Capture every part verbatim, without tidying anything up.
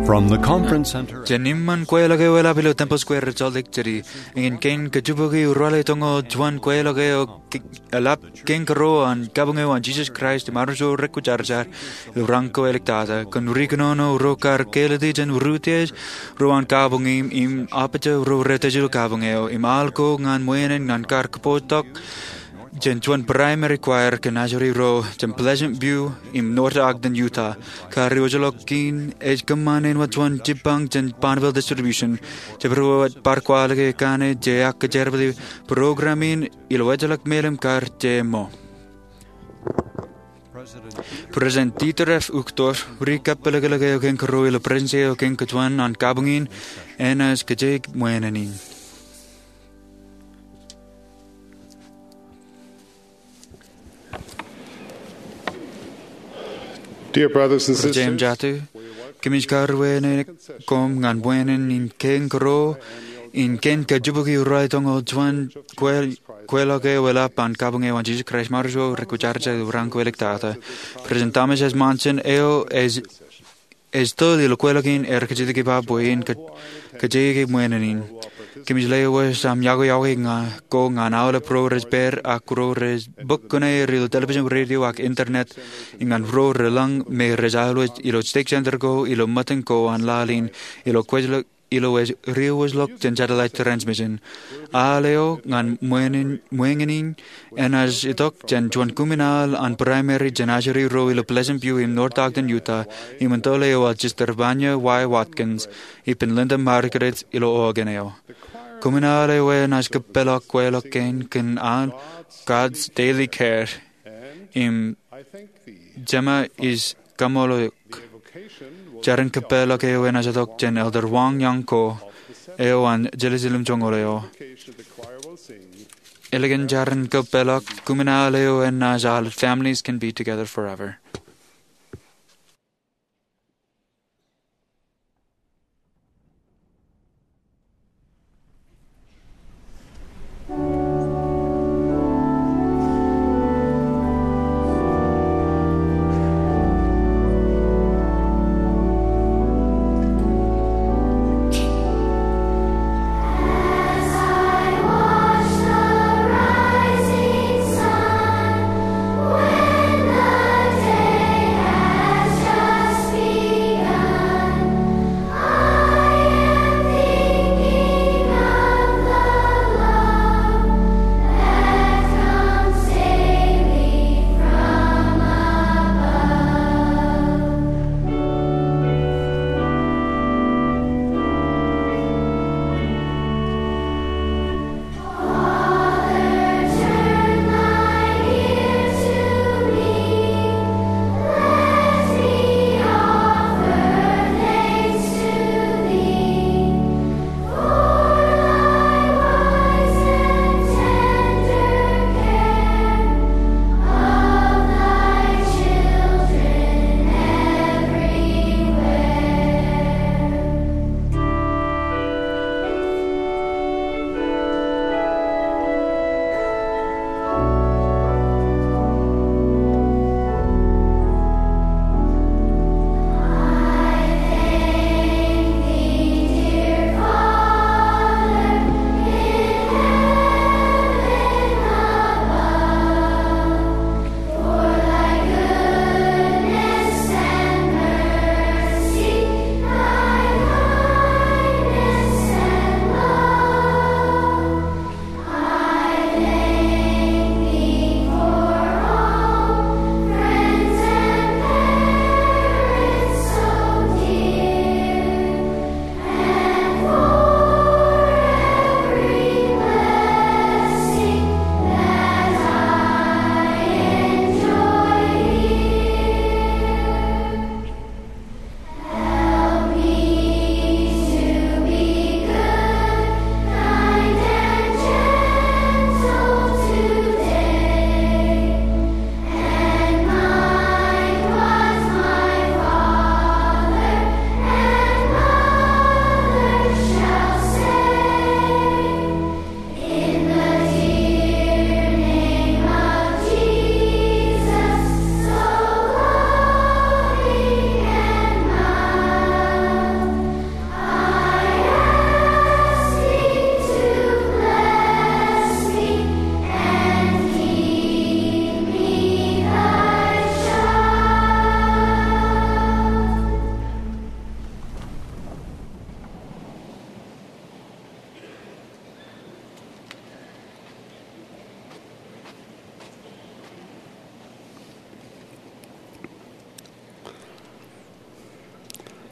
From the conference center. Jān iṃaan kweilọk eo eḷap ilo Temple Square, Salt Lake City, eñin kein kajjibukwi ralitōñoul juon kweilọk eo ke-, eḷap kein kōrā an kabuñ eo an Jisōs Kraist im armej ro rekwōjarjar ilo raan ko āliktata, kōn ri kōnono ro kar kālōt jān ri utiej ro an kabuñ im, im apija ro rej tōl ilo kabuñ eo, im al ko ñan ṃweeṇ in ñan kar kōpooj tok jān juon primary choir kōn ajri ro jān Pleasant View im North Ogden, Utah. Kar iwōjḷọk kein ej kōṃṃan āinwōt juon jibbañ jān Bonneville Distribution. Jabdewōt bar kwaḷọk kaṇe jej kōjerbali program in ilo ejjeḷọk melim kar jeṃḷọk. President Dieter F. Uchtdorf, ri kappelōklōk eo kein kōrā ilo Presidensi eo kein kajuon an kabuñ in, enaaj kōjeañ ṃweeṇ in. Dear brothers and sisters, Jatū, kōmij karuwaineik koṃ ñan ṃweeṇ in kein kōrā, in kein kajjibukwi ralitōñoul juon kwe-, kweilọk eo eḷap an kabuñ eo an Jisōs Kraist im armej ro rekwōjarjar ilo raan ko āliktata. President Thomas S. Monson eo ej ej tōl ilo kweilọk in, ear kajjitōk ippa bwe in kō-, kōjeañ ṃweeṇ in. Kōmij lewōj aṃ yokwe-yokwe ña ko ñan aolep ro rej pād ak ro rej bōk kuṇaer ilo television, radio ak internet, im ñan ro relōñ me rej alwōj ilo stake center ko ilo ṃōttan ko an laḷ in, ilo kwōjḷọk, ilo ej riwōjḷọk jān satellite transmission. Al eo ñan ṃweeṇ in, ṃweeṇ in enaaj itok jān juon kumi in al an primary jān ajri ro ilo Pleasant View im North Ogden, Utah, im ej tōl eo an Sister Vanya Y. Watkins ippān Linda Margulies ilo organ eo. Kumi in al eo enaaj kōpeḷḷọk kweilọk kein kōn an God's Daily Care im Jema Is Kaṃṃoolol. Jar in kōpeḷḷọk eo enaaj itok jān Elder Wang Yang Ko eo an Jerusalem joñoul eo. Ālikin jar in kōpeḷḷọk, kumi in al eo enaaj al Families Can Be Together Forever.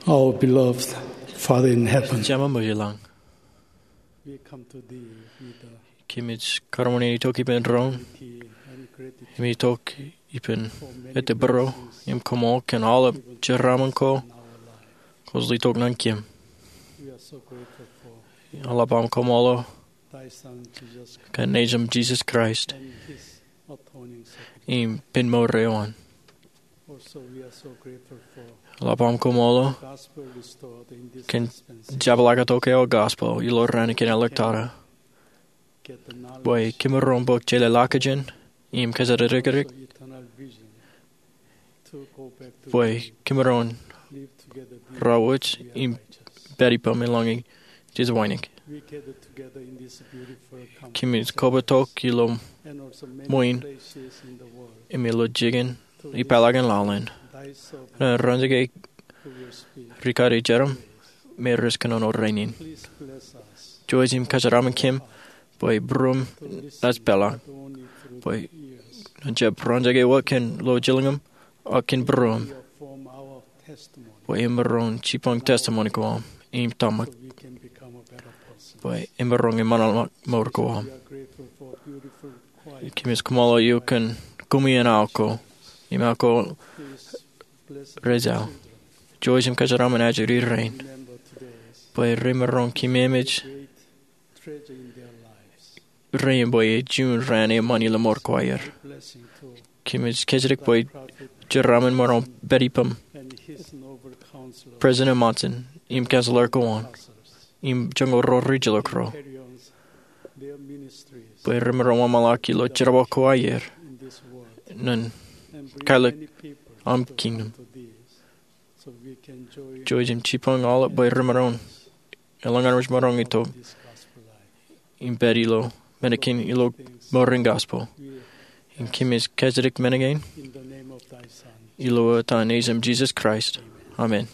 Our beloved Father in heaven, Jema eo ej ilañ, we come to thee with a kōmij kōṃṃane itok ippān doon, key and gratitude im itok ippān for many ettebōro blessings im koṃṃool kōn aolep given jeraaṃṃan ko in our life. Kwōj itok ñan kōm. We are so grateful for eḷap aṃ koṃṃool thy Son, Jesus Christ, kōn Nejūṃ Jisōs Kraist and his atoning sacrifice. Im pen mour eo an. Also, we are so grateful for eḷap aṃ koṃṃool gospel restored in this kōn dispensation. Jabḷaaktok eo gospel ilo raan kein āliktata. Get the knowledge bwe kōmaroñ bōk jeḷāḷọkjeṇ im kōjatdikdik of eternal vision to go back to bwe thee. Kōmaroñ live together, raorōk im pād ippaṃ eḷaññe jej wānōk. We gather together in this beautiful campus, kōmij kobatok ilo and also many ṃwiin places in the world im ilo jikin to ipālakin lalen, thy servant, ren roñjake who will speak rikaki jeraaṃṃan me rej kōnono rainin. Please bless us. Jouj im kōjeraaṃṃan kōm bwe būruōm naaj peḷḷọk, not only through bwe the years, ñan jab roñjake wōt kōn lowaan jilñūṃ, ak kōn būruōm, bwe emaroñ jipañ testimony ko aṃ im tōmak, bwe emaroñ eṃṃanḷọk mour ko aṃ. Kōmij kōṃṃool eok kōn kumi in aō ko im aō ko Rachel. Jouj im kōjeraaṃṃan ajri rein bwe remaroñ kōmemej rein bwe ej juon raan eṃṃan ilo mour ko aer. Kōmij kōjatdikdik bwe jeraaṃṃan emaroñ pād ippaṃ President Monson im counselor ko an im joñoul ro rijjelōk ro, bwe remaroñ eṃṃanḷọk ilo jerbal ko aer ñan kālōk aṃ kingdom. Jouj im jipañ aolep bwe remaroñ eḷap an rej maroñ itok im pād ilo men kein ilo mour in gospel. Im kōmij kōjatdikdik men kein ilo etan Nejūṃ Jisōs Kraist. Amen.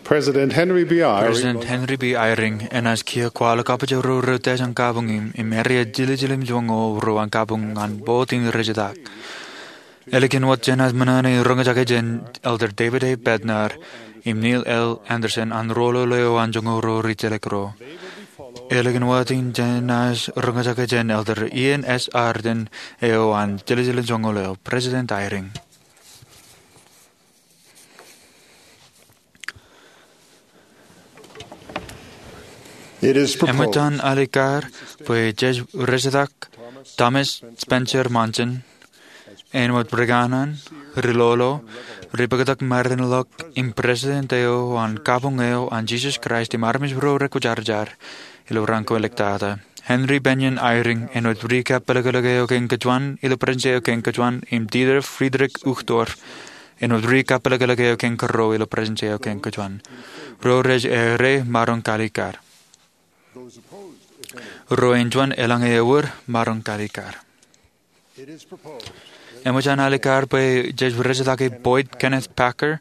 President Henry B. Eyring enaaj kiiō kwaḷọk kabbokbok ro reutiej an kabuñ im eria jiljilimjuonñoul ro an kabuñ ñan bout in rejetak. Ālikin wōt jenaaj ṃōṇōṇō in roñjake jān Elder David A. Bednar im Neil L. Andersen an rōlōl eo an joñoul ro ri jilkinro. Ālikin wōt in jenaaj roñjake jān Elder Ian S. Ardern eo an jiljilimjuonñoul eo. President Eyring. Eṃōj an alikkar bwe jej rejetak Thomas Spencer Monson āinwōt ri kōṇaan, ri lolo, ri pakatak mārein ḷọk im president eo an kabuñ eo an Jesus Christ im armej ro rekwōjarjar ilo raan kein ḷōmṇak. Henry Bennion Eyring āinwōt ri kappelkōlōk eo kein kōjuon ilo Presidensi eo kein kōjuon im Dieter Friedrich Uchtdorf āinwōt ri kappelkōlōk eo kein kōrro ilo Presidensi eo kein kōjuon. Ro rej errā, maroñ kalikkar. Ro āinjuon eḷaññe ewōr, maroñ kalikkar. Eṃōj an alikkar bwe jej rejetaki Boyd Kenneth Packer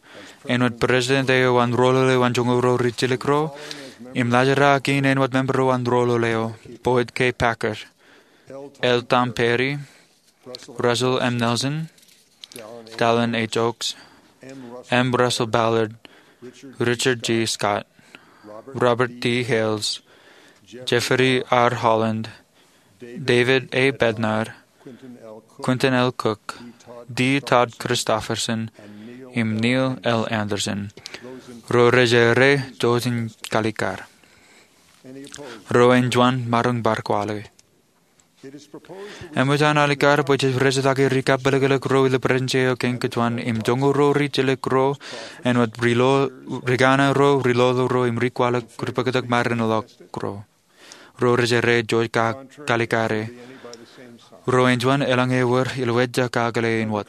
āinwōt president eo an rōlōl eo an joñoul ro ri jilkinro im laajrak in āinwōt member eo an rōlōl eo, Boyd K. Packer, L. Tom Perry, Russell M. Nelson, Dallin H. Oaks, M. Russell Ballard, Richard G. Scott, Robert D. Hales, Jeffrey R. Holland, David A. Bednar, Quentin L. Cook, D. Todd Christofferson, im Neil L. Andersen. Ro rej errā, jouj im kalikkar. Ro āinjuon, maroñ bar kwaḷọk. Eṃōj an alikkar bwe jej rejetaki ri kappelkōlōk ro ilo Presidensi eo kein kōjuon im joñoul ro ri jilkinro āinwōt ri kōṇaan ro, ri lolo ro im ri kwaḷọk, ri pakatak mārein ḷọk ro. Ro rej errā, jouj kalikkare. Ro āinjuon eḷaññe ewōr ilo wōt ej kakōḷḷe āinwōt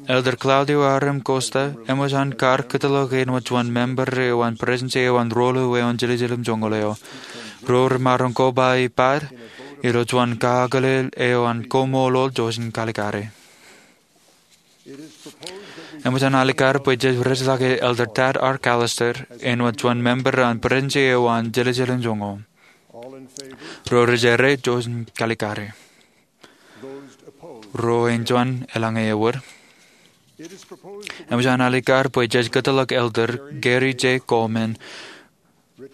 Elder Claudio R. M. Costa eṃōj an kar kōtḷọk āinwōt juon member eo an Presidensi eo an rōlōl eo an jiljilimjuonñoul eo. Ro remaroñ koba ippād ilo juon kakōḷḷe eo an koṃṃool, jouj im kalikkare. Eṃōj an alikkar bwe jej rejetaki Elder Tad R. Callister āinwōt juon member an Presidensi eo an jiljilimjuonñoul. Ro rej errā, jouj im kalikkare. Ro āinjuon eḷaññe ewōr. Eṃōj an alikkar bwe jej kōtḷọk Elder Gary J. Coleman,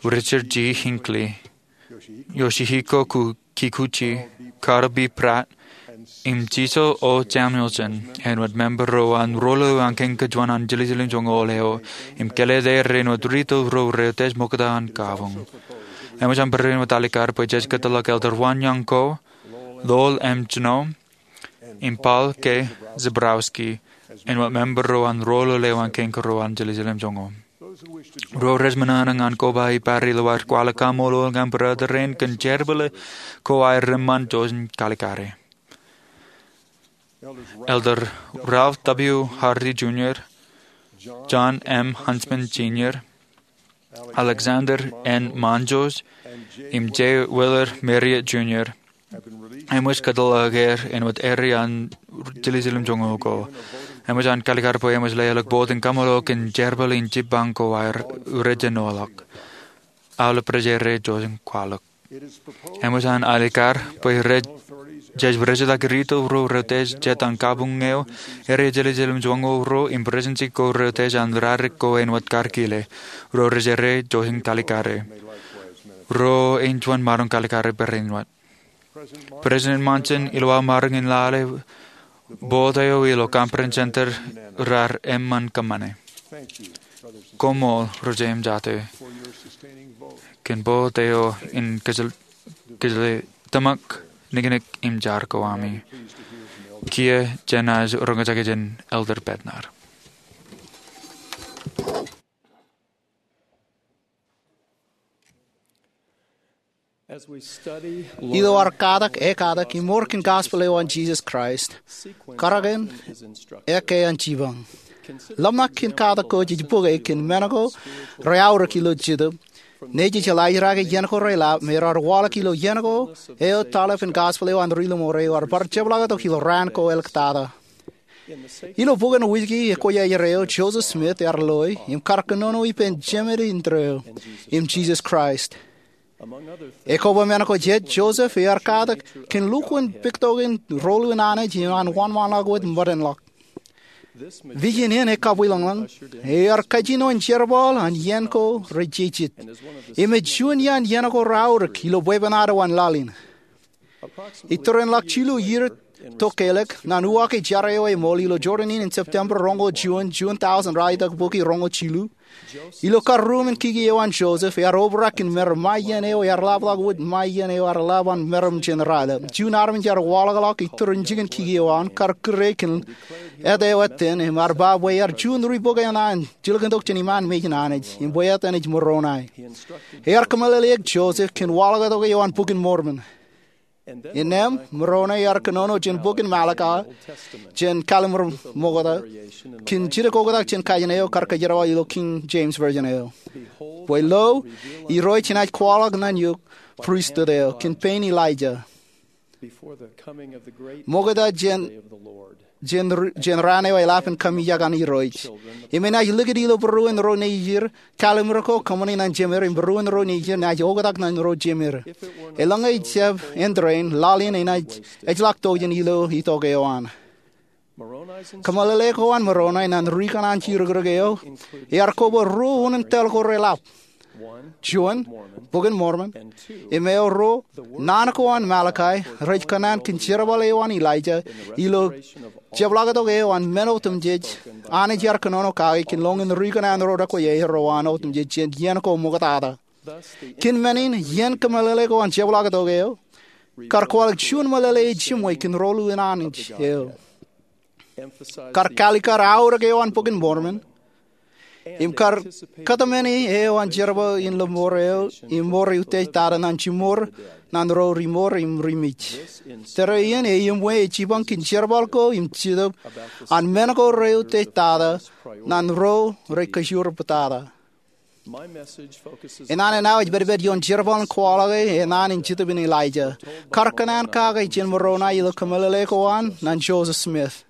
Richard G. Hinckley, Yoshihiko Kikuchi, Carl B. Pratt, im Cecil O. Samuelson āinwōt member eo an rōlōl eo an kein kōjuon an jiljilimjuonñoul eo im kōlleḷọk er āinwōt ri tōl ro reutiej ṃokta an kabuñ. Eṃōj an barāinwōt alikkar bwe jej kōtḷọk Elder Won Young Ko, Lowell M. Juneau, im Paul K. Zebrowski āinwōt member eo an rōlōl eo an kein kōrro an jiljilimjuonñoul. Ro rej ṃōṇōṇō ñan koba ippād ilo ad kwaḷọk kaṃṃoolol ñan brother rein kōn jerbal ko aer eṃṃan, jouj im kalikkare. Elder Ralph W. Hardy Junior, John M. Huntsman Senior, Alexander N. Monjoos, im J. Willard Marriott Junior eṃōj kōtḷọk er āinwōt errā an jiljilimjuonñoul ko. Eṃōj an kalikkar bwe eṃōj leḷọk bōd in kaṃṃoolol kōn jerbal in jibbañ ko aer rej jenoḷọk. Aolep rej errā, jouj im kwaḷọk. Eṃōj an alikkar bwe jej rejetaki ri tōl ro reutiej jet an kabuñ eo, errā jiljilimjuonñoul ro im presidency ko reutiej an rarik ko āinwōt kar kile. Ro rej errā, jouj im kalikkare. Ro āinjuon, maroñ kalikkare barāinwōt. President Monson, ilo aō maroñ in lale bōd eo ilo Conference Center, raar eṃṃan kōṃṃane. Koṃṃool ro jeiū im jatū kōn bōd eo in kōjatdikdik tōmak, niknik im jar ko ami. Kiiō jenaaj roñjake jān Elder Bednar. Ilo ad katak, ekatak im mour kōn gospel eo an Jesus Christ, kōrā in ekkā an jipañ. Ḷōmṇak kōn katak ko jej bōke kōn men ko reaorōk ilo Jetōb, nejū jeḷā ijeraake iien ko reḷap me raar waḷọk ilo iien ko eo taḷap in gospel eo an ri lọmọọr eo ear bar jepḷaaktok ilo raan ko āliktata. Ilo bok in wiki ekwōjarjar eo, Joseph Smith ear loe im kar kōnono ippān Jemān indeeo im Jisōs Kraist. Ekoba men ko jet, Joseph ear katak kōn lukkuun puktokin rōḷḷāwōt an Anij im an wōnṃaanḷọk wōt bōtōnḷọk. Vision in ekabwilōñlōñ, ear kajjino in jerbal an iien ko rej jejjet. Im ej juon iaan iien ko reaorōk ilo bwebwenato an laḷ in. Iturinḷọk jilu iiō tok keelōk, ñan uwaak jar eo eṃool ilo Jordan in, in September roñoul juon, juon taujin raelōñ bukwi roñoul jilu, ilo kar ruuṃ in kiki eo an Joseph, ear obrak in mer ṃae iien eo ear ḷapḷọk wōt ṃae iien eo ear ḷap an meram jān raelep. Juon armej ear waḷọkḷọk iturin jikin kiki eo an, kar kūr e kōn āt eo āttan, im ear ba bwe ear juon ri bōk eṇ an jilkintok jān iṃaan mejān Anij, im bwe āt eṇ ej Moroni. Ear kōmeḷeḷeik Joseph kōn waḷọktok eo an Bok in Mormon. Innām, Moroni ear kōnono jān bok in Malakai, jān Kallim̧ur Ṃokta, kōn jidik oktak jān kajin eo kar kōjerbal ilo King James Version eo. Bwe lo, Irooj enaaj kwaḷọk ñan eok pristut eo kōn pein Elijah, ṃokta jān jān raan eo eḷap in kaṃijak an Irooj. Im enaaj likūt ilo būruon ro nejid, kallim̧ur ko kōṃṃani ñan jemed, im būruon ro nejid enaaj oktak ñan ro jemed. Eḷaññe ejjab āindein, laḷ in enaaj ejjeḷọk tokjān ilo itok eo an. Kōmeḷeḷe ko an Moroni ñan ri kōṇaan jidikdik eo ear koba ruo unin tōl ko reḷap. Juon, Bok in Mormon, im eo ruo, naan ko an Malakai, rej kōṇaan kōn jerbal eo an Elijah ilo jepḷaaktok eo an men otemjej Anij ear kōnono kake kōn lōñin ri kōṇaan ro rekwōjarjar ro an otemjej jān iien ko ṃoktata. Kōn men in, iien kōmeḷeḷe ko an jepḷaaktok eo kar kwaḷọk juon meḷeḷe ejiṃwe kōn rōḷḷāwōt an Anij eo. Kar kaalikkar aorōk eo an Bok in Mormon, im kar kōtmāne eo an jerbal in lọmọọr eo im mour eutiej tata ñan jiṃor ñan ro ri mour im ri mej. Tōre in eiṃwe ej jipañ kōn jerbal ko im Jetōb an men ko reutiej tata ñan ro rej kōjur bōtata. Naan in aō ej pedped ioon jerbal in kwaḷọke naan in Jetōb in Elijah, kar kōṇaan kake jān Moroni ilo kōmeḷeḷe ko an ñan Joseph Smith.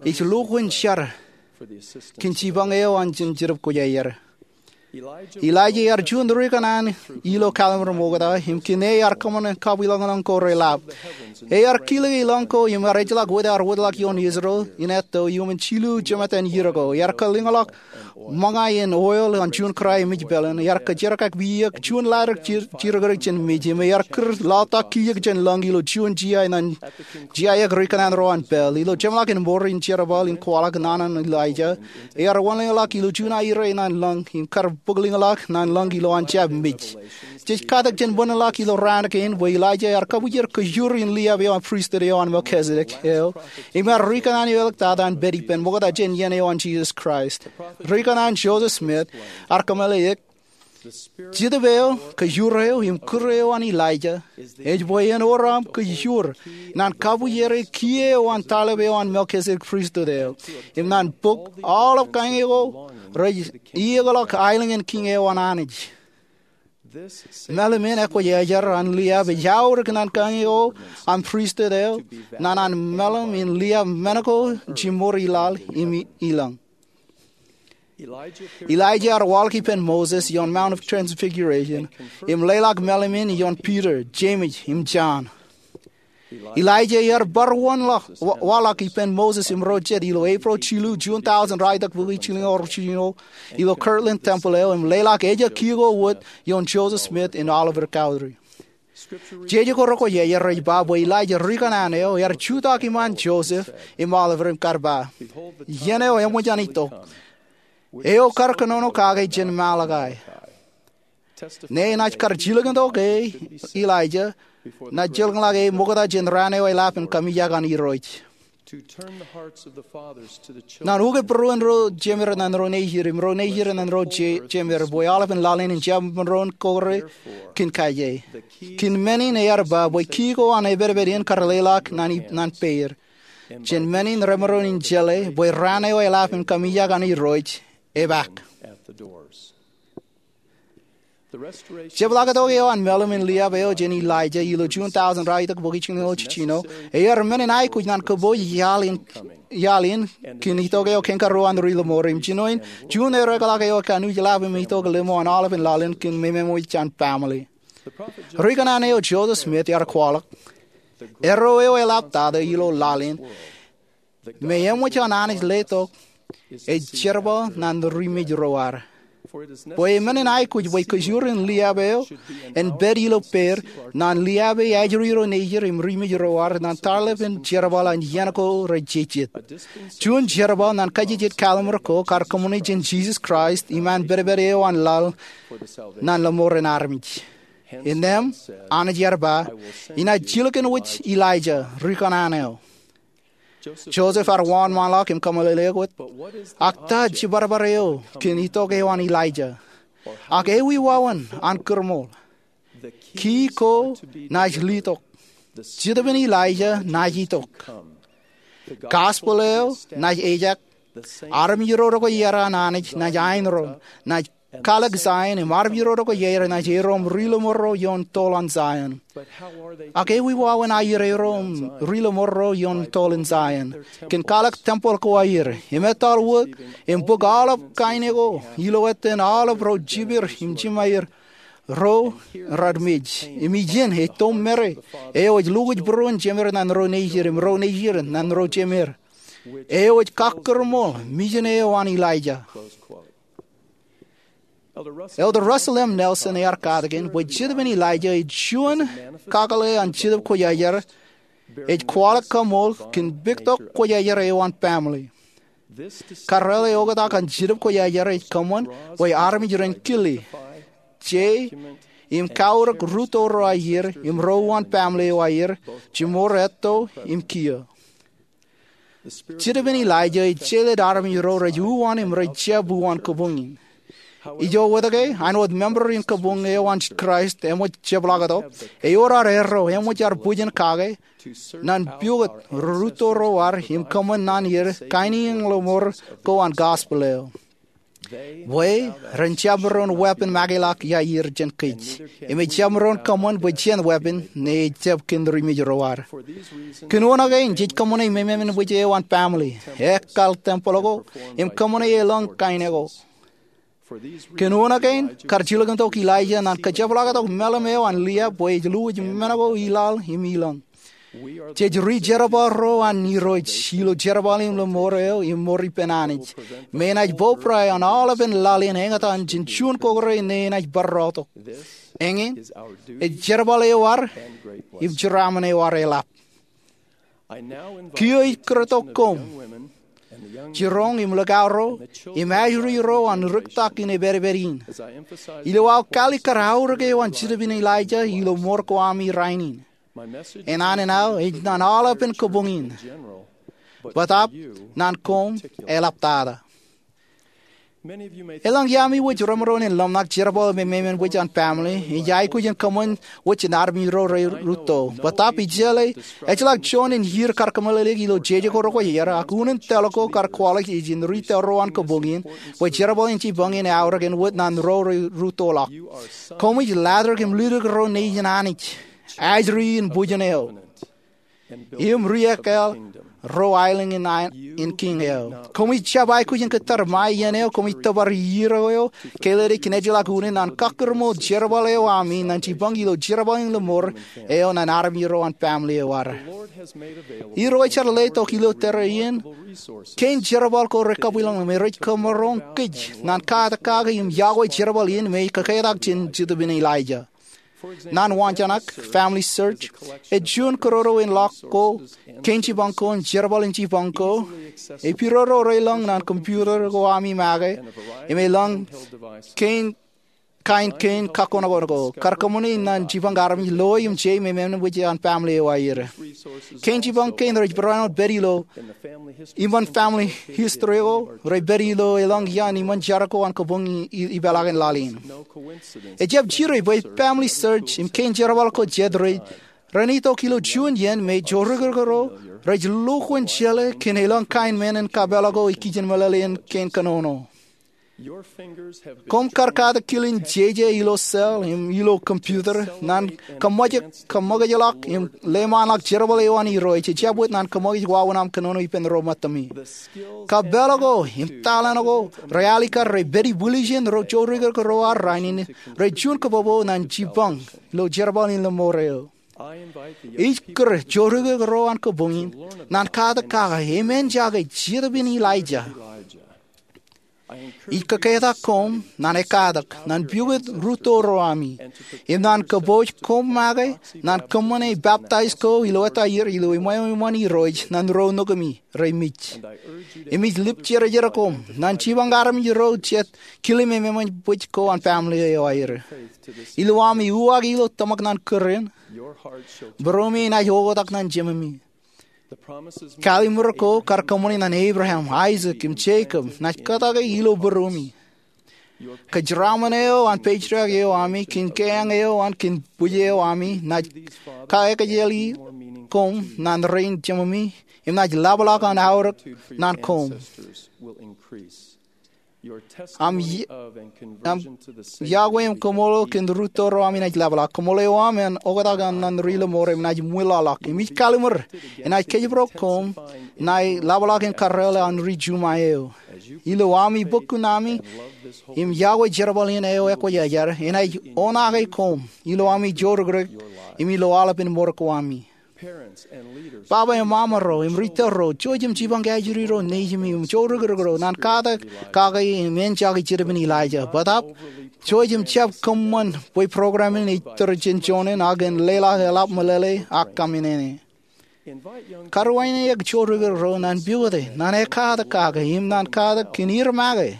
Ij lukkuun jar kōn jipañ eo an jān Jetōb Kwōjarjar. Elijah ear juon ri kōṇaan ilo kallim̧ur ṃokta, im kōn e ear kōṃṃan kabwilōñlōñ ko reḷap. Ear kilōk e lọñ ko im ear ejjeḷọk wōt ear wōtlọk ioon Israel in etto iuṃwin jilu jemātan iiō ko. Ear kalōñḷọk ṃōñā in oil an juon kōrā emej peḷin. Ear kōjerkakpeik juon laddik jidikdik jān mej im ear kūr lọta kiiō jān lọñ ilo juon jea ñan jea eo ri kōṇaan ro an pāl. Ilo jeṃḷọkin mour in jerbal in kwaḷọk naan an Elijah, ear wanlōñḷọk ilo juon aerro ñan lọñ im kar bōklōñḷọk ñan lọñ ilowaan jab mej. Jej katak jān bōnḷọk ilo raan kein bwe Elijah ear kabwijer kōjur in liab eo an pristut eo an Melchizedek eo, im ear ri kōṇaan eo eḷak tata an pād ippān ṃokta jān iien eo an Jisōs Kraist. Ri kōṇaan Joseph Smith ear kōmeḷeḷeik, Jetōb eo, kōjur eo, im kūr eo an Elijah ej bwe en wōr aṃ kōjur ñan kabwijeri kiiō eo an taḷap eo an Melchizedek pristut eo, im ñan bōk aolep kañe ko rej iiōkḷọk aelōñ in kiiñ eo an Anij. Mālim in ekwōjarjar an liab ej aorōk ñan kañe ko an pristut eo ñan an mālim in liab men ko jiṃor ilaḷ im ilọñ. Elijah ear waḷọk ippān Moses ioon Mount of Transfiguration im leḷọk mālim in ioon Peter, James, im John. Elijah ear bar waḷọk ippān Moses im ro jet ilo April jilu, juon taujin raelōñ bukwi jilñoul jiljino ilo Kirtland Temple eo im leḷọk ejja kiiō ko wōt ioon Joseph Smith in Olivet Cowdery. Jeje ko rekwōjarjar rej ba bwe Elijah ri kōṇaan eo ear jutak iṃaan Joseph im Olivet im kar ba, iien eo eṃōj an itok, eo kar kōnono kake jān Malakai, ñe enaaj kar jilkintok e Elijah ñan jilkinḷọk e ṃokta jān raan eo eḷap in kaṃijak an Irooj. Ñan ukōt būruon ro jemed ñan ro nejid im ro nejid ñan ro jemed bwe aolepen laḷ in en jab maroñ kore kōn kaje. Kōn men in ear ba bwe kiiō ko an epedped in kar leḷọk ñan peid, jān men in remaroñ in jeḷā bwe raan eo eḷap in kaṃijak an Irooj epaak. Jepḷaaktok eo an meḷeḷe in liab eo jān Elijah ilo juon tọujin ralitōk bōk jiljino jiljino ear men in aikuj ñan kōpooj iaḷ in itok eo kein karuo an ri lōṃoor im jinoin juon ereḷọk eo ekanooj lab im itok lōṃoor an aolepān laḷ in kōn memeṃwij jān family. Ri kōṇaan eo Joseph Smith ear kwaḷọk, erro eo eḷaptata ilo laḷ in me eṃōj an Anij letok ej jerbal ñan ri mej ro ad. Bwe men in aikuj bwe kōjro in liab eo en pād ilo pād ñan liabe ajri ro nejid im ri mej ro ad ñan tarlepen jerbal an iien ko rej jejjet, juon jerbal ñan kajejjet kallim̧ur ko kar kōṃṃane jān Jisōs Kraist iṃaan pedped eo an laḷ ñan lōṃoor in armej. Innām Anij ear ba, inaaj jilkinwōj Elijah, ri kōṇaan eo. Joseph ear wōnṃaanḷọk im kōmeḷeḷe wōt, ak ta jibadbad eo kōn itok eo an Elijah? Ak ewi wāween an kūrmool? Ki ko naaj letok. Jetōb in Elijah naaj itok. Gospel eo naaj ejak. Armej ro rekwōjarjar an Anij naaj aenron, naaj kalōk Zion, im armej ro rekwōjarjar naaj erom ri lōṃoor ro ioon toḷ an Zion. Ak ewi wāween aier erom ri lōṃoor ro ioon toḷ in Zion? Kōn kalōk tempel ko aier, im etal wōt, im bōk aolep kain eo ilo ettōn aolep ro jipeer im jimeer ro rej mej, im ijin ej toṃ mare eo ej lukwōj būruon jemeer ñan ro nejid im ro nejid ñan ro jemeer, eo ej kakkūrmool mijen eo an Elijah. Elder Russell M. Nelson ear katakin bwe Jetōb in Elijah ej juon kakōḷḷe an Jetōb Kwōjarjar ej kwaḷọk kaṃool kōn puktok kwōjarjar eo an family. Karreoḷ eo oktak an Jetōb Kwōjarjar ej kōṃṃan bwe armej ren kile, je, im kaorōk rūtto ro aier im ro uwaan family eo aier, jimor etto im kiiō. Jetōb in Elijah ej jeḷā armej ro rej uwaan im rej jab uwaan kabuñ in. Ijo wōt ke, āinwōt member in kabuñ eo an Kraist eṃōj jepḷaaktok, ewōr ad erro eṃōj ad bwijin kake ñan pukot rūtto ro ad im kōṃṃan ñan er kain iiōñ lōṃoor ko an gospel eo. Bwe ren jab maroñ weeppān makeḷọk iaer jān kōj, im ej jab maroñ kōṃṃan bwe jen weeppān ñe ej jab kōn ri mej ro ad. Kōn unin kein jej kōṃṃane mememeṃwij eo an family, ekkal tempel ko, im kōṃṃane elōñ kain ko. Kōn unin kein kar jilkintok Elijah ñan kajepḷaaktok meḷeḷe eo an liab bwe ej lukwōj men ko ilaḷ im ilōñ. Jej ri jerbal ro an Irooj ilo jerbal in lōṃoor eo im mour ippān Anij, me enaaj poprae an aolepān laḷ in eñtaan jān juon kōkre ñe enaaj barāintok. Eñin ej jerbal eo ad im jeraaṃṃan eo ad eḷap. Kiiō ij kūrtok koṃ jiroñ im likao ro im ajri ro an rūktak in epād in, ilo aō kali kar aorōk eo an Jetōb in Elijah ilo mour ko ami rainin. Enana in aō ej ñan aolepān kabuñ in, bōtaab ñan koṃ eḷaptata. Elōñ iaami wōj remaroñ in ḷōmṇak jerbal mememeṃwij an family ej aikuj in kōṃṃan wōj jān armej ro rej rūtto. Bōtaab ijjeḷā, ejjeḷọk juon in iiō kar kōmeḷeḷeik ilo jeje ko rekwōjarjar, ak unin tōl ko kar kwaḷọk ijin ri tōl ro an kabuñ in bwe jerbal in jipañ in eaorōk āinwōt ñan ro rej rūttoḷọk. Koṃij latrōk im liklik ro nejin Anij, ajri in bwijin eo, im ri-ekkal ro aelōñ in kiiñ eo. Koṃij jab aikuj in kōttar ṃae iien eo koṃij tōpar iiō eo, ke ledik kōn ejjeḷọk unin an kakkūrmool jerbal eo ami ñan jipañ ilo jerbal in lōṃoor eo ñan armej ro an family eo ad. Irooj ear letok ilo tōre in kein jerbal ko rekabwilōñlōñ me rej kōmaroñ kōj ñan katakin kake im yokwe jerbal in me ej kōketak jān Jetōb in Elijah. Ñan wañjanak, FamilySearch ej juon kōroro in ḷọk ko, kein jipañ ko im jerbal in jipañ ko, ej pidodo reilōñ ñan computer ko ami make, im elōñ kein kain kein kakkoṇakkoṇ ko kar kōṃṃane ñan jipañ armej loi im jei mememeṃwij an family eo aer. Kein jipañ kein rej barāinwōt pād ilo iṃōn family history ko rej pād ilo elōñ iaan iṃōn jar ko an kabuñ ipeḷaakin laḷ in. Ejjab jire bwe FamilySearch im kein jerbal ko jet rej ren itok ilo juon iien me jorikrōk ro rej lukwōn jeḷā kōn elōñ kain men in kapeḷḷọk ko ikijjien meḷeḷein kein kōnono. Koṃ kar katak kil in jeje ilo cell im ilo computer naan kōṃṃōkajḷọk im leṃaanḷọk jerbal eo an Irooj ejjab wōt naan kōṃṃōkaj wāween aṃ kōnono ippān ro ṃōttami. Kapeḷḷọk ko im taḷōn ko realikkar rej pād ibwiljin ro joorōk ro arro rainin rej juon kōpopo naan jipañ ilo jerbal in lemmour eo. Ij kūr joorōk ro an kōpoñ in naan katak kake im enjake Jetōb in Elijah. Ij kōketak koṃ naan ekkatak, naan piukūt rūtto ro ami, im naan kōpooj koṃ make naan kōṃṃane baptize ko ilo ettā ier ilo eṃṃan Irooj naan ro nukumi rej mej. Im ij lipjerjer koṃ naan jipañ armej ro jet kile memeṃōj bwij ko an family eo aer. Ilo ami uwaak ilo tōmak naan kūr in, būruemi enaaj oktak naan jeṃami. Kallimur ko kar kōṃṃani naan Abraham, Isaac im Jacob naaj kōtake ilo būruemi. Kōjeraaṃṃan eo an patriarch eo ami kōn keañ eo an kōn bwij eo ami naaj kaekajeli koṃ naan rein jeṃami im naaj lapḷọk an aorōk naan koṃ. Aṃ yokwe im kōmooḷ kōn rūtto ro ami naaj lapḷọk. Kōmooḷ eo aṃ en oktak naan ri lemmour im naaj ṃwilaḷọk. Im ij kallimur enaaj kōjparok koṃ naan lapḷọk in karreoḷe an ri juṃae eo. Ilo ami bōkkun ami im yokwe jerbal in eo ekwōjarjar, enaaj oṇaake koṃ ilo ami joorōkrōk im ilo aolepān mour ko ami. Baba im mama ro im ritōl ro, jouj im jipañ kajjitōk ro nejimi im joorōkrōk ro naan katak kake im enjake Jetōb in Elijah. Bōtaab, jouj im jab kōṃṃan bwe program in ej tōre jān joñan ak en leḷọk eḷap meḷeḷe ak kaminene. Karuwaineke joorōkrōk ro naan piukute, naan ekkatak kake im naan katak kōn ir make.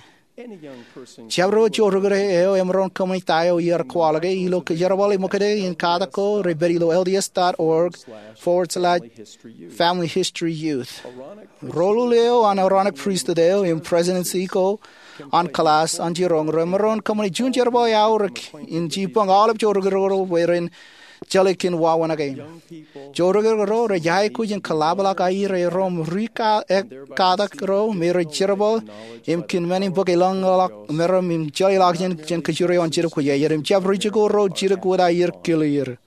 Jabdewōt joorōkrōk eo emaroñ kōṃṃani ta eo iar kwaḷọke ilo kōjerbal ṃōkaj in katak ko rej pād ilo L D S dot org forward slash family history youth. Roḷuḷ eo an Aaronic Priesthood eo im prestudency ko an class an jiroñ remaroñ kōṃṃane juon jerbal eo aorōk in jipañ aolep joorōkrōk ro bwe ren jeḷā kōn wāween kein. Joorōkrōk ro rej aikuj in kōḷapḷọk aer erom ri-katak ro me rej jerbal im kōn men in bōk elōñḷọk meram im jeḷāḷọkjeṇ jān kōjro eo an Jetōb Kwōjarjar im jab ri-jikuuḷ ro jidik wōt aer kile er.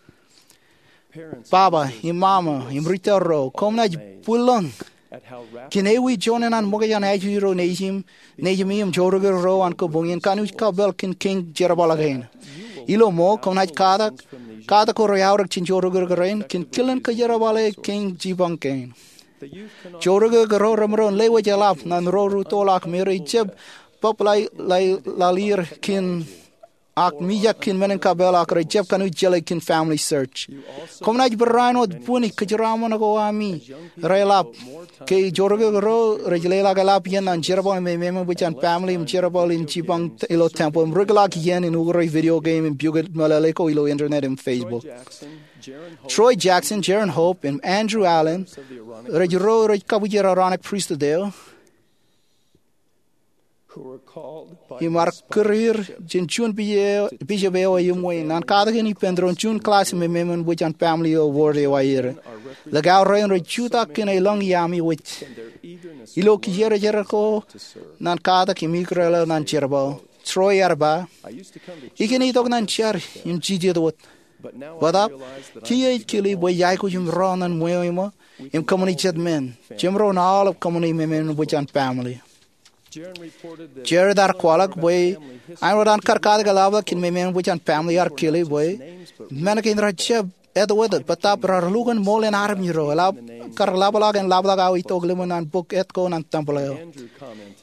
Baba im mama im ritōl ro, koṃ naaj bwillōñ kōn ewi joñan an ṃōkaj an ajri ro nejimi im joorōkrōk ro an kōpoñ in kanooj kapeḷ kōn kein jerbal kein. Ilo ṃool koṃ naaj katak, katak ko rej aorōk jān joorōkrōk rein kōn kilen kōjerbale kein jipañ kein. Joorōkrōk ro remaroñ lewōj eḷap naan ro rūttoḷọk me rej jab bōk laḷ er kōn ak mijak kōn men in kapeḷ ak rej jab kanooj jeḷā kōn FamilySearch. Koṃ naaj barāinwōt bwini kōjeraaṃṃan ko ami reḷap ke joorōkrōk ro rej leḷọk eḷap iien an jerbal in memeṃōj an family im jerbal in jipañ ilo tempeḷ im rikḷọk iien in ukōrā video game im piukūt meḷeḷe ko ilo internet im Facebook. Troy Jackson, Jaren Hope im Andrew Allen rej ro rej kabwijer Aaronic Priesthood eo im ear kūr er jān juon bishop eo eṃṃan naan katakin ippān doon juon klass im memeṃōj an family ilo ward eo aer. Likao rein rej jutak kōn elōñ iaami wōj ilo kijerjer ko naan katak im ikōrā ḷọk naan jerbal. Troy ear ba, ikōn itok naan jar im jijet wōt. Bōtaab, kiiō ij kile bwe ij aikuj im ro naan ṃweo eo im kōṃṃani jet men jemaroñ aolep kōṃṃani memeṃōj an family. Jared ear kwaḷọk bwe āinwōt an kar katak eḷapḷọk kōn memeṃōj an family ear kile bwe men kein rej jab āinwōt bōtaab raar lukkuun ṃool in armej ro eḷap kar ḷapḷọk en ḷapḷọk aō itok limo naan bok et ko naan tempeḷ eo.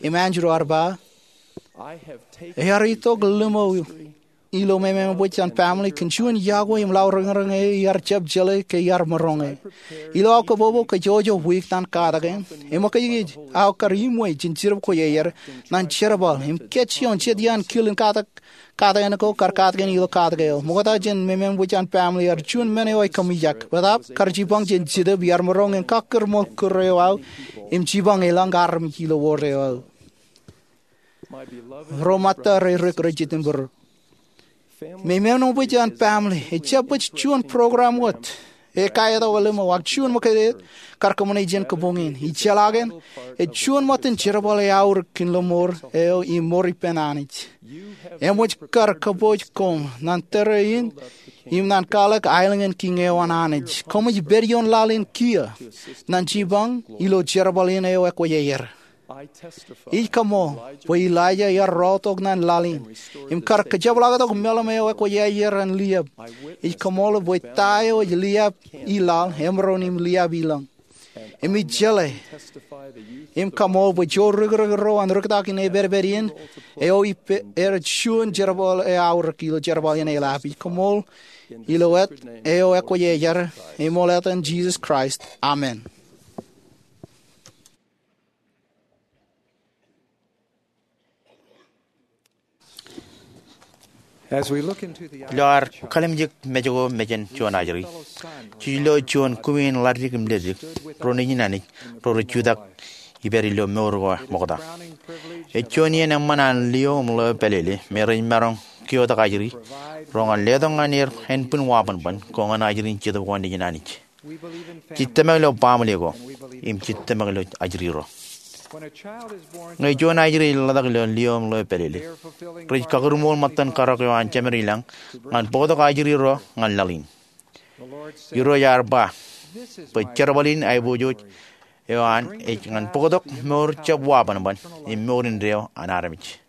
Im Andrew ear ba, ear itok limo ilo memeṃōj an family kōn juon yokwe im laḷ reñreñ eo iar jab jeḷā ke iar maroñe. Ilo aō kōpopo kōjojō wiik naan katakin, eṃōkajkōj aō kar iṃwe jān Jetōb Kwōjarjar naan jerbal im kōjjioñ jet iaan kil in katak, katakin ko kar katakin ilo katak eo. Ṃokta jān memeṃōj an family ear juon men eo ekōmijak bōtaab kar jipañ jān Jetōb iar maroñ in kakkūr ṃool kūr eo aō im jipañ elōñ armej ilo ward eo aō. Ro ṃōtta ro rej jidik im būruō, memeṃōj an family ejjab baj juon program wōt. ekaetokḷọk ḷōṃaro ak juon ṃōkade kar kōṃṃane jān kōpoñ in. Ijeḷā ke ej juon ṃōttan jerbal eaorōk in lōṃaro eo im mour ippān Anij. Eṃōj kar kōpooj koṃ ñan tōre in im ñan kwaḷọk aelōñ in kiiñ eo an Anij. Koṃij pād ioon laḷ in kiiō ñan jipañ ilo jerbal in eo ekwōjarjar. Ij kaṃool bwe Elaija ear rọọltok ñan laḷ in im kar kōjepḷaaktok meḷeḷe eo ekwōjarjar an liab. Ij kaṃool bwe ta eo ej liab i laḷ emaroñ in liab i lōñ. Im ij jeḷā im kaṃool bwe joor rikirikōt ro an rūktak in epedped in eo ippāer juon jerbal eaorōk ilo jerbal in eḷap. Ij kaṃool ilo āt eo ekwōjarjar im ilo etan Jisōs Kraist, amen. Ilo ad kallimjek mej ko mejān juon ajri, jej lo juon kumi in ḷaddik im leddik, ro nejin Anij, ro rej jutak ippād ilo mour ko ṃokta. Ej juon iien eṃṃan an lio im ḷeo pālele me rej maroñ kiotak ajri ro ñan letok ñan er ānbwin wabanban ko ñan ajri in Jetōb ko nejin Anij. Jej tōmak ilo baaṃle ko im jej tōmak ilo ajri ro. Ñe juon ajri ej ḷotak ilo lio im ḷeo pālele, rej kakūrmool ṃōttan karōk eo an Jemed ilañ ñan bōktok ajri ro ñan laḷ in. Irooj ear ba bwe jerbal in aiboojoj eo an ej ñan bōktok mour jab wabanban im mour indeeo an armej.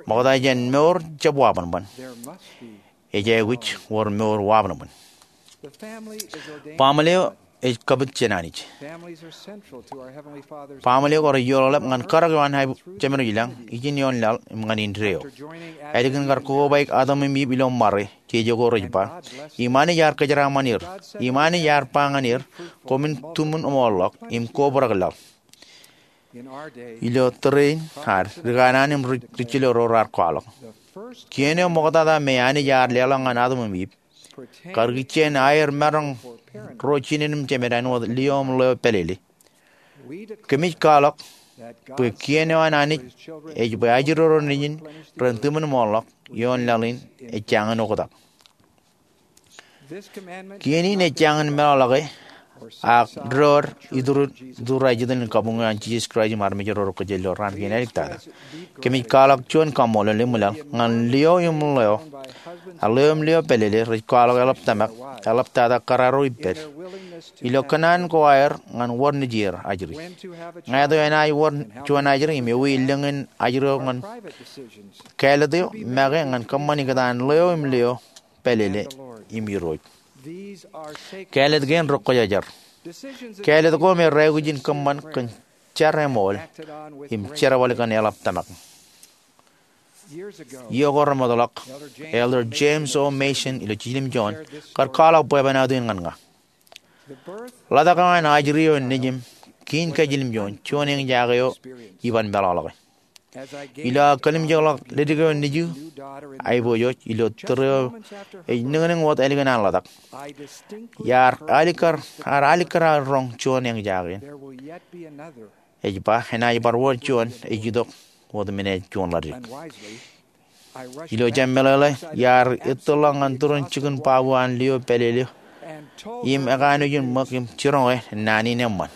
Ṃokta jān mour jab wabanban, ej aikuj wōr mour wabanban. Baaṃle eo ej kapit jān Anij. Baaṃle ko rej iioḷaḷap ñan karōk eo an Jemed ilañ ijin ioon laḷ im ñan indeeo. Ālikin kar kobaik Adam im Iv ilo ṃare, jeje ko rej ba, im Anij ear kōjeraaṃṃan er, im Anij ear ba ñan er, koṃwin tuṃwin ṃool ḷọk im kobrak laḷ. Ilo tōre in ad, ri kanaan im ri-, ri jilō ro raar kwaḷọk, kien eo ṃoktata me Anij ear leḷọk ñan Adam im Iv, kar ikijjien aer maroñ ro jined im jemed āinwōt lio im ḷeo pālele. Kōmij kwaḷọk bwe kien eo an Anij ej bwe ajri ro nejin ren tuṃwin ṃool ḷọk ioon laḷ in ej jañin oktak. Kien in ej jañin meḷọkḷọke, ak doon iturur, iturur ijin in kabuñ eo an Jisōs Kraist im armej ro rej kōjel ilo raan kein āliktata. Kōmij kwaḷọk juon kaṃṃoolol im laḷ ñan lio im ḷeo, a lio im ḷeo pālele rej kwaḷọk eḷap tōmak, eḷaptata kōrā ro ippād, ilo kōṇaan ko aer ñan wōr nejier ajri. Ñāāt eo enaaj wōr juon ajri im ewi lōñ in ajri eo ñan kāālōt eo make ñan kōṃṃan ikōtaan ḷeo im ḷeo pālele im Irooj. Kāālōt kein rekwōjarjar. Kāālōt ko me raikuj in kōṃṃan kōn jar eṃool im jerbal kōn eḷap tōmak. Iiō ko remootḷọk, Elder James O. Mason ilo Jiljilimjuon kar kwaḷọk bwebwenato in ñan ña. Ḷotak eo an ajri eo nejim kiin kajiljilimjuon juon eñjake eo iban meḷọkḷọke. Ilo aō kallimjekḷọk leddik eo nejū aiboojoj ilo tōre eo ej niñniñ wōt ālikin an ḷotak, iar alikkar, ar alikkar aō roñ juon eñjake in. Ej ba enaaj bar wōr juon ej itok wōt men eo juon ḷaddik. Ilo jab meḷeḷe, iar ettōrḷọk ñan turin jikin babu an lio pālele im ekanooj in ṃōk im jiroñe naan in eṃṃan.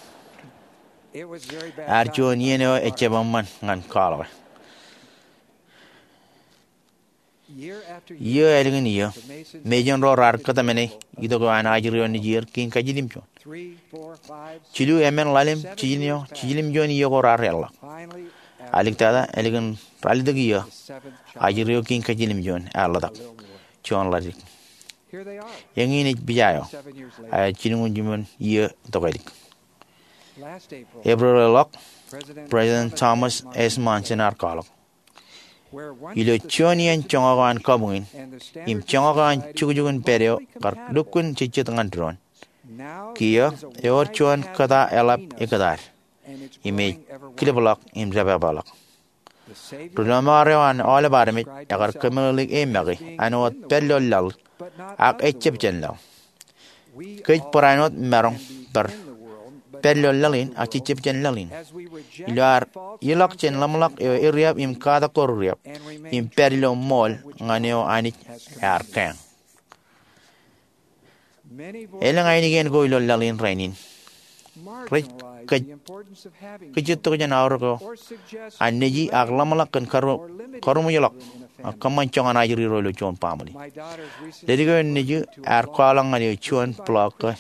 Ear juon iien eo ejjab eṃṃan ñan kwaḷọke. Iiō ālikin iiō, Mason ro raar kōtmāne itok eo an ajri eo nejier kiin kajiljilimjuon. Jilu, emān, ḷalem, jiljino, jiljilimjuon iiō ko raar eḷḷọk. Āliktata, ālikin ralitōk iiō, ajri eo kiin kajiljilimjuon ear ḷotak juon ḷaddik. Eñin ej pija eo, aer jilñuul jiljino iiō tokālik. Epril eḷḷọk, President Thomas S. Monson ear kwaḷọk, ilo juon iien joñak eo an kabuñ in im joñak eo an jukjuk in pād eo kar lukkuun jejjet ñan doon, kiiō ewōr juon kōta eḷap ekkōtaan im ej kilipḷọk im dāpāpāḷọk. Ri lọmọọr eo an aolep armej ekar kōmeḷeḷeik e make āinwōt pād ilo laḷ, ak ejjab jān laḷ. Kōj barāinwōt maroñ bar pād ilo laḷ in ak jejjab jān laḷ in. Ilo ad ilọk jān ḷōmṇak eo eriab im katak ko riab im pād ilo ṃool ñan eo Anij ear kañ. Elōñ ainikien ko ilo laḷ in rainin rej kajjitōk jān aorōk eo an neji ak ḷōmṇak kōn karuṃwijeḷọk ak kōṃṃan joñan ajri ro ilo juon baaṃle. Ledik eo nejū ear kwaḷọk ñan eō juon blog ke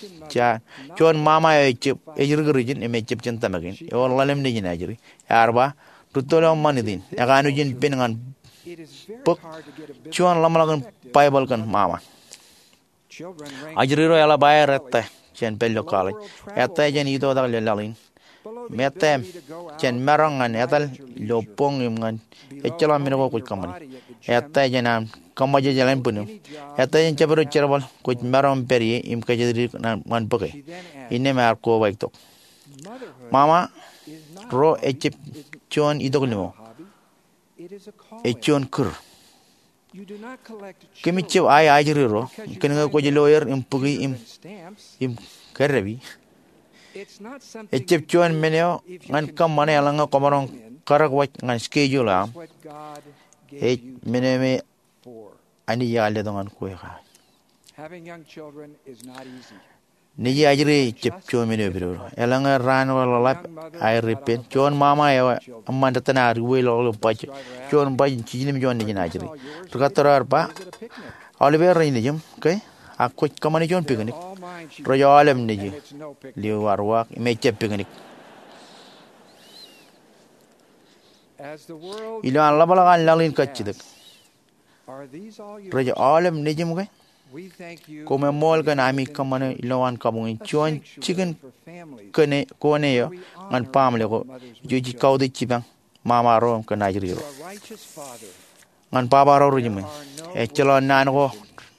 juon mama eo ej ri-kūrijin im ejab jān tōmak in ewōr ḷalem nejin ajri. Ear ba, rūtto ḷọk ṃanit in, ekanooj in pen ñan bōk juon ḷōmṇak in Baibōḷ kōn mama. Ajri ro eḷap aer ettā jān pād ilo college, ettā jān itoitak ilo laḷ in, im ettā jān maroñ ñan etal ilo boñ im ñan ejjeḷọk men ko kwōj kōṃṃani. Ettā jān aṃ kōṃṃan jejeḷā in bwinniṃ. Ettā jān jabdewōt jerbal kwōj maroñ pād ie im kōjatdikdik ñan bōke. Innām ear kobaik tok, mama ro ejab juon itok limo. Ej juon kūr. Kōmij jab ae ajri ro kōnke kwōj lawyer im bukwi im kōddepi. Ejab juon men eo ñan kōṃṃane eḷaññe kwōmaroñ karak wōj ñan schedule eo aṃ. Ej men eo me Anij ear letok ñan kwe kake. Nejiajri ejab juon men eo epidodo. Eḷaññe raan eo ḷōḷḷap aer ippān, juon mama eo eṃṃan rūtto ear iwōjḷọk ilo baj, juon baj in jiljilimjuon nejin ajri. Ri-kōttar eo ear ba, aolep er rej nejūṃ ke, ak kwōj kōṃṃane juon picnic. Rej aolep nejū. Lio ear uwaak im ejab picnic. Ilo an ḷapḷọk an laḷ in kajjitōk, rej aolep nejūṃ ke? Koṃ eṃṃool kōn ami kōṃṃane ilowaan kabuñ in juon jikin kōn e, kōn e eo ñan baaṃle ko ijo jej kautiej jipañ mama ro kōn ajri ro. Ñan baba ro ri jiṃwe, ejjeḷọk naan ko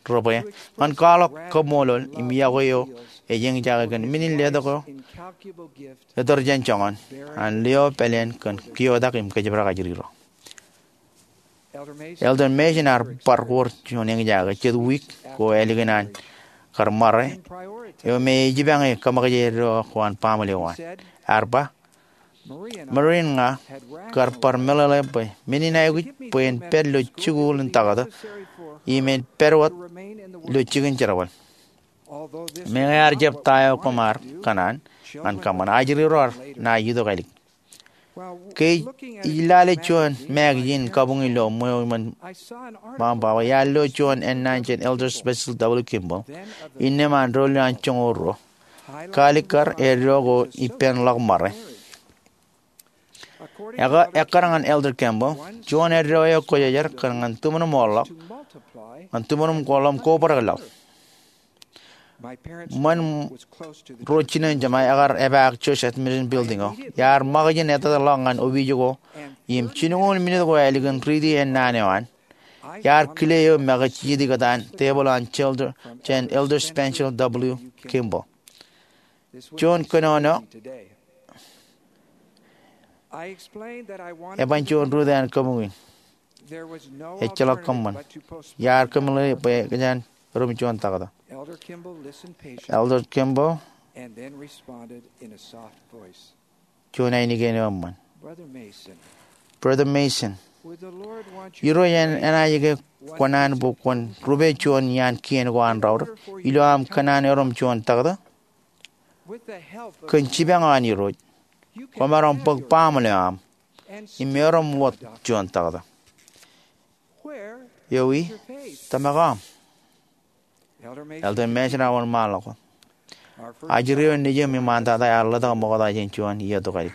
rebwe ñan kwaḷọk kaṃṃoolol im yokwe eo ej eñjake kōn men in letok eo etor jān joñan an lio pāleen kōn keotak im kōjparok ajri ro. Elder Mason ear bar ko juon eñjake jet wiik ko ālikin an kar ṃare eo me ej jipañ e kōṃakje eddo ko an baaṃle eo an. Ear ba, Marie im ña kar bar meḷeḷe bwe men in aikuj bwe en pād ilo jikuuḷ in taktō im en pād wōt ilo jikin jerbal. Meñe ear jab ta eo koṃ ar kōṇaan ñan kōṃṃan, ajri ro ear nā itok ālik. Ke ij lale juon magazine kabuñ ilo ṃweo iṃōn baba, iar lo juon ennaan jān Elder Spencer W. Kimball, innām an doulul an joñoul ruo. Kaalikkar eddo ko ippān ḷọk ṃare. Ekkar ñan Elder Kimball, juon eddo eo kwōjarjar kōn ñan tuṃanum ḷọk, ñan tuṃanum ko ḷọk im kobrak laḷ. Ṃōn ro jinen jema ekar epaak Church Administration Building eo. Iar ṃōkaj in etata ḷọk ñan opiij ko im jilñuul minit ko ālikin riiti ennaan eo an, iar kile eō make jijet ikōtaan tebōḷ an elder jān Elder Spencer W. Kimball. Juon kōnono eban juon rūtto an kabuñ in. Ejjeḷọk kōṃṃan. Iar kōmeḷeḷe bwe kōjeañ erom juon taktō. Elder Kimball, juon ainikien eo eṃṃan. Brother Mason, Irooj enaaj ke kwō naan bwe kwōn rupe juon iaan kien ko an raorōk ilo aṃ kōṇaan erom juon taktō? Kōn jipañ eo an Irooj, kwōmaroñ bōk baaṃle eo aṃ im erom wōt juon taktō. Ewi tōmak eo aṃ? Elder Mason ear wōnṃaanḷọk wōt. Ajri eo nejūṃ iṃaantata ear ḷotak ṃokta jān juon iiō tokālik.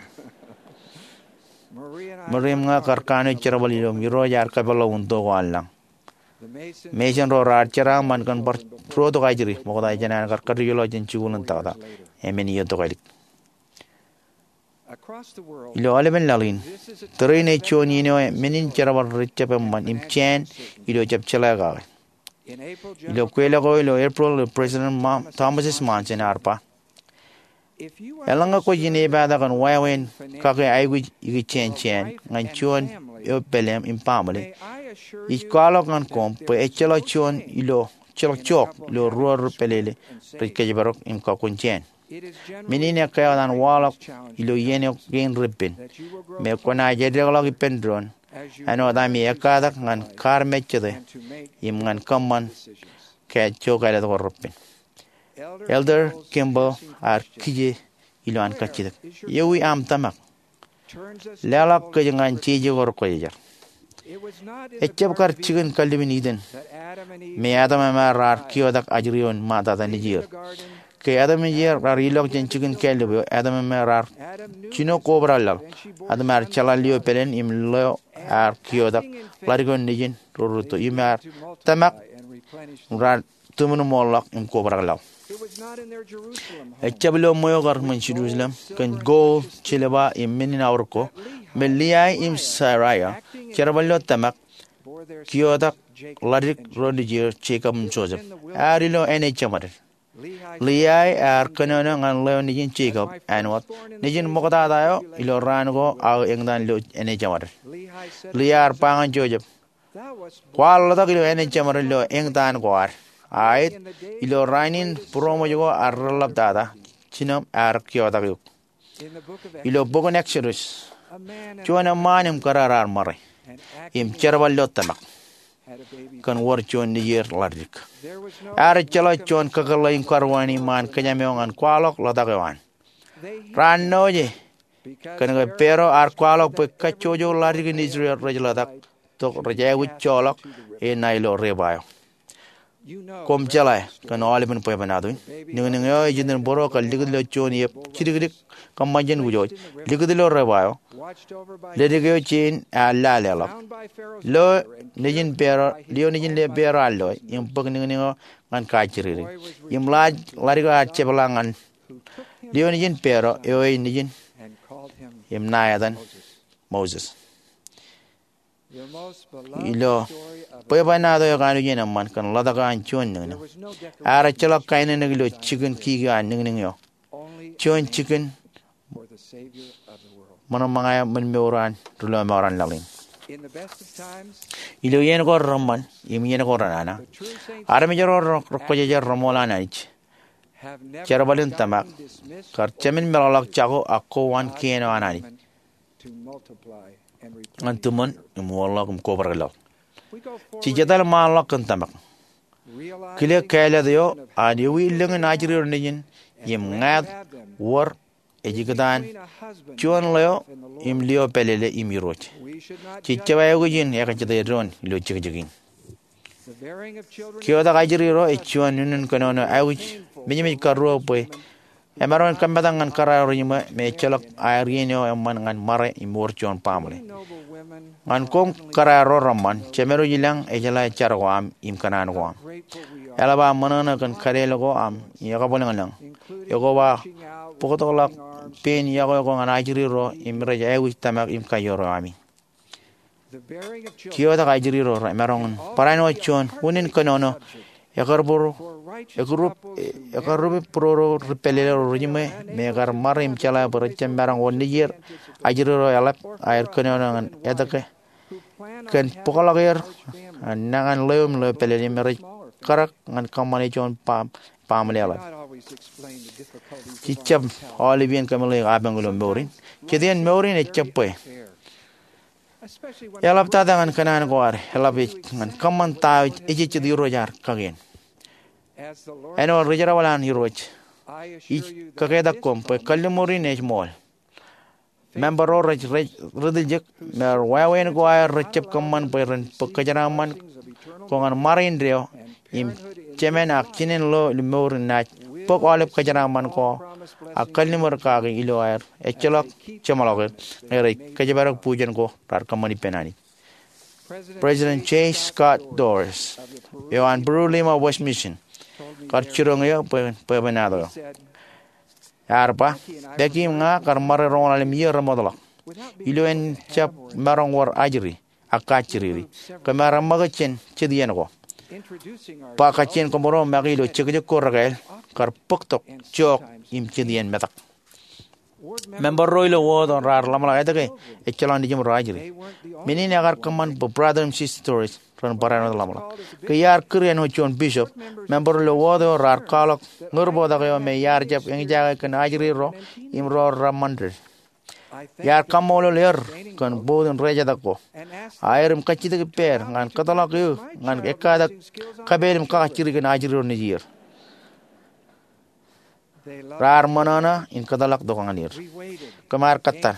Marie im ña kar kanooj jerbal ilo im Irooj ear kōpeḷḷọk unin to ko an lañ. Mason ro raar jeraaṃṃan kōn bar ruo tok ajri ṃokta jān an kar kōtōjḷọk jān jikuuḷ in taktō emān iiō tokālik. Ilo aolepen laḷ in, tōre in ej juon iien eo men in jerbal rej jab eṃṃan im jāān ilo jab jeḷā kake. Ilo kweilọk eo ilo April ilo President Thomas S. Monson ear ba, eḷaññe kwōj inepata kōn wāween kake aikuj ikijjien jāān ñan juon eo pāleem im baaṃle, ij kwaḷọk ñan koṃ bwe ejjeḷọk juon ilo, ejjeḷọk jook ilo ruo ri pālele rej kōjparok im kakkun jāān. Men in ekkā wōt an waḷọk ilo iien eo kein repen, me kwōnaaj eddekḷọk ippān doon āinwōt ami ekkatak ñan kaarmejjete im ñan kōṃṃan kōj jook āliktata ko repen. Elder Kimball ear kije ilo an kajjitōk, Ewi aṃ tōmak? Leḷọk kōj ñan jeje ko rekwōjarjar. Ejab kar jikin kallib in Iden me Adam im Ewa raar kiotak ajri eo in ṃaatata nejier. Ke Adam im Ewa raar ilọk jān jikin kāllib eo, Adam im Ewa raar jino kobrak laḷ. Adam ear jeḷā lio pāleen im leo ear kiotak ḷadik eo nejin ro rūtto im ear tōmak raar tiṃoṃoḷọk im kobrak laḷ. Ejab ilo ṃweo kar ṃōn Jerusalem kōn gold, silver im men in aorōk ko, me Lehi im Sariah, jerbal ilo tōmak, kiotak ḷadik ro nejier Jekob im Joseph. Ear ilo āne jeṃaden. Lehi ear kōnono ñan leo nejin Jekob āinwōt nejin ṃoktata eo ilo raan ko aō eñtaan ilo āne jeṃaden. Lehi ear ba ñan Joseph, Kwaar ḷotak ilo āne jeṃaden ilo eñtaan ko ad, a ej ilo raan in būroṃōj ko ad reḷḷaptata, jinoṃ ear kiotak eok. Ilo bok in Exodus, juon eṃṃaan im kōrā raar ṃare im jerbal ilo tōmak kōn wōr juon nejier ḷadik. Ear ejjeḷọk juon kakōḷḷe in karuwaan iṃaan kōjām eo ñan kwaḷọk ḷotak eo an. Raar noje kōn ke Paro ear kwaḷọk bwe kajjojo ḷadik in Israel rej ḷotak tok rej aikuj joḷọk e ṇa ilo reba eo. Koṃ jeḷā kōn aolepen bwebwenato in, niñniñ eo ej iten bōro kar likūt ilo juon iep jidikdik kōṃṃan jān kujwōj, likūt ilo reba eo, ledik eo jein ear lale ḷọk. Lio nejin Paro, lio nejin Paro ear loe im bōk niñniñ eo ñan kajjiriri. Im ḷadik eo ear jepḷaak ñan lio nejin Paro, eo ej nejin im ṇa etan Moses. Ilo bwebwenato eo kanooj in eṃṃan kōn ḷotak eo an juon niñniñ, ear ejjeḷọk kaenōnōk ilo jikin kiki eo an niñniñ eo, juon jikin ṃōṇōṇō eo ṃōn mour an ri-lọmọọr an laḷ in. Ilo iien ko reṃṃan im iien ko renana, armej ro rekwōjarjar reṃool an Anij, jerbal in tōmak kar jemān meḷọkḷọk jako ak koba kien eo an Anij ñan tiṃoṇ im wōnḷọk im kobrak laḷ. Jej etal ṃaanḷọk kōn tōmak, kile kāālōt eo an ewi lōñ in ajri ro nejin im ñāāt wōr ej ikōtaan juon leo im lio pālele im irooj. Jej jab aikuj in ekajjitōk doon ilo jekjek in. Kiotak ajri ro ej juon unin kōnono aikuj mejmej karuo bwe emaroñ in kōmetak ñan kōrā ro rejiṃwe me ejjeḷọk aer iien eo eṃṃan ñan ṃare im wōr juon baaṃle. Ñan koṃ kōrā ro reṃṃan, Jemedwōj ilañ ejeḷā jar ko aṃ im kōṇaan ko aṃ. Eḷap aō ṃōṇōṇō kōn kadeel ko aṃ im ekabwilōñlōñ. Ekoba bōktok ḷọk pein iọkwe ko ñan ajri ro im rej aikuj tōmak im kaior eo ami. Kiotak ajri ro remaroñ in barāinwōt juon unin kōnono ekarup, ekarup būruo ri-pālele ro rejiṃwe me ekar ṃare im jeḷā bwe rejjab maroñ wōr nejier ajri ro eḷap aer kōnono ñan etke kōn bōkḷọk er ñan nañin leo im lio pālele me rej karōk ñan kōṃṃane juon baaṃle eḷap. Jej jab aolep iien kōmeḷeḷeik apañ ilo mour in. Jet iien mour in ejjab bwe eḷaptata ñan kōṇaan ko ad, eḷap ej ñan kōṃṃan ta eo ejejjet Irooj ad kakien. Āinwōt ri-jerbal an Irooj, ij kaketak koṃ bwe kalliṃur in ej ṃool. Member ro rej, rej ri-tiljek me ewāween ko aer rejjab kōṃṃan bwe ren bōk kōjeraṃṃan ko ñan ṃare indeeo im jemān ak jinen lo ilo mour in naaj bōk aolep kōjeraṃṃan ko ak kalliṃur kaki ilo aer ejjeḷọk jeṃḷọk er ñe rej kōjparok bujen ko raar kōṃṃan ippān Anij. President J. Scott Dorris eo an Peru Lima West Mission kar jiroñ eō bwe, bwebwenato eo. Ear ba, Becky im ña kar ṃare roñoul ḷalem iiō remootḷọk ilo en jab maroñ wōr ajri ak kajjiriri. Kōm ar eṃṃakūt jān jet iien ko. Ba kajjien kōṃro make ilo jekjek ko rekāāl kar bōktok, jook im jet iien metak. Member ro ilo wōt eo raar ḷōmṇak etke ejjeḷọk nejiṃ ro ajri. Men in ekar kōṃṃan bwe brother im sister Dorris ren barāinwōt ḷōmṇak. Ke iar kūr āinwōt juon bishop, member ro ilo wōt eo raar kwaḷọk ñūr bōktok eo me iar jab eñjake kōn ajri ro im ro reṃṃan ded. Iar kaṃṃoolol er kōn bout in rejetak ko. Aer im kajjitōk ippāer ñan kōtḷọk eō ñan ekkatak kōpeel im kakajjitōk in ajri ro nejier. Raar ṃōṇōṇō in kōtḷọk tok ñan er. Kōm ar kōttar,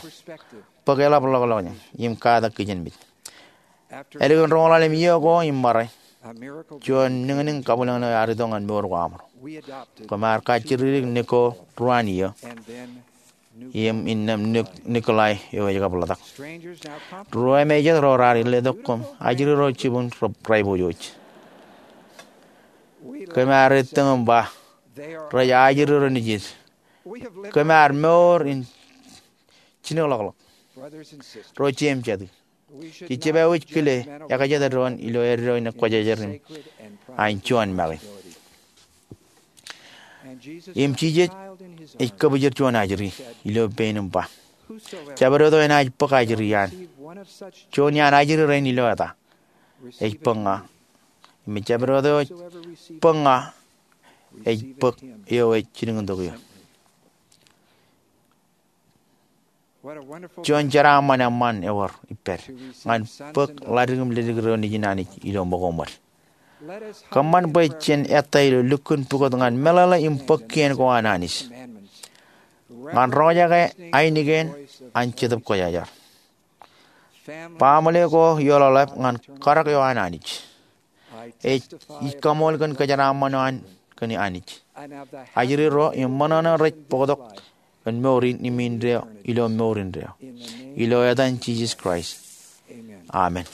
bōk eḷap ḷọkḷọk in, im katak kijenmej. Ālikin roñoul ḷalem iiō ko im ṃare, juon niñniñ kabwilōñlōñ eo ear itok ñan mour ko aṃro. Kōm ar kajjirdik Nicole ruwaan iiō, im innām Nikolai eo ej kab ḷotak. Ruo im jet ro raar letok kōm ajri ro jibwin rej ba ippān. Kōm ar ettōñ im ba, rej ajri ro nejid. Kōm ar mour in jino ḷọkḷọk. Ro jeiū im jatū, jej jab aikuj kile ekajet doon ilo eddo in Kwōjarjar im an juon make. Im Jisōs ej kōbōjel juon ajri ilo pein im ba, jabdewōt eo enaaj bōk ajri an, juon iaan ajri rein ilo eta, ej bōk ña. Im jabdewōt eo ej bōk ña, ej bōk eo ej jilkintok eō. Juon jeraaṃṃan eṃṃan ewōr ippād ñan bōk ḷadik im ledik ro nejin Anij ilo ṃōko ṃōd. Kōṃṃan bwe jen ettā ilo lukkuun pukot ñan meḷeḷe im bōk kien ko an Anij, ñan roñjake ainikien an Jetōb Kwōjarjar. Baaṃle ko ioḷaḷap ñan karōk eo an Anij. Ij kaṃool kōn kōjeraaṃṃan eo an kōn Anij, ajri ro im ṃōṇōṇō rej bōktok kōn mour in im indeeo ilo mour indeeo. Ilo etan Jisōs Kraist, amen.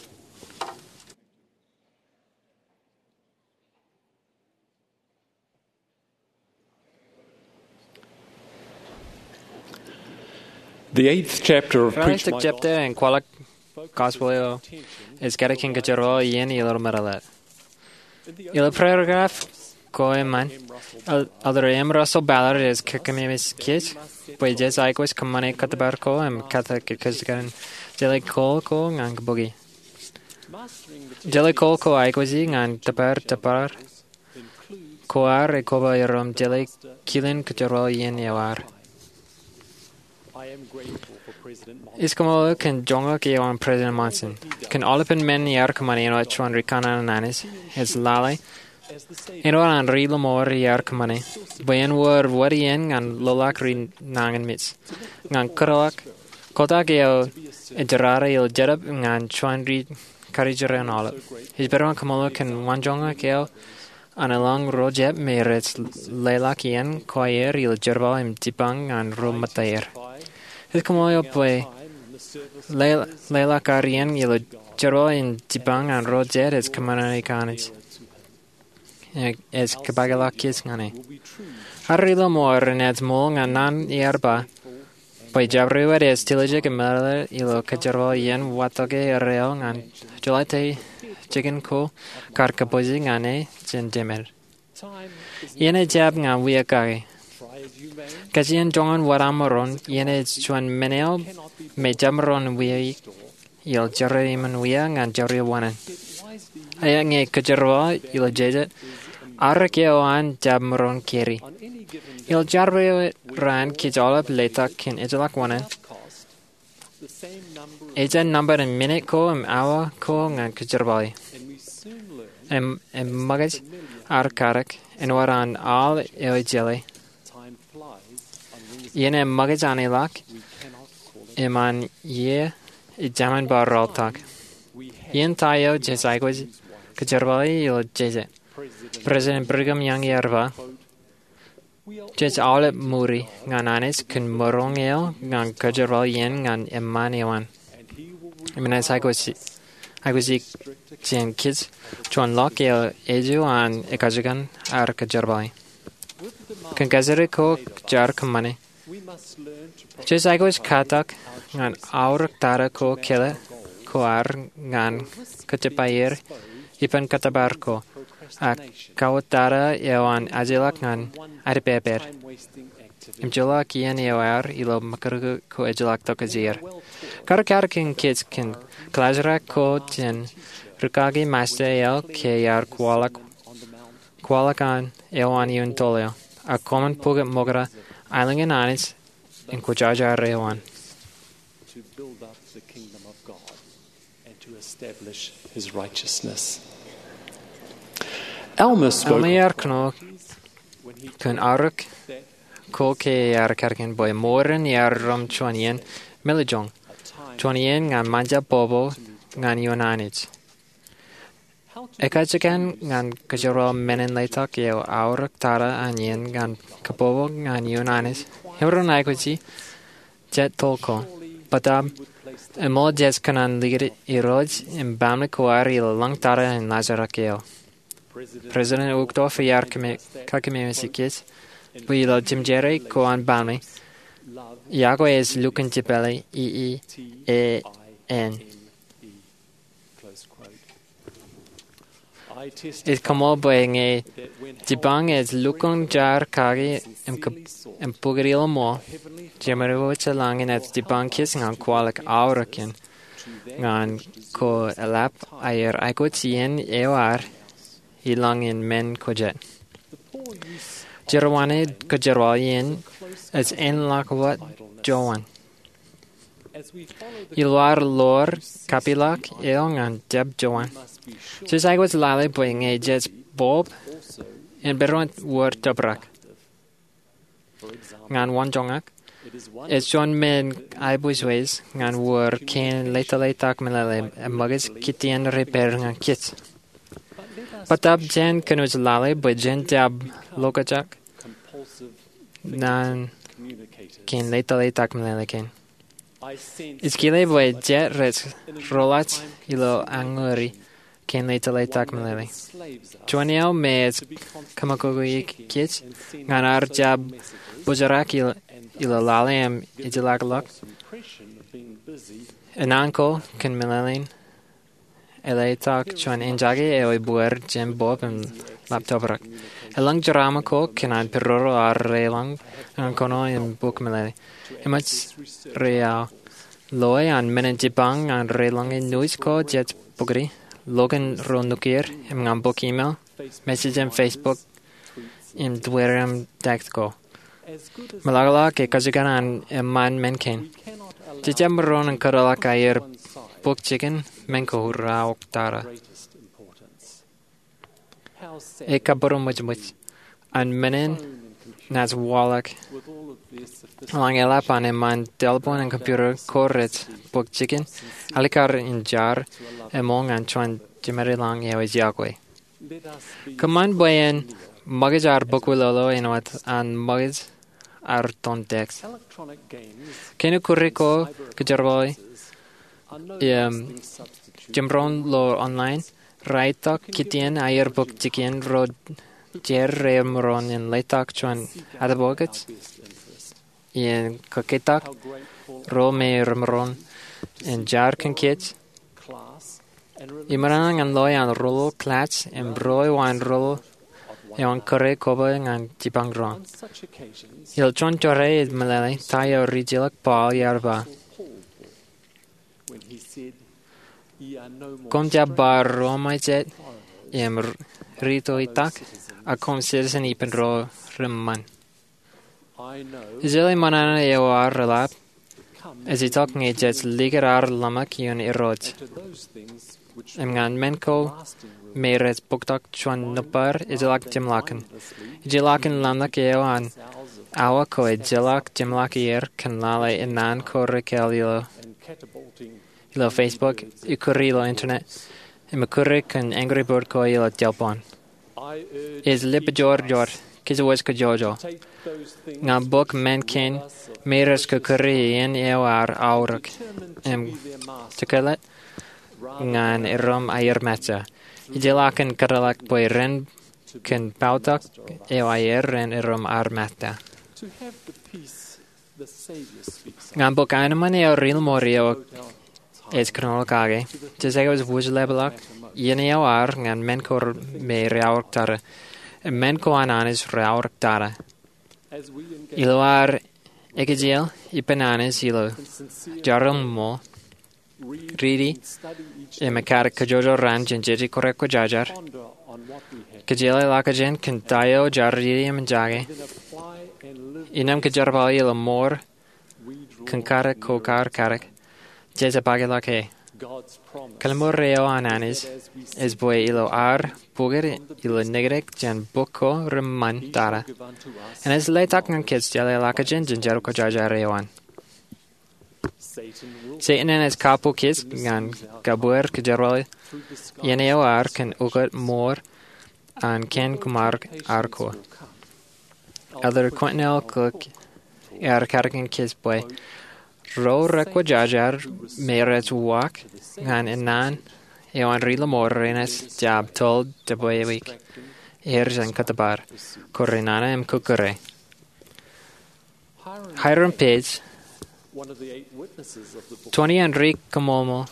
The eighth chapter of Preach Aolep jepta in kwaḷọk gospel eo ej kate kōn kōjerbal iien ilo meḷeḷe. Ilo paragraph ko eṃṃan, Elder M. Russell Ballard ej kōmij kōṃṃane bwe jej aikuj kōṃṃane kōttōpar ko im kōttar kōjkan jeḷā kōl ko ñan kabuki. Jeḷā kōl ko aikuji ñan tōpar tōpar ko ad ej koba iroṃ jeḷā kilen kōjerbal iien eo ad. Ij kaṃṃoolol kōn joñak eo an President Monson kōn aolepen men iar kōṃṃane āinwōt juon ri kanaan an Anij. Ej lale āinwōt an ri lọmọọr iar kōṃṃane bwe en wōr wōt iien ñan loḷọk ri nañinmej ñan kotak eo ej jerata ilo jetōb ñan juon ri karijeran aolep. Ij bar juon kaṃṃoolol kōn wanjoñak eo an eḷap ro jab me rej leḷọk iien ko aer ilo jerbal im jipañ ñan ro metaer. Ij kaṃṃoolol bwe leḷọk ad iien ilo jerbal im jipañ ñan ro jet ej kōṃṃane kōn Anij. Ej kōpakḷọk kōj ñan e. Ad ri lọmọọr enaaj ṃool ñan naan iar ba bwe jabdewōt ej tiljek im meḷeḷe ilo kōjerbal iien watōke erreo ñan jeḷā te jikin ko kar kōpooj ñan e jān jemed. Iien ej jab ñan wia kake. Kajjien joñan wōt aṃ maroñ, iien ej juon men eo me jab maroñ wia ilo jerā iṃōn wia ñan jerā wōṇāān. Eñin kōjerbal ilo jeje, arōk eo an jab maroñ keri. Ilo jabdewōt raan kōj aolep letok kōn ejjeḷọk wōṇāān, ejja nōṃba in minit ko im awa ko ñan kōjerbale. Im, im ṃōkaj ad katak āinwōt an al eo ejjeḷā. Iien eṃṃakaj an ilọk im an iiō ej taṃin bar rọọltok. Iien ta eo jej aikuj kōjerbale ilo jeje. President Brigham Young ear ba, jej aolep ṃuri ñan Anij kōn maroñ eo ñan kōjerbal iien ñan eṃṃaan eo an. Im enaaj aikuj, aikuj jān kōj juon ḷọk eo ej eo an ekajjien ad kōjerbale. Kōn kajjitōk ko jaar kōṃṃane, jej aikuj katak ñan aorōk tata ko kōḷ ko ad ñan kōjpaer ippān kōttōpar ko, ak kawōt tata eo an ajejḷọk ñan adepepe im joḷọk iien eo ad ilo ṃōkaj ko ejjeḷọk tokjāer. Kar katak kōn kōj kōn kaḷajrak ko jān rūkaki Masta eo ke iar kwaḷọk, kwaḷọk an eo an iuṃ toḷ eo, ak koṃwin pukot ṃokta aelōñ in Anij im kwōjarjar eo an. Alma ear kōnono kōn aorōk ko ke ear karōk in bwe mour in ear rom juon iien meḷeḷe, juon iien ñan ṃōjab bobo ñan ioon Anij. Ekajjien ñan kōjeraṃṃan men in letok eo aorōk tata an iien ñan kabobo ñan ioon Anij, emaroñ aikuji jet tokōn. Bōtab eṃool jej kōṇaan likūt Irooj im baaṃle ko ad ilo lañ tata in laajrak eo. President Uchtdorf ear kakememej kōj bwe ilo jemjerā ko an baaṃle, iọkwe ej lukkuun jepāle E E A N. Ij koṃṃool bwe ñe jipañ ej lukkuun jar kaki im bukwi ilo ṃool, Jemān wōt ej lañ in ej jipañ kōj ñan kwaḷọk aorōk in ñan ko eḷap aer aikuj iien eo ad ilañ in men ko jet. Jerbal in kōjeraṃṃan ej āinḷọk wōt jowan. Ilo ad lor kapeḷḷọk eo ñan jab jowan, jej aikuj lale bwe ñe jej bob, en barāinwōt wōr tōprak. Ñan wōn joñak, ej juon men aiboojoj ñan wōr kein leḷọk leḷọk meḷeḷe im ṃōkaj kōtien rej pād ñan kōj. Bōtab jen kōnooj lale bwe jen jab lokjak naan kein leḷọk leḷọk meḷeḷe kein. Ij kile bwe jet rej roḷọk ilo añuri kein leḷọk leḷọk meḷeḷe. Juon eo me ej kōṃakūkū kōj ñan ad jab bōjrak ilo lale im ejjeḷọkḷọk, enaan ko kōn meḷeḷein eḷḷātok juon enjake eo ebōd jān bob im ḷap tōprak. Elōñ jeraaṃṃan ko kōn an peroro ad reilañ ñan kōnono im bōk meḷeḷe. Eṃōj ri-aō loe an men in jipañ ñan reilañ in nuuj ko jej bōki, lukkuun ro nukier im ñan bōk email, message in Facebook, im Twitter im text ko. Meḷọkḷọk ke kajjien an eṃṃan men kein, jej jab maroñ in kōtḷọk aer bōk jikin men ko raorōk tata. Ekabūroṃōjṃōj an men in naaj waḷọk eḷaññe eḷap an eṃṃan telephone im computer ko rej bōk jikin alikkar in jar eṃool ñan juon jemād ilañ eo ej iọkwe. Kōṃṃan bwe en ṃōkaj ad bōkwilolo āinwōt an ṃōkaj ad tōn text. Kein ukuri ko kōjerbale im jemdoon ilo online raar itok kōtien aer bōk jikin ro jet remaroñ in leḷọk juon atebokōj im kōketak ro me remaroñ in jar kōn kōj im ṃōṇōṇō ñan loe an rūḷḷu, class, im rūḷḷu eo an rūḷḷu eo an kōrā koba ñan jipañ doon. Ilo juon jera ej meḷeḷe ta eo ri-jeḷā Paul ear ba, koṃ jab ba ro ṃōjet im ri-toitak, ak koṃ citizen ippān ro reṃṃan. Ij jeḷā ṃōṇōṇō eo ad reḷap ej itok ñe jej likūt ad ḷōmṇak ioon Irooj im ñan men ko me rej bōktok juon nōbar ejjeḷọk jeṃḷọkin. Ejjeḷọkin ḷōmṇak eo an awa ko ejjeḷọk jeṃḷọk er kōn lale enaan ko rekāāl ilo Facebook, ikkure ilo internet, im ikkure kōn angry bird ko ilo telephone. Ij lipejorjor kōj wōj kajjojo ñan bōk men kein me rej kūrkūri iien eo ad aorōk im jekōtḷọk ñan erom aer mejān. Ejjeḷọk in kōtḷọk bwe ren kōn poutok eo aer ren erom ad mejān. Ñan bōk aenōṃṃan eo ri-lọmọọr eo ej kōnono kake, jej aikuj wūjlepḷọk iien eo ad ñan men ko me raorōk tata. Im men ko an Anij raorōk tata. Ilo ad ekejel ippān Anij ilo jar im ṃool, riiti im ekkadik kajjojo raan jān Jeje Kōrā kwōjarjar, kōjeḷāḷọkjeṇ kōn ta eo jaar riiti im eñjake, innām kōjerbale ilo mour kōn kadik ko kar kadik, jej jab aikuḷọk e. Kōḷmānḷọkjeṇ eo an Anij ej bwe ilo ad pukot ilo neknek jān bok ko reṃṃan tata, enaaj letak ñan kōj jeḷāḷọkjeṇ jān Jerbal Kwōjarjar eo an. Setan enaaj kappok kōj ñan kabwier kōjerbal iien eo ad kōn ukōt mour an kien kōṃṃan ad ko. Elder Quentin L. Cook ear kadkōn kōj bwe ro rekwōjarjar me rej uwaak ñan ennaan eo an ri-lọmọọr renaaj jab toḷ debwāwik er jān kōttōpar, kōrā nana im kōkkure. Hyrum Page, twenty an ri-kōṃṃool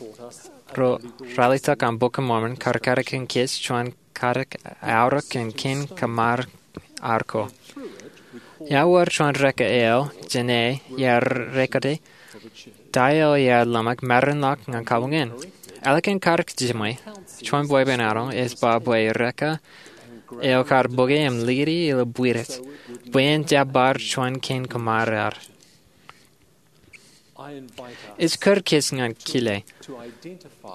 ro ralitōk an Bok in Mormon, kar kadkōn kōj juon katak aorōk kōn kien kōṃṃan ad ko. Iar wōr juon rekā eo jān e iar record e ta eo iar ḷōmṇak maroñ ḷọk ñan kabuñ in. Ālikin katak jiṃwe, juon bwebwenato ej ba bwe rekā eo kar bōke im likūti ilo bwidet bwe en jab bar juon kien kōṃṃan ad. Ij kūr kōj ñan kile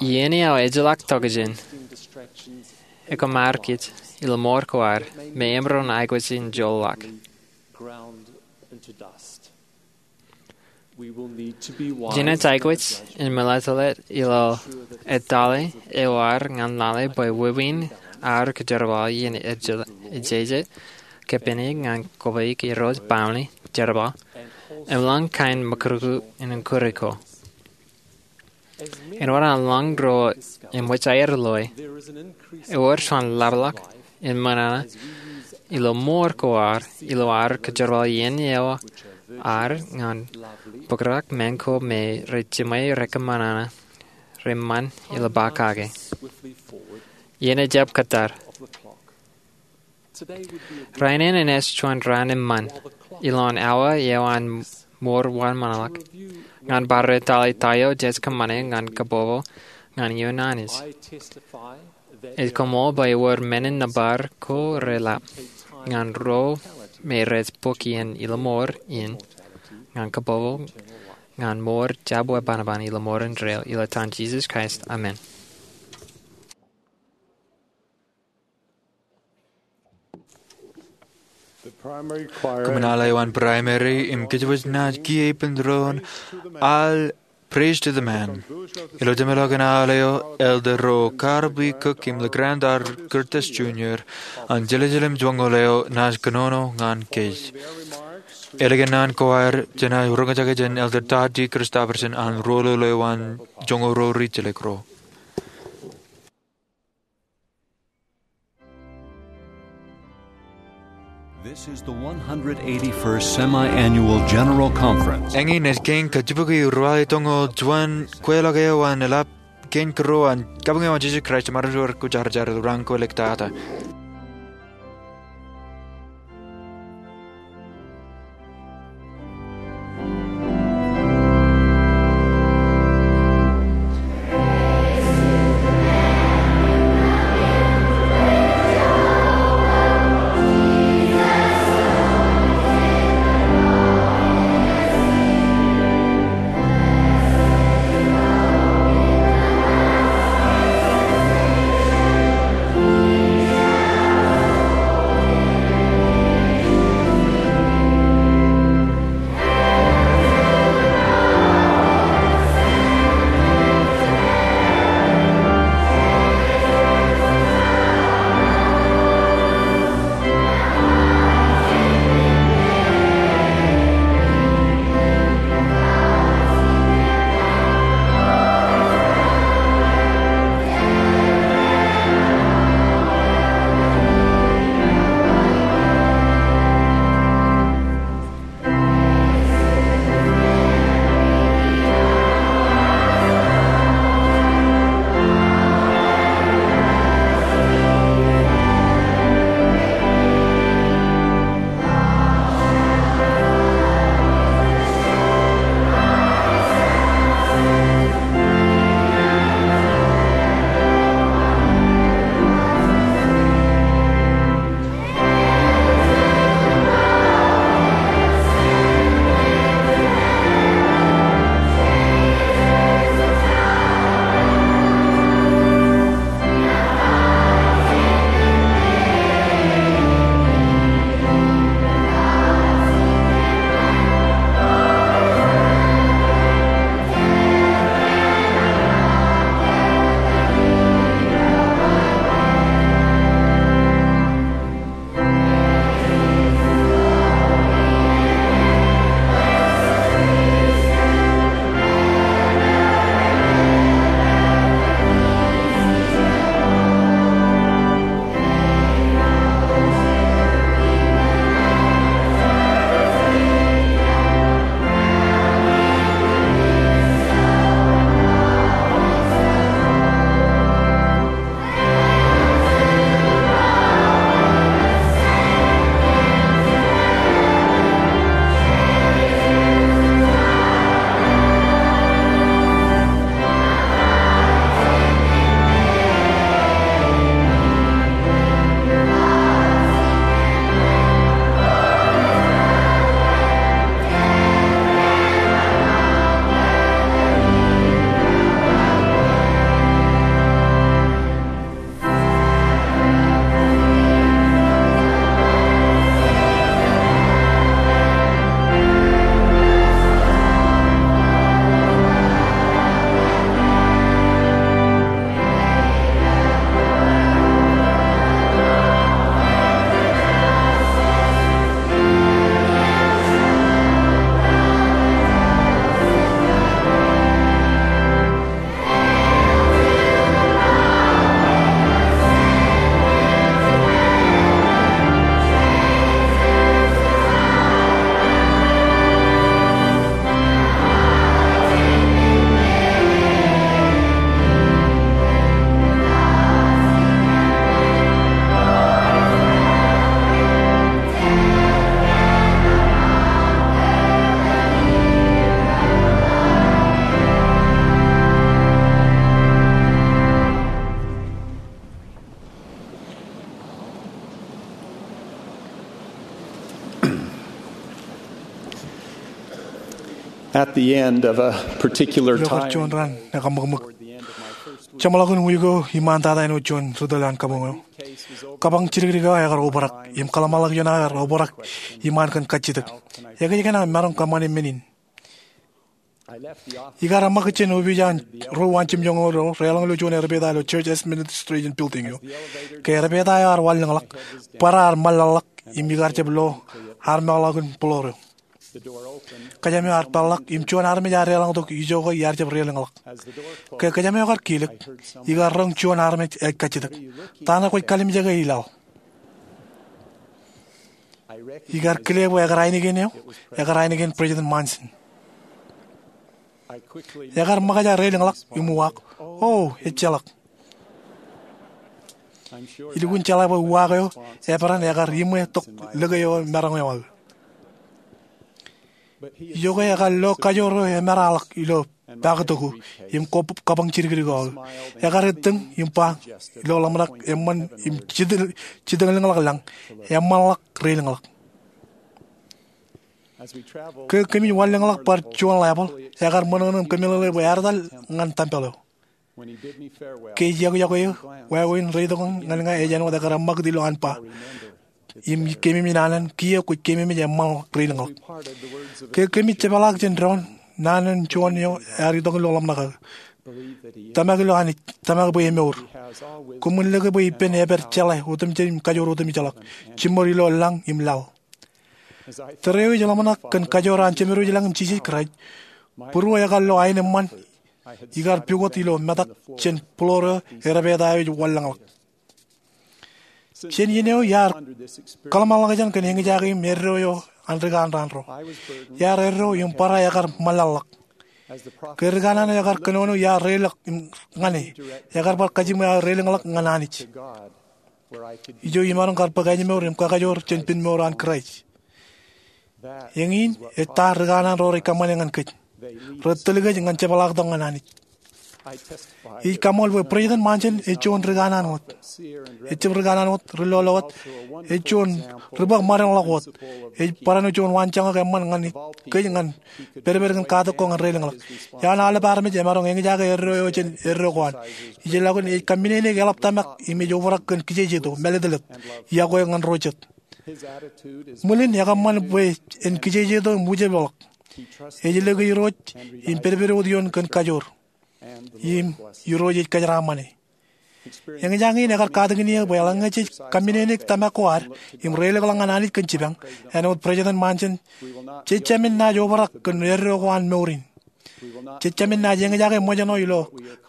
iien eo ejjeḷọk tokjān ekōṃṃan kōj ilo mour ko ad me emaroñ aikuj in joḷọk. Jenaaj aikuj in mālōtlōt ilo etale eo ad ñan lale bwe wāween ad kōjerbal iien ejjeḷọk, ejjeḷọk, kōpān ñan kobaik Irooj baaṃle, jerbal, im ḷọk kain mokūtkūt in kūr ko. Āinwōt an ḷọk ro eṃōj aer loe, ewōr juon ḷapḷọk in ṃōṇōṇō ilo mour ko ad ilo ad kōjerbal iien eo ad ñan bōkrak men ko me rej jiṃwe rekōṃṃan reṃṃan ilo ba kake. Iien ej jab kōttar. Rainin enaaj juon raan eṃṃan ilowaan awa eo an mour wōnṃaanḷọk. Ñan bar etale ta eo jej kōṃṃane ñan kabbokbok ñan ioon Anij, ij koṃṃool bwe ewōr men in nōbar ko reḷap ñan ro me rej bōk iien ilo mour in ñan kabbokbok ñan mour jab wōnṃaanḷọk ilo mour indeeo, ilo etan Jisōs Kraist, amen. Kōṃṃan al eo an Primary im kōjwōj naaj kiiō ippān doon al Praise to the Man. Ilo jeṃḷọkin al eo, Elder Ro Carby Cook im Legrand R. Curtis Junior an Jerusalem joñoul eo naaj kōnono ñan kōj. Ālikin an choir, jenaaj roñjake jān Elder Todd D. Christofferson an roñoul eo an joñoul ro rijjelōk ro. This is the one hundred eighty-first Semi-Annual General Conference. Eñin ej kein kajjibukwi ruwatimjuon kweilọk eo an eḷap kein kūr eo an Kabuñ eo an Jisōs Kraist emaroñ to kwōjarjar ilo raan ko ḷọk tata. At the end of a particular ilo kar time, juon raan ekaṃṃakṃōk, jeṃḷọkin wiik eo iṃaantata āinwōt juon ri tōl an kabuñ eo, kabuñ jidikdik eo ekar obrak im kōḷmānḷọkjeṇ aō ear obrak iṃaan kōn kajjitōk. Ekōjkan aō maroñ kōṃṃane men in? Ikar ṃōk jān opiij an ro uwaanjiṃ joñoul ro deḷọñ ilo juon erpeta ilo Church Administration Building eo. Ke erpeta eo ear wanlōñḷọk, bōrā ear ṃōḷaḷḷọk im ikar jab lo armekḷọkin bōḷoor eo. Kōjām eo ear peḷḷọk im juon armej ear deḷọñtok ijoke iar jab deḷọñḷọk. Ke kōjām eo ekar kilōk, ikar roñ juon armej ej kajjitōk. Ta ṇe kwōj kalimjeke i laḷ? Ikar kile bwe ekar ainikien eo, ekar ainikien President Monson. Ekar ṃōkaj aō deḷọñḷọk im uwaak, O, ejjeḷọk. Ilukkuun jeḷā bwe uwaak eo eperan ekar iṃwe tok lōke eo maroñ eo aō. Ijoke ekar lo kajoor eo emeraḷọk ilo paktok eo im kabuñ jidikdik eo aō. Ekar ettōñ im ba ilo ḷōmṇak eṃṃan im jitōñlōñḷọk lañ, Eṃṃanḷọk deḷọñḷọk. Ke kōmij wanlōñḷọk bar juon level, ekar ṃōṇōṇō im kōmeḷeḷe bwe ear etal ñan tempel eo. Ke ej yokwe eō, wāween reitok ñan ña ej āinwōt ekar eṃṃakūt ilo an ba, Im keememej naan an, kiiō kwōj keememej eṃṃanḷọk deḷọñḷọk. Ke kōmij jepaḷaak jān doon, naan an juon eo ear itok ilo ḷōmṇak aō, Tōmak ilo Anij, tōmak bwe emour. Koṃwin lōke bwe ippān epād jeḷā otemjej im kajoor otemjeḷọk, jiṃor ilo lañ im laḷ. Tōre eo ij ḷōmṇak kōn kajoor an Jemedwōj lañ im Jisōs Kraist, būruō ekar lo aenōṃṃan ikar pukot ilo metak jān bōḷoor eo erpeta eo ej wanlōñḷọk. Jān iien eo iar kōḷmānḷọkjeṇ kōn eñjake im eddo eo an ri kanraan ro. Iar eddo im bōrā ekar ṃōḷaḷḷọk. Ke ri kanaan eo ekar kōnono iar deḷọñḷọk ñan e, ekar bar kajiṃwe aō deḷọñḷọk ñan Anij, ijo imaroñ kar bōk ājmour im kakajoor jān pinmour an Kraist. Eñin ej ta ri kanaan ro rej kōṃṃane ñan kōj. Rej tōl kōj ñan jepaḷaaktok ñan Anij. Ij kaṃṃool bwe President Monson ej juon ri kanaan wōt. Ejjab ri kanaan wōt, ri lolo wōt, ej juon ri bōk ṃadeṇḷọk wōt. Ej barāinwōt juon waanjoñak eṃṃan ñan kōj ñan pedped kōn katak ko ñan deḷọñḷọk. Iaan aolep armej emaroñ eñjake eddo eo jān eddo ko an. Ijellọkin ej kaminene eḷap tōmak im ej obrak kōn kijejeto, mālōtlōt, iọkwe ñan ro jet. Ṃwilen ekōṃṃan bwe en kijejeto im wūjepḷọk. Ej lōke Irooj im pedped wōt ioon kōn kajoor. Im Irooj ej kōjeraaṃṃan e. Eñjake in ekar katakin eō bwe eḷaññe jej kaminene tōmak ko ad im deḷọñḷọk ñan Anij kōn jipañ, āinwōt President Monson, jej jāmin naaj obrak kōn eddo ko an mour in. Jej jāmin naaj eñjake ṃōjṇọ ilo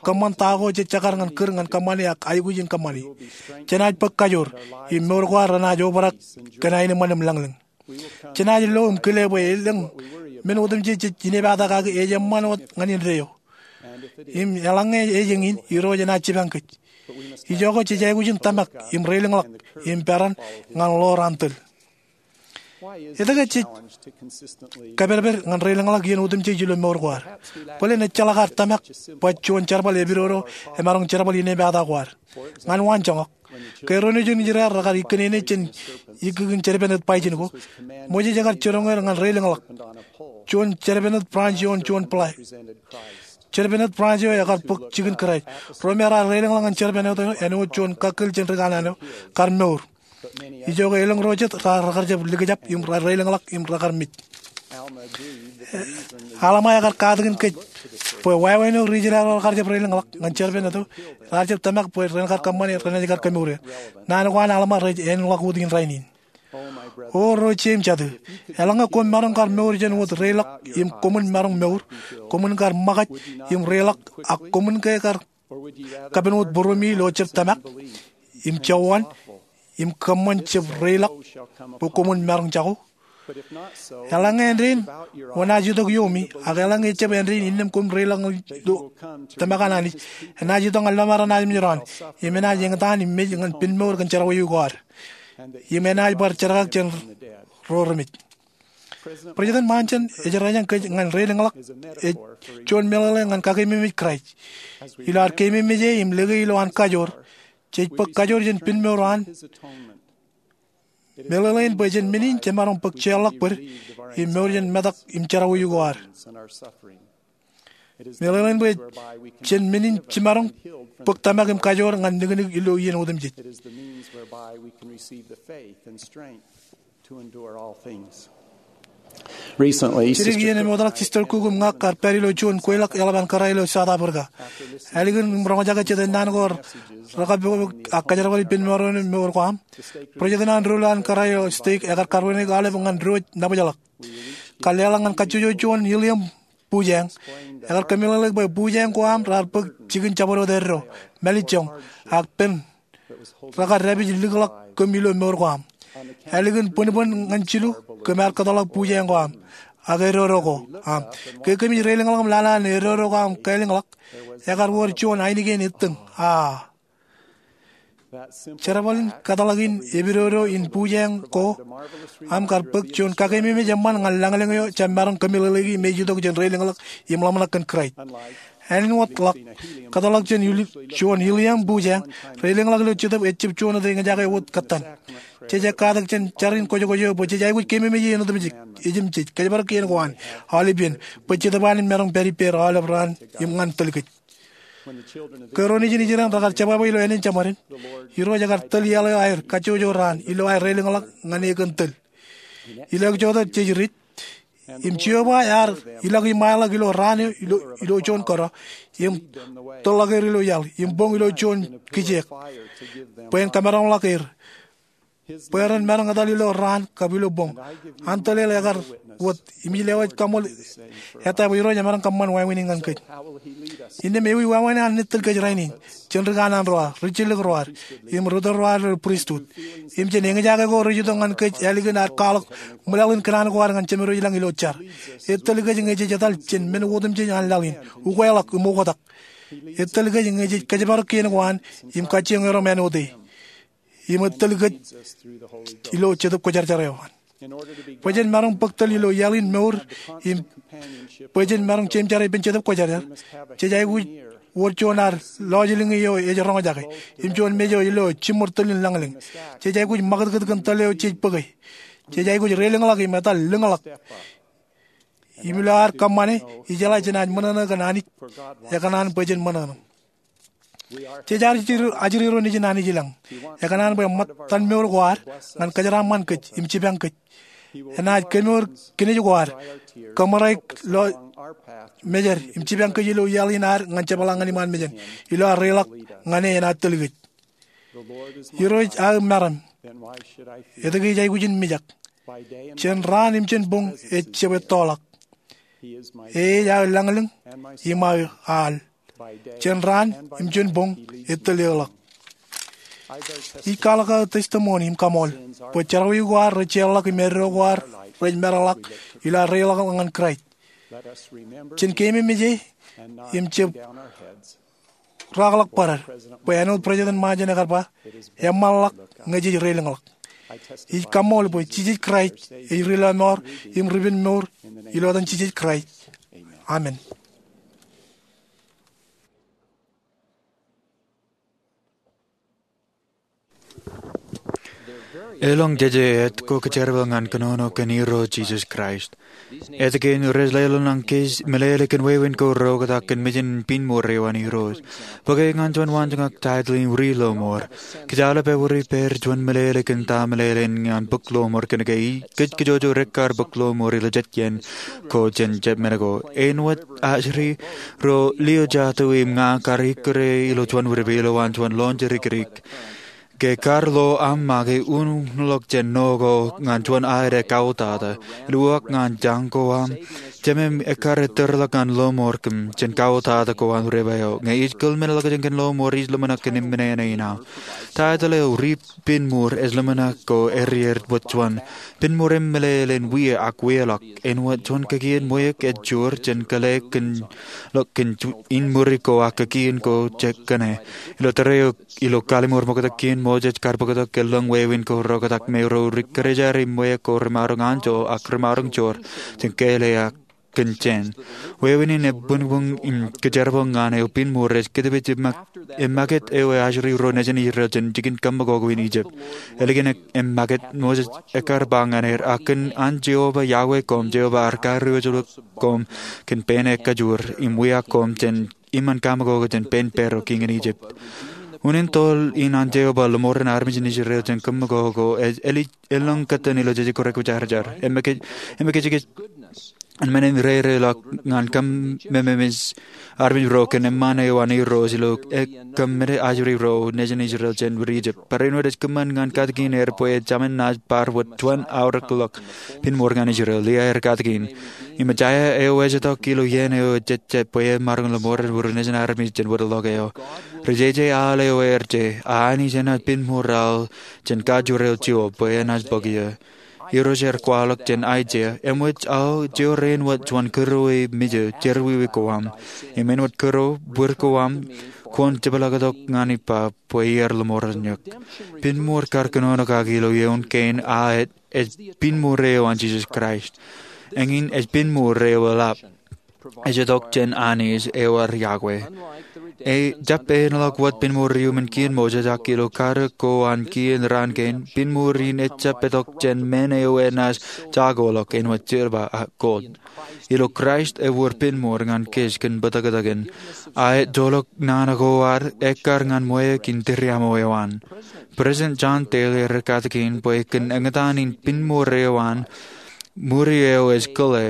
kōṃṃan ta ko jej jekar ñan kūr ñan kōṃṃane ak aikuj in kōṃṃane. Jenaaj bōk kajoor, im mour ko ad renaaj obrak kōn aenōṃṃan im lañlōñ. Jenaaj lo im kile bwe elōñ men otemjej jej inepata kaki ej eṃṃan wōt ñan indeeo. Im eḷaññe ej eñin, Irooj enaaj jipañ kōj. Ijoke jej aikuj in tōmak im deḷọñḷọk im peran ñan ḷoor an tōl. Etke jej kapedped ñan deḷọñḷọk iien otemjej ilo mour ko ad? Bōlen ejjeḷọk ad tōmak bwe juon jerbal epidodo emaroñ jerbal inepata ko ad. Ñan waanjoñak, ke ro nejin Israel rekar ikkōneene jān ikkikin jedpened bajin ko, Moses ekar jiroñ er ñan deḷọñḷọk juon jedpened bronze ioon juon pla. Jedpened bronze eo ekar bōk jikin Kraist. Ro me raar deḷọñḷọk ñan jedpened eo āinwōt juon kakkōl jān ri kanaan eo kar mour. Ijoke elōñ ro jet raar, rekar jab likjab im raar deḷọñḷọk im rekar mej. Alma ekar katakin kōj bwe wāween eo ri Israel ro rekar jab deḷọñḷọk ñan jedpened eo, raar jab tōmak bwe ren kar kōṃṃane, renaaj kar kemour er. Naan ko an Alma rej āinḷọk wōt in rainin. O ro jeiū im jatū, eḷaññe koṃ maroñ kar mour jān wōt deḷọk im koṃwin maroñ mour, koṃwin kar ṃōkaj im deḷọk, ak koṃwin ke kar kapen wōt būruemi ilo jab tōmak im jọwaan im kōṃṃan jab deḷọk bwe koṃwin maroñ jako? Eḷaññe āindein wōn naaj itok iomi, ak eḷaññe ejjab āindein innām koṃ deḷọñ ilo tōmak an Anij, enaaj itok ñan lọmọọr eo enaaj mejān, im enaaj eñtaan im mej ñan pinmour kōn jerọwiwi ko ad, im enaaj bar jerkakjeṇ ro remej. President Monson ej rōjañ kōj ñan deḷọñḷọk, ej juon meḷeḷe ñan kakeememej Kraist. Ilo ad keememej e im lōke ilo an kajoor, jej bōk kajoor jān pinmour eo an Meḷeḷein bwe jān men in jemaroñ bōk jeorḷọk bōd im mour jān metak im jerọwiwi ko ad. Meḷeḷein bwe jān men in jemaroñ bōk tōmak im kajoor ñan niknik ilo iien otemjej. Jidik iien im eoteḷọk Sister Cook im ña kar pād ilo juon kweilọk eḷap an kōrā ilo South Africa. Ālikin im roñjake jet ennaan ko rekapokpok ak kōjerbal ippān mour eo im mour ko am, president an doulul an kōrā ilo stek ekar karbon eo aolep ñan diwōj nabōjḷọk. Kar leḷọk ñan kajjojo juon helium bujañ. Ekar kōmeḷeḷeik bwe bujañ ko am raar bōk jikin jabdewōt eddo, mālejjoñ, ak pen rekar dāpij likḷọk kōm ilo mour ko am. Ālikin bōnbōn ñan jilu kōm ar kōtḷọk bujañ ko am ak edodo ko am. Ke kōmij reilōñḷọk im lale an edodo ko am kālōñḷọk, ekar wōr juon ainikien ettōñ. A jerbal in kōtḷọk in epidodo in bujañ ko am kar bōk juon kakeememej eṃṃan ñan lañlōñ eo jab maroñ kōmeḷeḷeiki im ej itok jān reilōñḷọk im ḷōmṇak kōn Kraist. Āinwōt ḷọk, kōtḷọk jān juon helium bujañ, reilōñḷọk ilo Jetōb ejjab juon wōt eñjake wōt kōttan. Jej katak jān jar in kwōjkwōj eo bwe jej aikuj keememej iien otemjej, ejimjej, kōjparok kien ko an, aolep iien, bwe Jetōb an en maroñ pād ippāer aolep raan im ñan tōl kōj. Ke ro nejin Israel rekar jebwābwe ilo ānen jeṃaden, Irooj ekar tōl iaḷ eo aer kajjojo raan ilo aer reilōñḷọk ñan e kōn tōl. Ilo ejjeḷọk jej ri im Jeova ear ilọk iṃaerḷọk ilo raan eo ilo juon kōrā im tōlḷọk er ilo iaḷ im boñ ilo juon kijeek bwe en kamaroñḷọk er bwe ren maroñ etal ilo raan kab ilo boñ. An tōl eo ekar wōt im ij lewōj kaṃṃool ettā bwe Irooj emaroñ kōṃṃan wāween in ñan kōj. Innām ewi wāween an ej tōl kōj rainin? Jān ri kanaan ro ad, ri jilōk ro ad, im ri tōl ro ad ilo pristut, im jān eñjake ko rej itok ñan kōj ālikin ad kwaḷọk ṃwilaḷ in kōṇaan ko ad ñan Jemedwōj ilañ ilo jar. Ej tōl kōj ñe jej etal jān men otemjej an laḷ in, ukeḷọk im oktak. Ej tōl kōj ñe jej kōjparok kien ko an im kajjioñ erom āinwōt e. Im ej tōl kōj ilo Jetōb Kwōjarjar eo an. Bwe jen maroñ bōk tōl ilo iaḷ in mour im bwe jen maroñ jeiū jar ippān Jetōb Kwōjarjar, jej aikuj wōr juon ad lọjilñi eo ej roñjake im juon mej eo ilo jiṃor tōl in lañlōñ. Jej aikuj ṃakūtkūt kōn tōl eo jej bōke. Jej aikuj reilōñḷọk im etal lōñḷọk. Im ilo ad kōṃṃane, ijeḷā jenaaj ṃōṇōṇō kōn Anij, ekōṇaan bwe jen ṃōṇōṇō. Jej ajri ro nejin Anij ilañ. Ekōṇaan bwe ṃōttan mour ko ad ñan kōjeraaṃṃan kōj im jipañ kōj. Enaaj kemour kinej ko ad, kōṃōraik lọmejād im jipañ kōj ilo iaḷ in ad ñan jepḷaak ñan iṃaan mejān. Ilo ad reilọk ñan e enaaj tōl kōj. Irooj aō meram, etke ij aikuj in mijak? Jān raan im jān boñ ej jab ettoḷọk. E ej aō lañlōñ im aō al. Jān raan im jān boñ ej tōl eōḷọk. Ij kwaḷọk aō testimony im kaṃool bwe jerọwiwi ko ad rej jeorḷọk im eddo ko ad rej meḷọkḷọk ilo ad reilọk ñan Kraist. Jen keememej e im jab raakḷọk bōrad bwe āinwōt President Monson ekar ba, eṃṃanḷọk ñe jej reilōñḷọk. Ij kaṃṃool bwe Jisōs Kraist ej ri lọmọọr im ripen mour. Ilo etan Jisōs Kraist, amen. Elōñ jeje etko kōjerbal ñan kōnono kōn Irooj Jisōs Kraist. Etke in rej lelōñ ñan kōj meḷeḷe kōn wāween ko reoktak kōn mejān pinnmour eo an Irooj? Bōke ñan juon waanjoñak title in Ri Lọmọọr. Kōj aolep ewōr ippāer juon meḷeḷe kōn ta meḷeḷe in ñan bōk lọmọọr kōnke kōj kajjojo rekkar bōk lọmọọr ilo jet iien ko jān jet men ko. Āinwōt ajri ro Leojato im ña kar ikkure ilo juon widepe ilowaan juon lọñjake dikdik. Ke kar lo aṃ make unuñlọk jān ṇo ko ñan juon aede kautata, ilo uwaak ñan jañ ko aṃ, jemem ekkar ettōrḷọk ñan lọmọọr kōm jān kautata ko an widepe eo. Ñe ij kōḷmenḷọkjeṇ kōn lọmọọr, ij ḷōmṇak kōn eṃṃan ṇe in aō. Title eo Ri Pinnmour ej ḷōmṇak ko erier wōt juon. Pinnmour im meḷeḷein wie ak wieḷọk. Āinwōt juon kōkien ṃweiuk ej joor jān kōḷḷe kōn ḷọk kōn ju-, inmūri ko ak kōkien ko jek kōṇe. Ilo tōre eo ilo kallim̧ur ṃoktak kein, Moses kar bōktok ke lōñ wāween ko reoktak me ro ri kōjatdikdik im ṃweiuk ko remaroñ anjọ ak remaroñ joor jān kōḷḷe ak kōn jān. Wāween in ebuñbuñ im kōjerbal ñan eo pinmuur ej kōtpej eṃṃakūt eo ajri ro nejin Israel jān jikin kaṃṃokoḷ in Ijip. Ālikin eṃṃakūt, Moses ekkar ba ñan er, ak kōn an Jeova Yahweh koṃ, Jeova ar kariwōjḷọk koṃ kōn pein e kajoor im wiaik koṃ jān iṃaan kaṃṃokoḷ jān pein Paro kiiñ in Ijip. Unin toḷ in an Jeova ḷōṃoren armej in Israel jān kaṃṃokoḷ ej elōñ kōttan ilo Jejako Rej Kwōjarjar. Im ekajekaj in men in rereḷọk ñan kōmememeej armej ro kōn eṃṃaan eo an Irooj ilo kōmmade ajri ro nejin Israel jān wōt Ijip. Barāinwōt ej kōṃṃan ñan katakin er bwe ejāmin naaj bar wōt juon aorōkḷọk pinmuur ñan Israel. Liai er katakin. Im Jesaia eo ejjeḷọk ilo iien eo ejejjet bwe e maroñ ḷōṃoren wūrin nejin armej jān wōtḷọk eo. Ri jeje aḷ eo er je, a Anij enaaj pinmuur aḷ jān kajoor eo jio bwe enaaj bōk eō. Irooj er kwaḷọk jān Aiseia, eṃōj aō jeor āinwōt wōt juon kūr eo ej mejān jerọwiwi ko aṃ. Im āinwōt kūr eo, bwir ko aṃ, kwōn jepḷaaktok ñan ippa bwe iar ḷōṃoren eok. Pinmuur kar kōnono kaki ilo eoon kein a ej pinmuur eo an Jisōs Kraist. Eñin ej pinmuur eo eḷap. Ej itok jān Anij eo ad Yahweh. Ejjab āinḷọk wōt pinmuur iuṃwin kien Moses ak ilo kadek ko an kien raan kein, pinmuur in ejjab itok jān men eo enaaj jakoḷọk āinwōt silver ak gold. Ilo Kraist ewōr pinmuur ñan kōj kōn bōtōktōkin. A ejjeḷọk naan ko ad ekkar ñan ṃweiuk in tiriaṃo eo an. President John Taylor ekatakin bwe kōn eñtaan in pinmuur eo an, ṃuri eo ej kōḷḷā,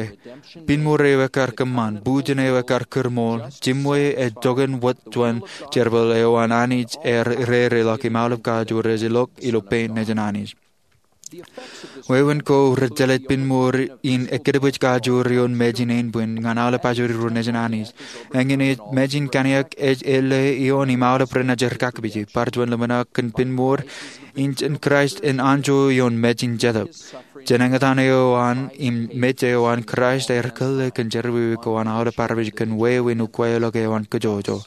pinmuur eo ekkar kōṃṃan, bujen eo ekkar kūrṃool, jimwe ej joñan wōt juon jerbal eo an Anij er rereḷọk im aolep kajoor ej ilọk ilo pein nejin Anij. Wāween ko rej jelōt pinmuur in ekkidpej kajoor ioon mejin ānbwin ñan aolep ajri ro nejin Anij. Eñin ej mejin kanniōk ej ālle ioon im aolep renaaj er kakpije. Bar juon ḷōmṇak kōn pinmuur in jān Kraist en anjọ ioon mejin jetōb. Jān eñtaan eo an im mej eo an Kraist er kōḷḷā kōn jerọwiwi ko an aolep armej kōn wāween ukweḷọk eo an kōjọjọ.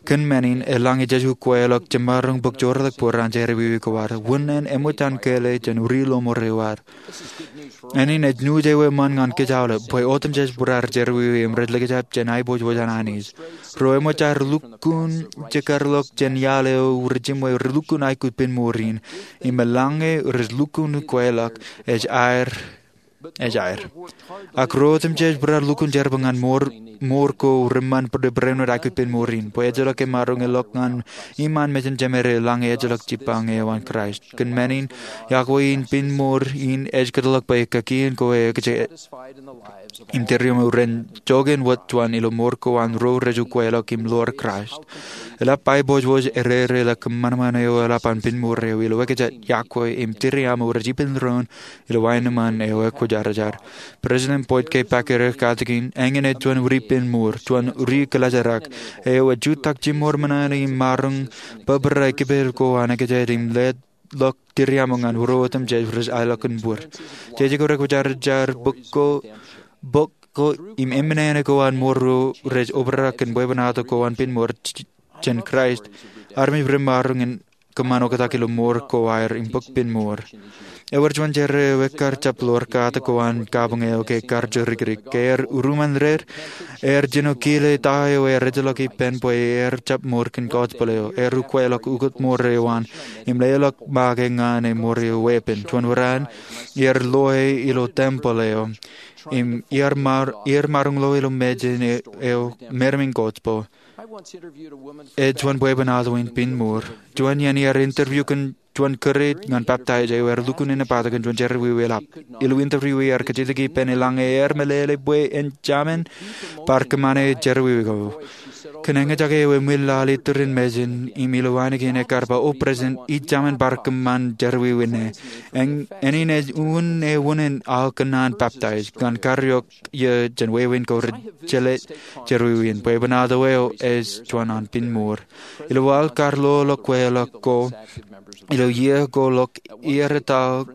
Kōn men in, eḷaññe jej ukweḷọk jemaroñ bōk joortak bōd an jerọwiwi ko ad, wūnin eṃōj an kōḷḷā jān ri ḷōṃoor eo ad. Eñin ej nuuj eo eṃṃan ñan kōj aolep, bwe otemjej bar jerọwiwi im rej likjab jān aiboojoj an Anij. Ro eṃōj aer lukkuun jekar ḷọk jān iaḷ eo rej jimwe rej lukkuun aikuj pinmuur in, im eḷaññe rej lukkuun ukweḷọk, ej aer ej aer. Ak ro otemjej bar lukkuun jerbal ñan mour ko reṃṃan bōd barāinwōt aikuj pinmuur in, bwe ejjeḷọk emaroñ ḷọk ñan iṃaan mejān jemād eḷaññe ejjeḷọk jipañ eo an Kraist. Kōn men in, iọkwe in pinmuur in ej kōtḷọk bwe kaki ko ej kōjepḷaak im tiriaṃo ren joñan wōt juon ilo mour ko an ro rej ukweḷọk im ḷoor Kraist. Eḷap aiboojoj erereḷọk kōṃanṃan eo eḷap an pinmuur eo ilo ekōjāt, iọkwe im tiriaṃo rej ippān doon ilo aenōṃṃan eo ekwōjarjar. President Boyd K. Packer ekatakin, eñin ej juon ri pinmuur, juon ri kōḷaajrak, eo ej jutak jimor ṃōṇōṇō im maroñ bōbrae kipel ko an ekōjāt im leḷọk tiriaṃo ñan ro otemjej rej aelọk kōn bōd. Jejako Rej Kwōjarjar bok ko, bok ko im eṃṃan eo an mour ro rej obrak kōn bwebwenato ko an pinmuur j-, jān Kraist, armej remaroñ in kōṃṃan oktak ilo mour ko aer im bōk pinmuur. Ewōr juon jerā eo ekkar jab ḷoor katak ko an kabuñ eo ke ekkar jorikirik. Ke er urumān red, er jino kile ta eo er ejjeḷọk ippān bwe er jab mour kōn gospel eo. Er ukweḷọk ukōt mour eo an im leḷọk make ñan e mour eo weeppān. Juon wōrāān, er loe ilo tempeḷ eo im iar mar-, iar maroñ loe ilo mejān eo meremein gospel. Ej juon bwebwenato in pinmuur. Juon iien iar interview kōn juon kūr ñan baptize eo er lukkuun enaaj bōktok juon jerọwiwi eḷap. Ilo interview ear kajjitōk ippān eḷaññe er meḷeḷe bwe en jemān bar kōṃṃane jerọwiwi ko. Kōn eñjake eo emwilaḷ iturin mejān im ilo ainikien ekkar ba, O President, ij jemān bar kōṃṃan jerọwiwi ṇe. Eñ-, eñin ej unin e unin aō kōnnaan baptize ñan karreoik iiō jān wāween ko rej jelōt jerọwiwi in. Bwebwenato eo ej juon an pinmuur. Ilo aḷ kar loḷọk kweilọk ko, ilo iiō ko ḷọk iiō rej tōl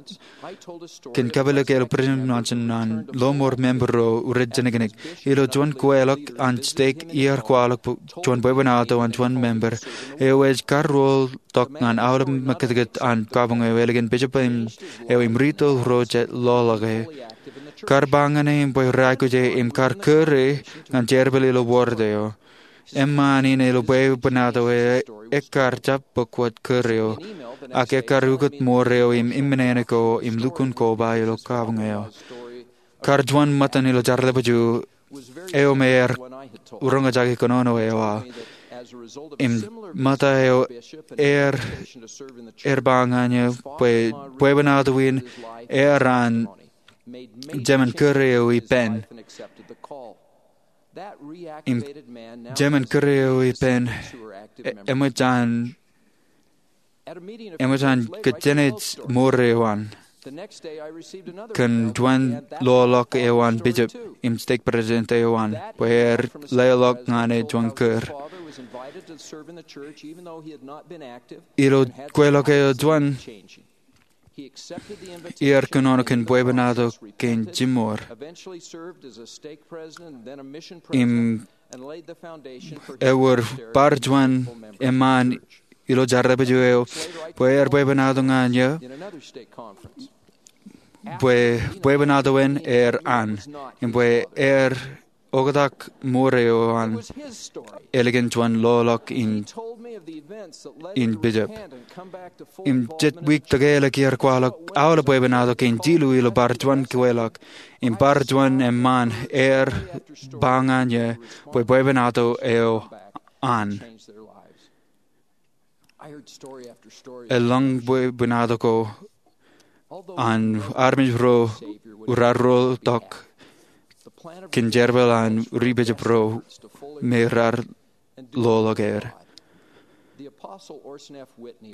kōn kapilōk ilo President Monson an ḷōṃoor member ro rej jeniknik. Ilo juon kweilọk an stek iiō kwaḷọk juon bwebwenato an juon member eo ej karuo tok ñan aolep mekitkit an kabuñ eo ālikin bishop eo im rito ro jet ḷoḷọk e. kar ba ñan e im bwe reaikuj e im kar kūr e ñan jerbal ilo wōrd eo. Eṃṃaan in ilo bwebwenato eo ekkar jab bōk wōt kūr eo, ak ekkar ukōt ṃoor eo im imminene ko im lukkuun koba ilo kabuñ eo. Kar juon ṃōttan ilo Jar Lepaju eo me ear roñjake kōnono eo aō. Im ṃōtta eo ear, ear ba ñan eō bwe bwebwenato in ear an jemān kūr eo ippān. Im jemān kūr eo ippān e-, eṃōj an eṃōj an kōjjenej ṃoor eo an kōn juon loḷọk eo an bishop im stake president eo an bwe ear leḷọk ñan e juon kūr. Ilo kweilọk eo juon, ear kōnono kōn bwebwenato kein jiṃor. Im ewōr bar juon eṃṃaan ilo Jar Lepaju eo bwe ear bwebwenato ñan eō bwe bwebwenato in ear an im bwe ear oktak ṃoor eo an ālikin juon loḷọk in, in bishop. Im jet wiik tōkeḷọk ear kwaḷọk aolep bwebwenato kein jilu ilo bar juon kweilọk. Im bar juon eṃṃaan ear ba ñan eō bwe bwebwenato eo an. Eḷaññe bwebwenato ko an armej ro raar rotok kōn jerbal an ri-bishop ro me raar loḷọk er.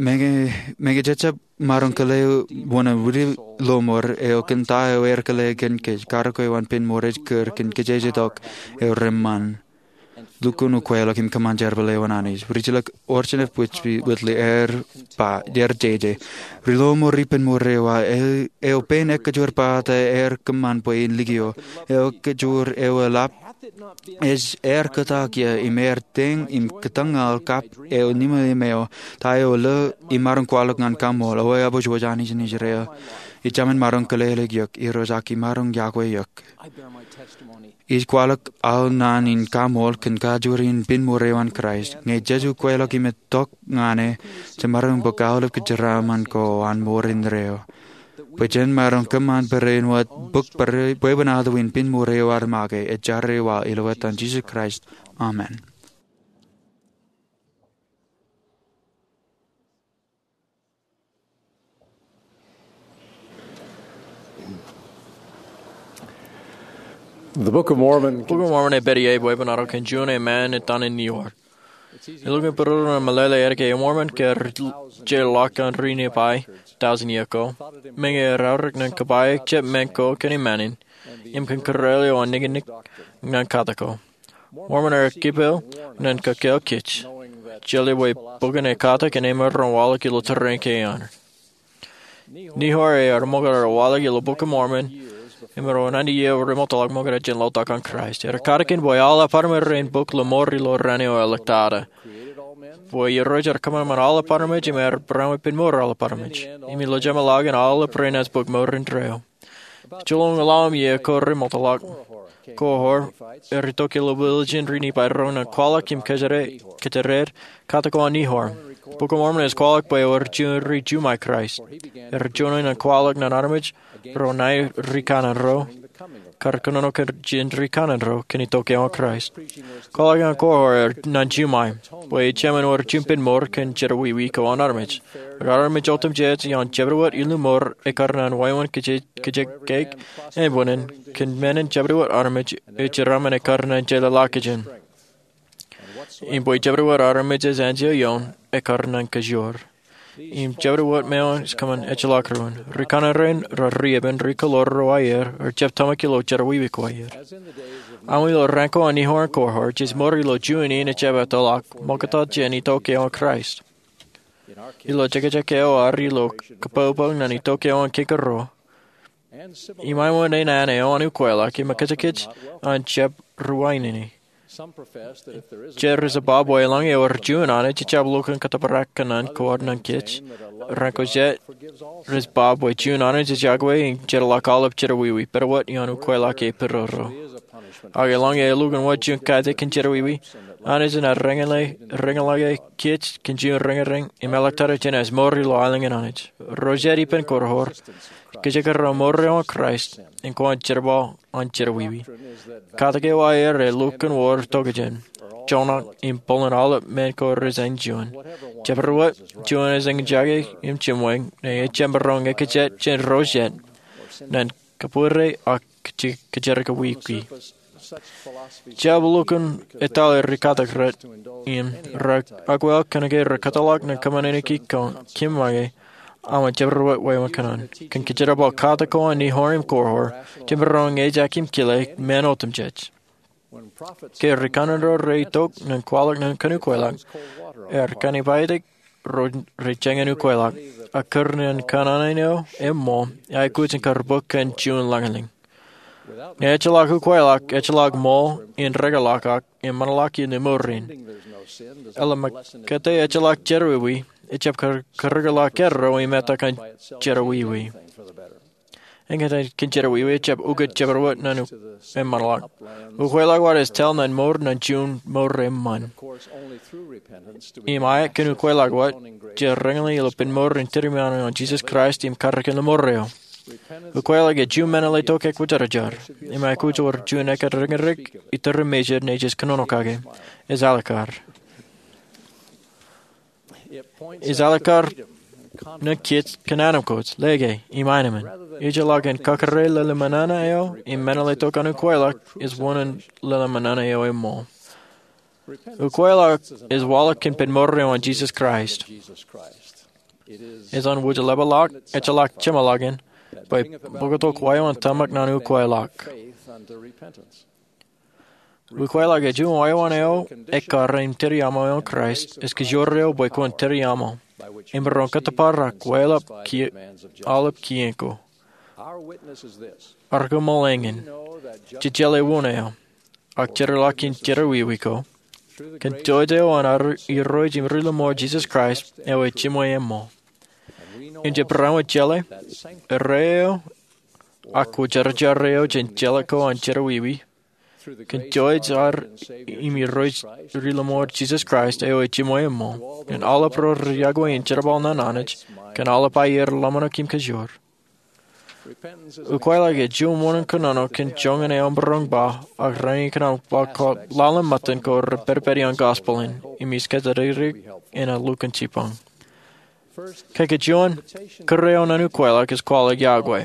Meñe, meñe jej jab maroñ kile wōn an Whitney Lamar eo kōn ta eo ear kile kōn kōj, karōk eo an pen ṃoor ej kūr kōn kōjejjetok eo reṃṃan. Lukkuun ukweḷọk im kōṃṃan jerbal eo an Anij. Ri-jilōk Orson F. Whitney ear ba, ear jeje, ri-lọmọọr ippān ṃoor eo aō, eo pen ekkejwōr pata ear kōṃṃan bwe in likio, eo ekkejwōr eo eḷap, ej ear kōtak ia im ear teñ im kōtōñal kab eo nimeim eo, ta eo lo imaroñ kwaḷọk ñan kaṃool, eo eabwejbwej Anij in Israel. Ij jemān maroñ kōlele eok, Irooj, ak imaroñ yokwe eok. Ij kwaḷọk aō naan in kaṃool kōn kajoor in pen ṃoor eo an Kraist. Ñe jej ukweḷọk im itok ñan e, jemaroñ bōk aolep kōjeraaṃṃan ko an mour indeeo, bwe jen maroñ kōṃṃan barāinwōt bōk bwe, bwebwenato in pen ṃoor eo ad make. Ij jar eo aō ilo etan Jisōs Kraist. Amen. The Book of Mormon. Bok in Mormon ej pād ie bwebwenato kōn juon eṃṃaan etan in Nehor. Elukkuun būruon meḷeḷe ālikin Mormon ke ri-, je ḷọk ñan ri-Nifai tọujin iiō ago. Meñe ear aorōk ñan kōpāik jab men ko kōn eṃṃaan in im kōn kōrā eo an nikinik ñan katak ko. Mormon ear kipel ñan kōkeel kōj, jeḷā bwe bok in ekatak in emaroñ waḷọk ilo tōre in kein. Nehor ear ṃokta wōt waḷọk ilo Bok in Mormon im ro nañinmej ro remootḷọk ṃokta jān laḷtak an Kraist. Ear katakin bwe aolep armej ren bōk lọmọọr ilo raan eo eḷọk tata, bwe Irooj ear kōṃanṃan aolep armej im ear barāinwōt pen ṃour aolep armej. Im ilo jeṃḷọkin aolep renaaj bōk mour indeeo. Joḷọk ñan ḷaḷ im iiō ko remootḷọk, Korihor ear itok ilo village in ri-Nifai ro ñan kwaḷọk im kōjatdikdik katak ko an Nehor. Bok in Mormon ej kwaḷọk bwe ewōr juon ri-Jumai Kraist. Ear joñan ñan kwaḷọk ñan armej ro ṇae rikaṇan ro, kar kōnono kōn jān rikaṇan ro kōn itok eo an Kraist. Kwaḷọk ñan Korihor ear ñan Jumai, bwe ejāmin wōr juon pen mour kōn jerọwiwi ko an armej. Ekar armej otemjej ioon jabdewōt illu mour ekar ñan wāween kōjatdikdik, kōjatdikdik, ānbwinnin, kōn men in jabdewōt armej eo jeraaṃṃan ekar ñan jeḷā ḷọkjeṇ. Im bwe jabdewōt armej ej anjọ ioon ekar ñan kajoor. Im jabdewōt ṃōṇōṇō ej kōṃṃan ejjeḷọk ruo. Rikaṇan rein, ro ri-epen ri-kōḷoor ro aer, rej jab tōmak ilo jerọwiwi ko aer. Aṃ ilo raan ko an Nehor im Korihor, jej mour ilo juon in ejjab ettoḷọk, ṃokta jān itok eo an Kraist. Ilo jekjek eo ad ilo kōpopo ñan itok eo an kōkōrā, im āinwōt naan eo an ukweḷọk, im ekōjkōj an jab ruwainene. Jet rej ba bwe eḷaññe ewōr juon Anij ejjab lukkuun kōttōpar kōṇaan ko ad nañ kōj. Ren ko jet rej ba bwe juon Anij ej yokwe im jeorḷọk aolep jerọwiwi, pād wōt ioon ukweḷọk e pidodo. Ak eḷaññe elukkuun wōt juon katak kōn jerọwiwi, Anij enaaj reñin ḷọk kōj kōn juon reñireñ im āliktata jenaaj mour ilo aelōñ in Anij. Ro jet ippān koror, kōjekdọọn mour eo an Kraist im kwōn jerbal an jerọwiwi. Katak eo aer elukkuun wōr tokjān, joñak im bōlen aolep men ko rej āinjuon. Jabdewōt, juon ej eñjake im jimweñ, ñe ejjab maroñ ñe kōj jet jān ro jet nañ kōbwidej ak kōjerkakwiwi. Jab lukkuun etale ri katak rot im rej akwāāl kōnke rej kōtḷọk ñan kōmāneniki kōn kōm make aṃ jabdewōt wāween kōṇaan. Kōn kōjerbal katak ko an Nehor im Korhor, jemaroñ ñe ejjab kile men otemjej. Ke ri kanaan ro rej itok ñan kwaḷọk ñan kōn ukweḷọk, er kōn ipaitik ro rej jañin ukweḷọk, ak kūr ñan kōnono eo eṃṃool, aikuj in kar bōk kōn juon lañlōñ. Ñe ejjeḷọk ukweḷọk, ejjeḷọk ṃool in rekḷọk ak im ṃōṇōḷọk in mour in. Eḷap ṃōk kōttar ejjeḷọk jerọwiwi, ejjab kar kūrḷọk kōrā ro im etal kōn jerọwiwi. Eñtaan kōn jerọwiwi ejjab ukōt jabdewōt ñan eṃṃanḷọk. Ukweḷọk wōt ej tōl ñan mour ñan juon mour eṃṃan. Im aet kōn ukweḷọk wōt, jej reñin ilo ippān mour in tūriaṃo an Jisōs Kraist im karreoik ilo mour eo. Ukweḷọk ej juon men eo ej itok ekwōjarjar, im aikuj wōr juon ekkar reñirrek iturūṃ mejād ñe jej kōnono kake. Ej alikkar. Ej alikkar ñan kōj kōn anemkwōj, lōke, im aenōṃṃan. Ejjeḷọk in kakōrā lōḷōṃōṇōṇō eo im men eo ej itok an ukweḷọk, ej wōṇāān lōḷōṃōṇōṇō eo eṃṃool. Ukweḷọk ej waḷọk kōn ippān mour eo an Jisōs Kraist. Ej an wōjlepḷọk, ejjeḷọk jeṃḷọkin, bwe bōktok wāween tōmak ñan ukweḷọk. Ukweḷọk ej juon wāween eo ekkar in tūriaṃo eo an Kraist, ej kōjro eo bwe kwōn tūriaṃo, im maroñ kōttōpar ak wāween aolep kien ko. Ar koṃṃool eñin, jej jeḷā wōn eo, ak jeorḷọk in jerọwiwi ko, kōn tōj eo an ad Irooj im Ri-lọmọọr Jisōs Kraist, eo ej jiṃwe eṃṃool. Im jej barāinwōt jeḷā, erreo, ak kwōjarjar eo jān jeḷā ko an jerọwiwi, kōn tōj ad im Irooj Ri-lọmọọr Jisōs Kraist eo ej jiṃwe eṃṃool, ñan aolep ro rej yokwe in jerbal ñan Anij, kōn aolep aier, ḷōmṇak im kōjro. Ukweḷọk ej juon wōṇāān kōnono kōn joñan eo maroñ ba, ak rainin kōnono ba kwō ḷalem ṃōttan ko rej pedped ioon gospel in, im ij kōjatdikdik in lukkuun jipañ. Kōkōjuon, kūr eo ñan ukweḷọk ej kwaḷọk yokwe.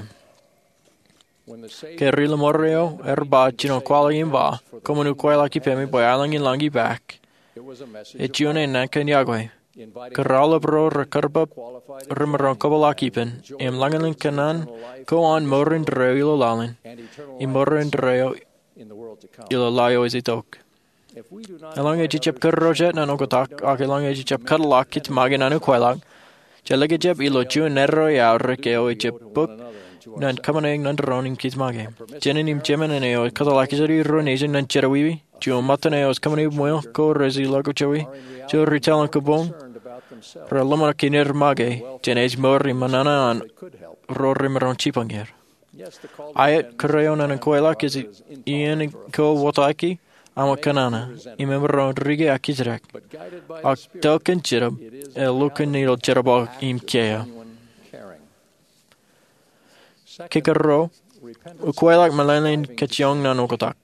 Ke Ri-lọmọọr eo ear ba jino kwaḷọk im ba, koṃwin ukweḷọk ippemi bwe aelōñ in lañ ipaak, ej juon naan kōn yokwe. Kūr aolep ro rej kōrpap remaroñ kōpeḷḷọk ippān, im lañlōñ kōnono ko an mour indeeo ilo laḷ in, im mour indeeo ilo laḷ eo ej itok. Eḷaññe jejjab kūr ro jet ñan oktak, ak eḷaññe jejjab kōtḷọk kōj make ñan ukweḷọk, jelōkejjab ilo juon naan eo eaorōk eo ejjab bōk ñan kōṃṃane ñan doon in kōj make. Jinen im jemān eo ej kōtḷọk ijin ro nejin ñan jerọwiwi, juon ṃōttan eo ej kōṃṃane ṃweo ko rej ilọk jowi, juon ri-taḷ in kōboñ, rej ḷōmṇak in er make jān ej mour im ṃōṇōṇō an ro remaroñ jipañ er. Aet, kūr eo ñan ukweḷọk ej iien ko wōtaki aṃ kōnono, im emaroñ rike ak kōjrak. Ak tōl kōn jinōb, elukkuun ilo jerbal im kiiō. Kōkōrā, ukweḷọk meḷeḷein kōjioñ ñan oktak.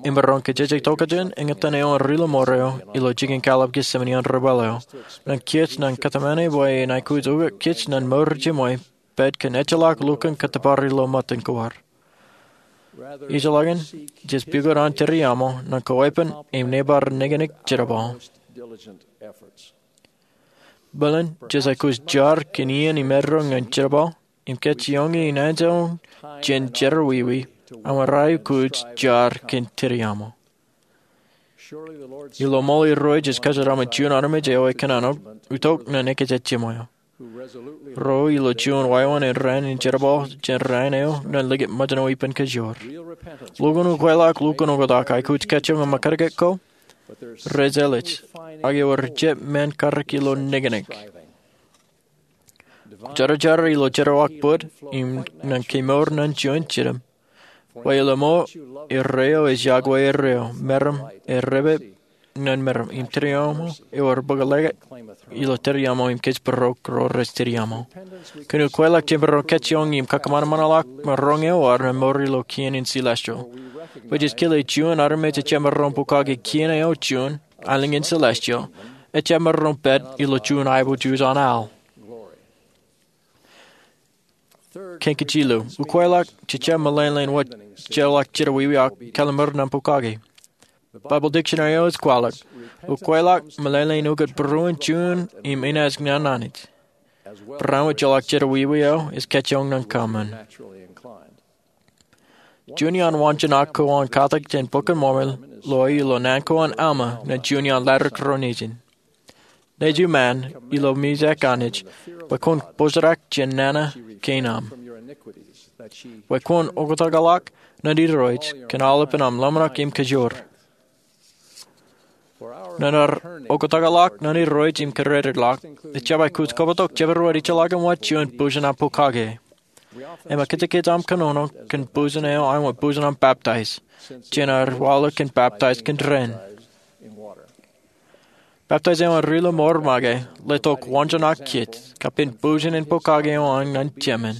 Emaroñ kajjitōk tokjān eñtaan eo an Ri-lọmọọr eo ilo jikin kallib Jetsemani an ri-bōl eo, ñan kōj ñan kōtmāne bwe en aikuj ukōt kōj ñan mour jiṃwe pād kōn ejjeḷọk lukkuun kōttōpar ilo ṃōttan ko ad. Ijjeḷọkin, jej pukot an tūriaṃo ñan koweeppān im nōbar nōkōnōk jerbal. Bōlen, jej aikuj jar kōn iien im eddo ñan jerbal, im kōjioñ in anjooñ jān jerọwiwi, aṃ ri-aikuj jar kōn tūriaṃo. Ilo ṃool Irooj jej kōjeraṃṃan juon armej eo ekōnono itok ñan ekōjatjiṃwe eo. ro ilo juon wāween rainin jerbal jān rainin eo ñan likūt ṃōjṇo ippān kōjro. Lukkuun ukweḷọk, lukkuun oktak, aikuj kajjioñ im ekkar ko, rej jeḷā, ak ewōr jab men karōk ilo nōknōk. Kwōjarjar ilo jerọwiwi bōd im ñan kemour ñan juon jinem, bwe ilo ṃool erreo ej yokwe erreo, meram ej repepe ñan meram, im tūriaṃo ewōr bōklōke ilo tūriaṃo im kōjparok ro rej tūriaṃo. Kōn ukweḷọk jemaroñ kajjioñ im kakōṃanṃanḷọk maroñ eo ad ñan mour ilo kien in celestial. Bwe jej kile juon armej ejjab maroñ pokake kien eo juon aelōñ in celestial, ejjab maroñ pād ilo juon aiboojoj an al. Kein kajjilōk, ukweḷọk jejjab meḷeḷein wōt jeorḷọk jerọwiwi ak kalliṃur ñan pokake. Bible dictionary eo ej kwaḷọk, ukweḷọk meḷeḷein ukōt būruon juon im inaaj ñan Anij. Barāinwōt jeorḷọk jerọwiwi eo ej kajjioñ ñan kōṃṃan. Juon iaan waanjoñak ko an katak jān Bok in Mormon lo ilo naan ko an Alma ñan juon iaan laḷ ro nejin. Nejū ṃaan ilo mijak Anij, bwe kwōn pojarak jān nana kein aṃ, bwe kwōn oktakḷọk ñan Irooj kōn aolepen aṃ ḷōmṇak im kōjoor. Ñan ad oktakḷọk ñan Irooj im kōrōdeḷọk, ejjab aikuj koṃṃool tok jabdewōt ejjeḷọkin wōt juon bujen an pokake. Im kajjitōk kōn kōnono kōn bujen eo āinwōt bujen an baptize, jān ad waḷọk kōn baptize kōn dān. Baptize eo an ri-lọmọọr make letok waanjoñak kiiō, kapen bujen in pokake eo an ñan Jemān.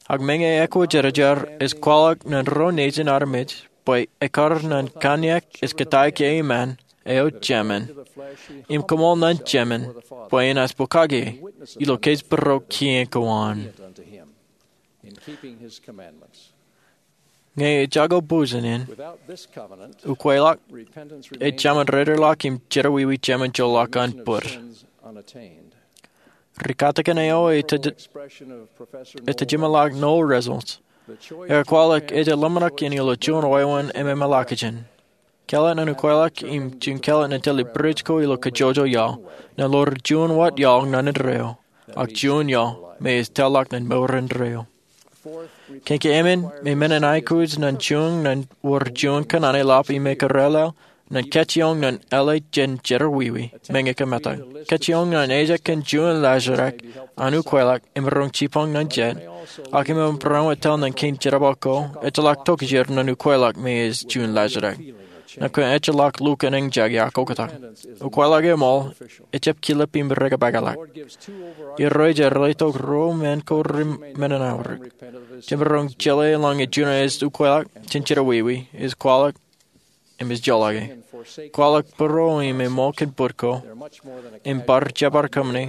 Ak meñe ekwōjarjar ej kwaḷọk ñan ro nejin armej bwe ekkar ñan kanniōk ej kōttāik iṃaan eo Jemān, im koṃṃool ñan Jemān bwe enaaj pokake ilo kōjparok kien ko an. Ñe ejako bujen in, ukweḷọk ej jaṃin dedeḷọk im jerọwiwi jemān joḷọk an bōd. Ri-katakin eo ej tōj-, ej tōjemānḷọk Noel Resels, ekwaḷọk ejjeḷọk ḷōmṇak in ilo juon wāween ememālōkjeṇ. Kāālōt ñan ukweḷọk im juon kāālōt ñan tōl bwidej ko ilo kōjjojo iaḷ, ñan ḷoor juon wōt iaḷ ñan indeeo, ak juon iaḷ me ej tōl ḷọk ñan mour indeeo. Kein keemān, memen in aikuj ñan juon ñan wōr juon kōṇaan eḷap im ekōrālel ñan kajjioñ ñan ālij jān jerọwiwi, meñe kōmetak. Kajjioñ ñan ejjab kōn juon laajrak an ukweḷọk emaroñ jibboñ ñan jet, ak eṃōj barāinwōt tōl ñan kein jerbal ko ejjeḷọk tokjāer ñan ukweḷọk me ej juon laajrak. Ñan kōn ejjeḷọk lukkuun eñjake ak oktak. Ukweḷọk eṃool ejjab kilep im rekapakḷọk. Irooj ej letok ruo men ko ri men in aorōk. Jemaroñ jeḷā eḷaññe juon ej ukweḷọk jān jerọwiwi, ej kwaḷọk im ej joḷọke. Kwaḷọk būruō im eṃool kōn bōd ko, im bar jebar kōṃṃani,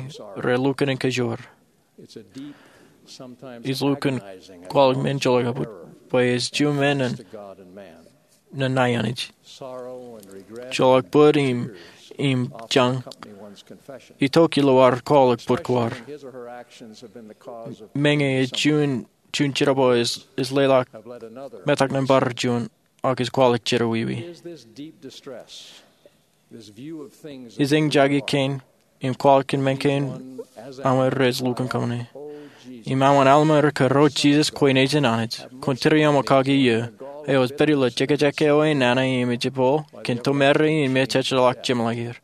relukkuun in kōjoor. Ej lukkuun kwaḷọk men joḷọk bwe ej juon men ñan ñan Anij. Joḷọk bōd im, im jañ itok ilo ad kwaḷọk bōd ko ad. Meñe ej juon, juon jerbal ej, ej leḷọk metak ñan bar juon, ak ej kwaḷọk jerọwiwi. Ej eñjake kein im kwaḷọk kōn men kein aṃ rej lukkuun kōṃṃani. Im aṃ wōt Alma rej kōrā Jisōs kwe nejin Anij, kwōn tūriaṃo kaki iiō, eo ej pād ilo jekjek eo enana im ej jepel kōn tomerein im ejjeḷọk jeṃḷọk er.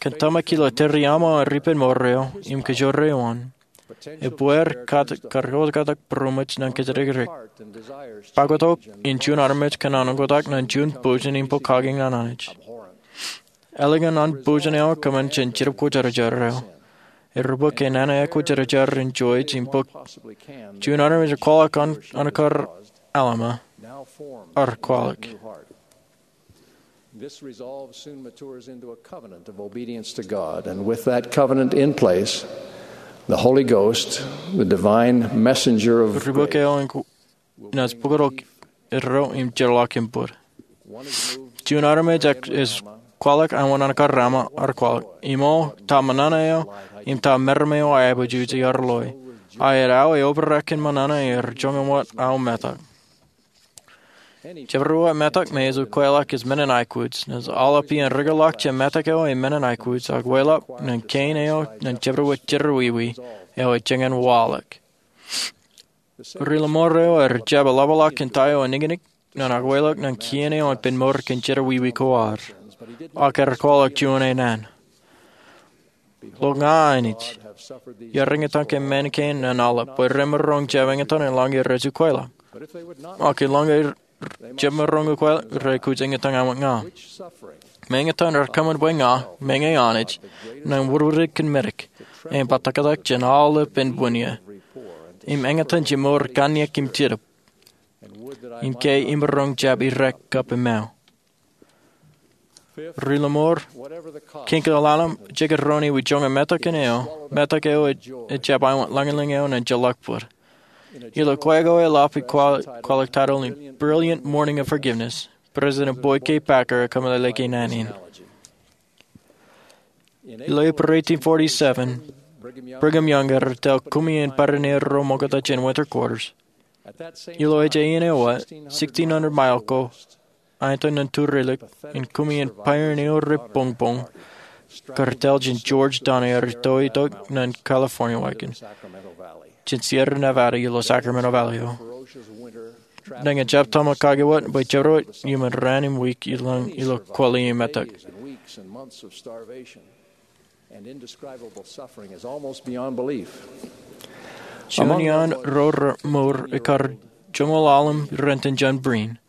Kōn tōmak ilo tūriaṃo an ippān mour eo im kōjoor eo an, ebwe kar, kar oktak būroṃōj ñan kōjatdikdik. Pād tok in juon armej kōn an oktak ñan juon bujen in pokake ñan Anij. Ālikin an bujen eo kōṃṃan jān Jetōb Kwōjarjar eo, erro bōk enana ekwōjarjar in Joij im bōk juon armej kwaḷọk an, an kar Alma, ar kwaḷọk. This resolve soon matures into a covenant of obedience to God, and with that covenant in place, the Holy Ghost, the divine messenger of grace, ri bōk eo in ku-, naaj bōktok erro im jeorḷọk im bōd. Juon armej ej kwaḷọk an wōn an kar Alma, ar kwaḷọk. Im ta ṃōṇōṇō eo, im ta meram eo aiboojoj iar loe. Ak āinwōt aō eobrak kōn ṃōṇōṇō er joñan wōt aō metak. Jabdewōt metak me ej ukweḷọk ej men in aikuj. Naaj aolep iien rūkōḷọk jān metak eo im men in aikuj, ak weḷap ñan kein eo ñan jabdewōt jerọwiwi eo ej jān waḷọk. Ri-lọmọọr eo ej jab eḷapḷọk kōn ta eo ej nikinik ñan ukweḷọk ñan kien eo en pen mour kōn jerọwiwi ko ad. Ak ear kwaḷọk juon eo an. Lo ña ainikien, iar eñtaan kōn men kein ñan aolep, bwe remaroñ jab eñtaan in lañe rej ukweḷọk. Ak eḷaññe jemaroñ ukweḷọk, rej aikuj eñtaan ñan ña. Im eñtaan rej kōṃṃan bwe ña, meñe Anij, ñan wūdwūdik kōn medik, im bōtaab jān aolep ānbwinnū. Im eñtaan jemour kanniōk im jetōb. Im ke imaroñ jab irrek kab emao. Ri-lọmọọr, kōn ke aolep jekdọọn ewi joñan metak in eo, metak eo ej jab aolep lañlōñ eo ñan ejjeḷọk bōd. Ilo kwe ko eḷap ej kwaḷọk taitōl in Brilliant Morning of Forgiveness, President Boyd K. Packer ej kōmeḷeḷeik naan in. Ilo April eighteen forty-seven, Brigham Young ear tōl kumi in pioneer ro ṃoktata jān winter quarters. Ilo ej iien eo, sixteen hundred mile ko, aetan ñan turelōk in kumi in pioneer ro repoñpoñ, kar tōl jān George Donner ear tōl itok ñan California wagon, jān Sierra Nevada ilo Sacramento Valley eo. Ñe ejjab tōmak kake wōt, bwe jabdewōt iuṃwin raan im wiik ilo, ilo kwōḷi im metak. Juon iaan ro remour ekkar joñoul ḷalem raan in jān Breen.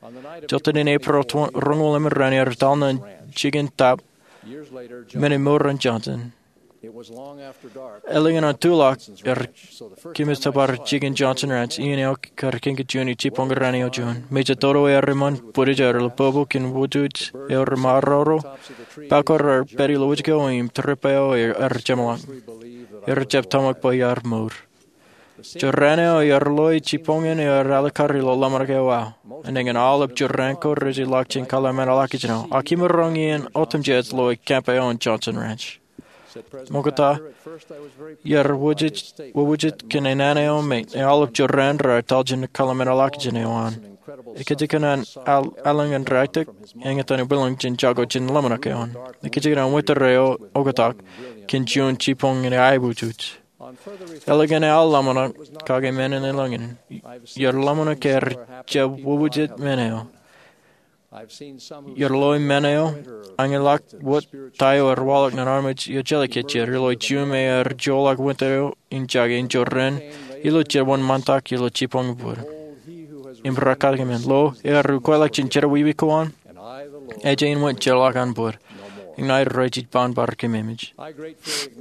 Jota in April roñoul emān raan ear etal ñan jikin tap men in mour in Johnson. Ālikin an tulọk ear kōmij tōpar jikin Johnson Ranch iien eo kar kiiō juon jibboñ raan eo juon. Mejān toḷ eo ear eṃṃan bwidej eo rej lōbōbō kōn wūjej eo remaroñ. Pā ko ear pād ilo wūjej eo im trip eo ear jeṃḷọk. Ear jab tōmak bwe iar mour. Juon raan eo ear loi jibboñōn eo ear alikkar ilo ḷōmṇak eo aō. Enañin aolep jorrāān ko rej ilọk jān kōḷmānḷọkjeṇ eo. Ak imaroñ iien otemjej lo camp eo an Johnson Ranch. Ṃokta, iar wūjej, wūjej kōn naan eo me aolep jorrāān raar etal jān kōḷmānḷọkjeṇ eo an. Ikijjien an al-, allōñ in rāiktok, eñtaan in bwilōñ jān jako jān ḷōmṇak eo an. Ikijjien an winter eo oktak, kōn juon jibboñ in aiboojoj. Ālikin aō ḷōmṇak, kake men in allōñ in, iar ḷōmṇak ke ear jab wūjej men eo. Iar loi men eo, añinḷọk wōt ta eo ear waḷọk ñan armej eo jeḷā ke jeir, ilo juon me ear joḷọk winter eo in jake in jorrāān, ilo jewōn ṃantak ilo jibboñ bōd. Im rekatak men lo, ear ukweḷọk jān jerọwiwi ko an, ej aō wōt jeorḷọk an bōd. Im ña ij rej jibboñ bar kōmemej.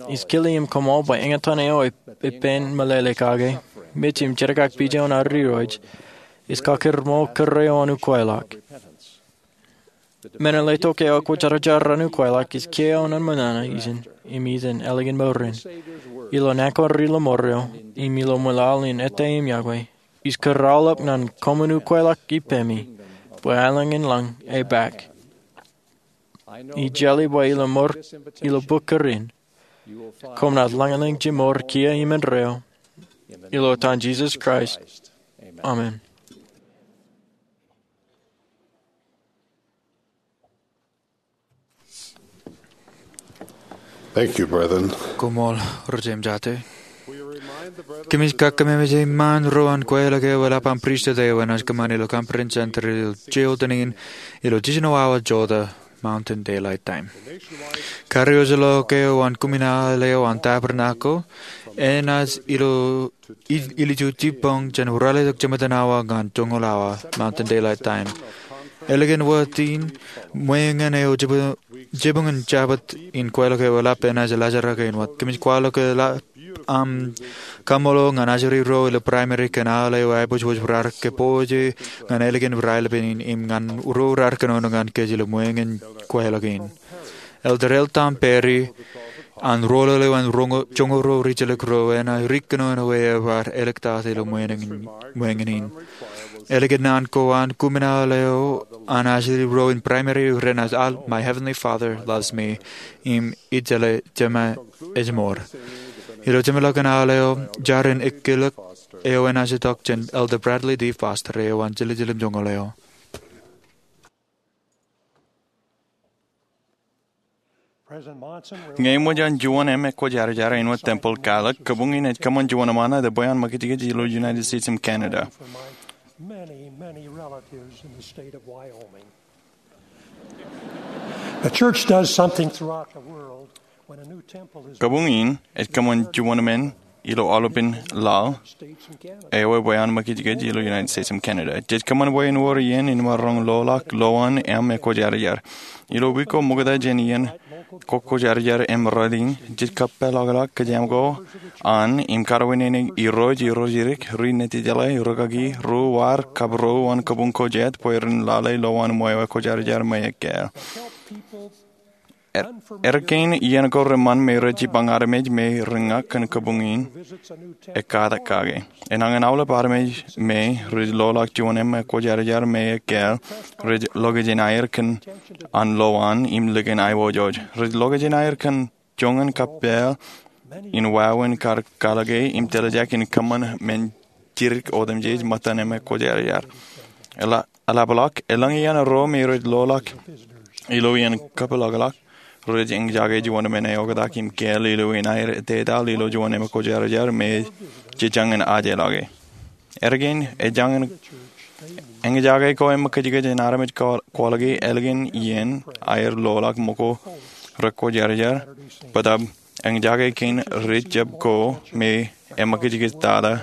Ij kile im koṃṃool bwe eñtaan eo ej, ej ippān meḷeḷe kake, mej im jedik ak pijaon ad Irooj, ej kakūrmool kūr eo an ukweḷọk. Men in letok eo kwōjarjar an ukweḷọk ej kiiō eo an ṃōṇōṇō ijin, im ijin ālikin mour in. Ilo naan ko ri-lọmọọr eo, im ilo ṃwilaḷ in ettā im yokwe, ij kūr aolep ñan koṃwin ukweḷọk ippemi, bwe aelōñ in lañ ej bōk. Ij jeḷā bwe ilo mour, ilo bok kūr in, koṃ naaj lañlōñ jemour kiiō im indeeo, ilo etan Jisōs Kraist. Amen. Thank you, brethren. Koṃṃool, ri-jemjate. Kōmij kakememej eṃṃaan ro an kweilọk eo eḷap an pristut eo enaaj kōṃṃan ilo Conference Center ilo jota in, ilo jiljino awa jota, Mountain Daylight Time. Karios eo ḷọk eo an kumi naan eo an tabernacle, enaaj ilo i-, ilju jibboñ jān ralitōk jemātan awa ñan joñoul awa, Mountain Daylight Time. Ālikin wōt in, ṃweeñin eo jibboñ, jibboñin Jabōt in kweilọk eo eḷap enaaj laajrak in wōt. Kōmij kwaḷọk eḷap aṃ kaṃṃoolol ñan ajri ro ilo primary kōn aolep eo aiboojoj raar kōpooje ñan ālikin raelepen in im ñan ro raar kōnono ñan kōj ilo ṃweeñin kweilọk in. Elder L. Tom Perry, an rōḷḷap eo an roño-, joñoul ro rijjelōk ro enaaj ri kōnono ear bar āliktata ilo ṃweeñin, ṃweeñin in. Ālikin naan ko an kumi naan eo an ajri ro in primary renaaj al, "My Heavenly Father loves me," im, "Ij jeḷā Jema ej ṃool." Ilo jeṃḷọkin al eo, jar in ekilōk eo enaaj itok jān Elder Bradley D. Foster eo an jiljilimjuonñoul eo. Ñe eṃōj an juon eṃ ekwōjarjar āinwōt tempel Catholic, kōbuñ in ej kōṃṃan juon eṃṃan ṇe bwe an ṃakūtkūt ilo United States im Canada. Many, many relatives in the state of Wyoming. The church does something throughout the world when a new temple is Kōbuñ in ej kōṃṃan juon eṃṃan ilo aolepān laḷ eo bwe an ṃakūtkūt ilo United States im Canada. Jej kōṃṃan bwe en wōr iien in maroñ loḷọk lowaan eṃ ekwōjarjar. Ilo wiik ko ṃokta jān iien kwōjarjar eṃ rot in, jej kōpeḷḷọk kōjeañ ko an im karuwaineneik irooj, irooj jidik, ri-nitijeḷā, rūkaki, ri-war, kab ro an kōbuñ ko jet bwe ren lale lowaan ṃweo ekwōjarjar me ekkāāl. Er, er kein iien ko reṃṃan me rej jipañ armej me reñak kōn kōbuñ in ekkatak kake. Enañin aolep armej me rej loḷọk juon eṃ ekwōjarjar me ekkāāl, rej ḷokjenaer kōn an lowaan im likin aiboojoj. Rej ḷokjenaer kōn joñan kappāāl in wāween kar kalōke im tōljaak in kōṃṃan men jidik otemjej ṃōttan eṃ ekwōjarjar. Eḷap, eḷapḷọk, elōñ iaan ro me rej loḷọk ilo iien kōpeḷḷọk, rej eñjake juon eṃṃan eoktak im kāāl ilo iien aer ettetaḷ ilo juon eṃ ekwōjarjar me jej jañin ajeḷọke. Er kein, ejañin eñjake ko eṃṃan kōjkōj in armej ko kwōḷọke ālikin iien aer loḷọk ṃōko rekwōjarjar, bōtaab eñjake kein ri-jab ko me eṃṃan kōjkōj tata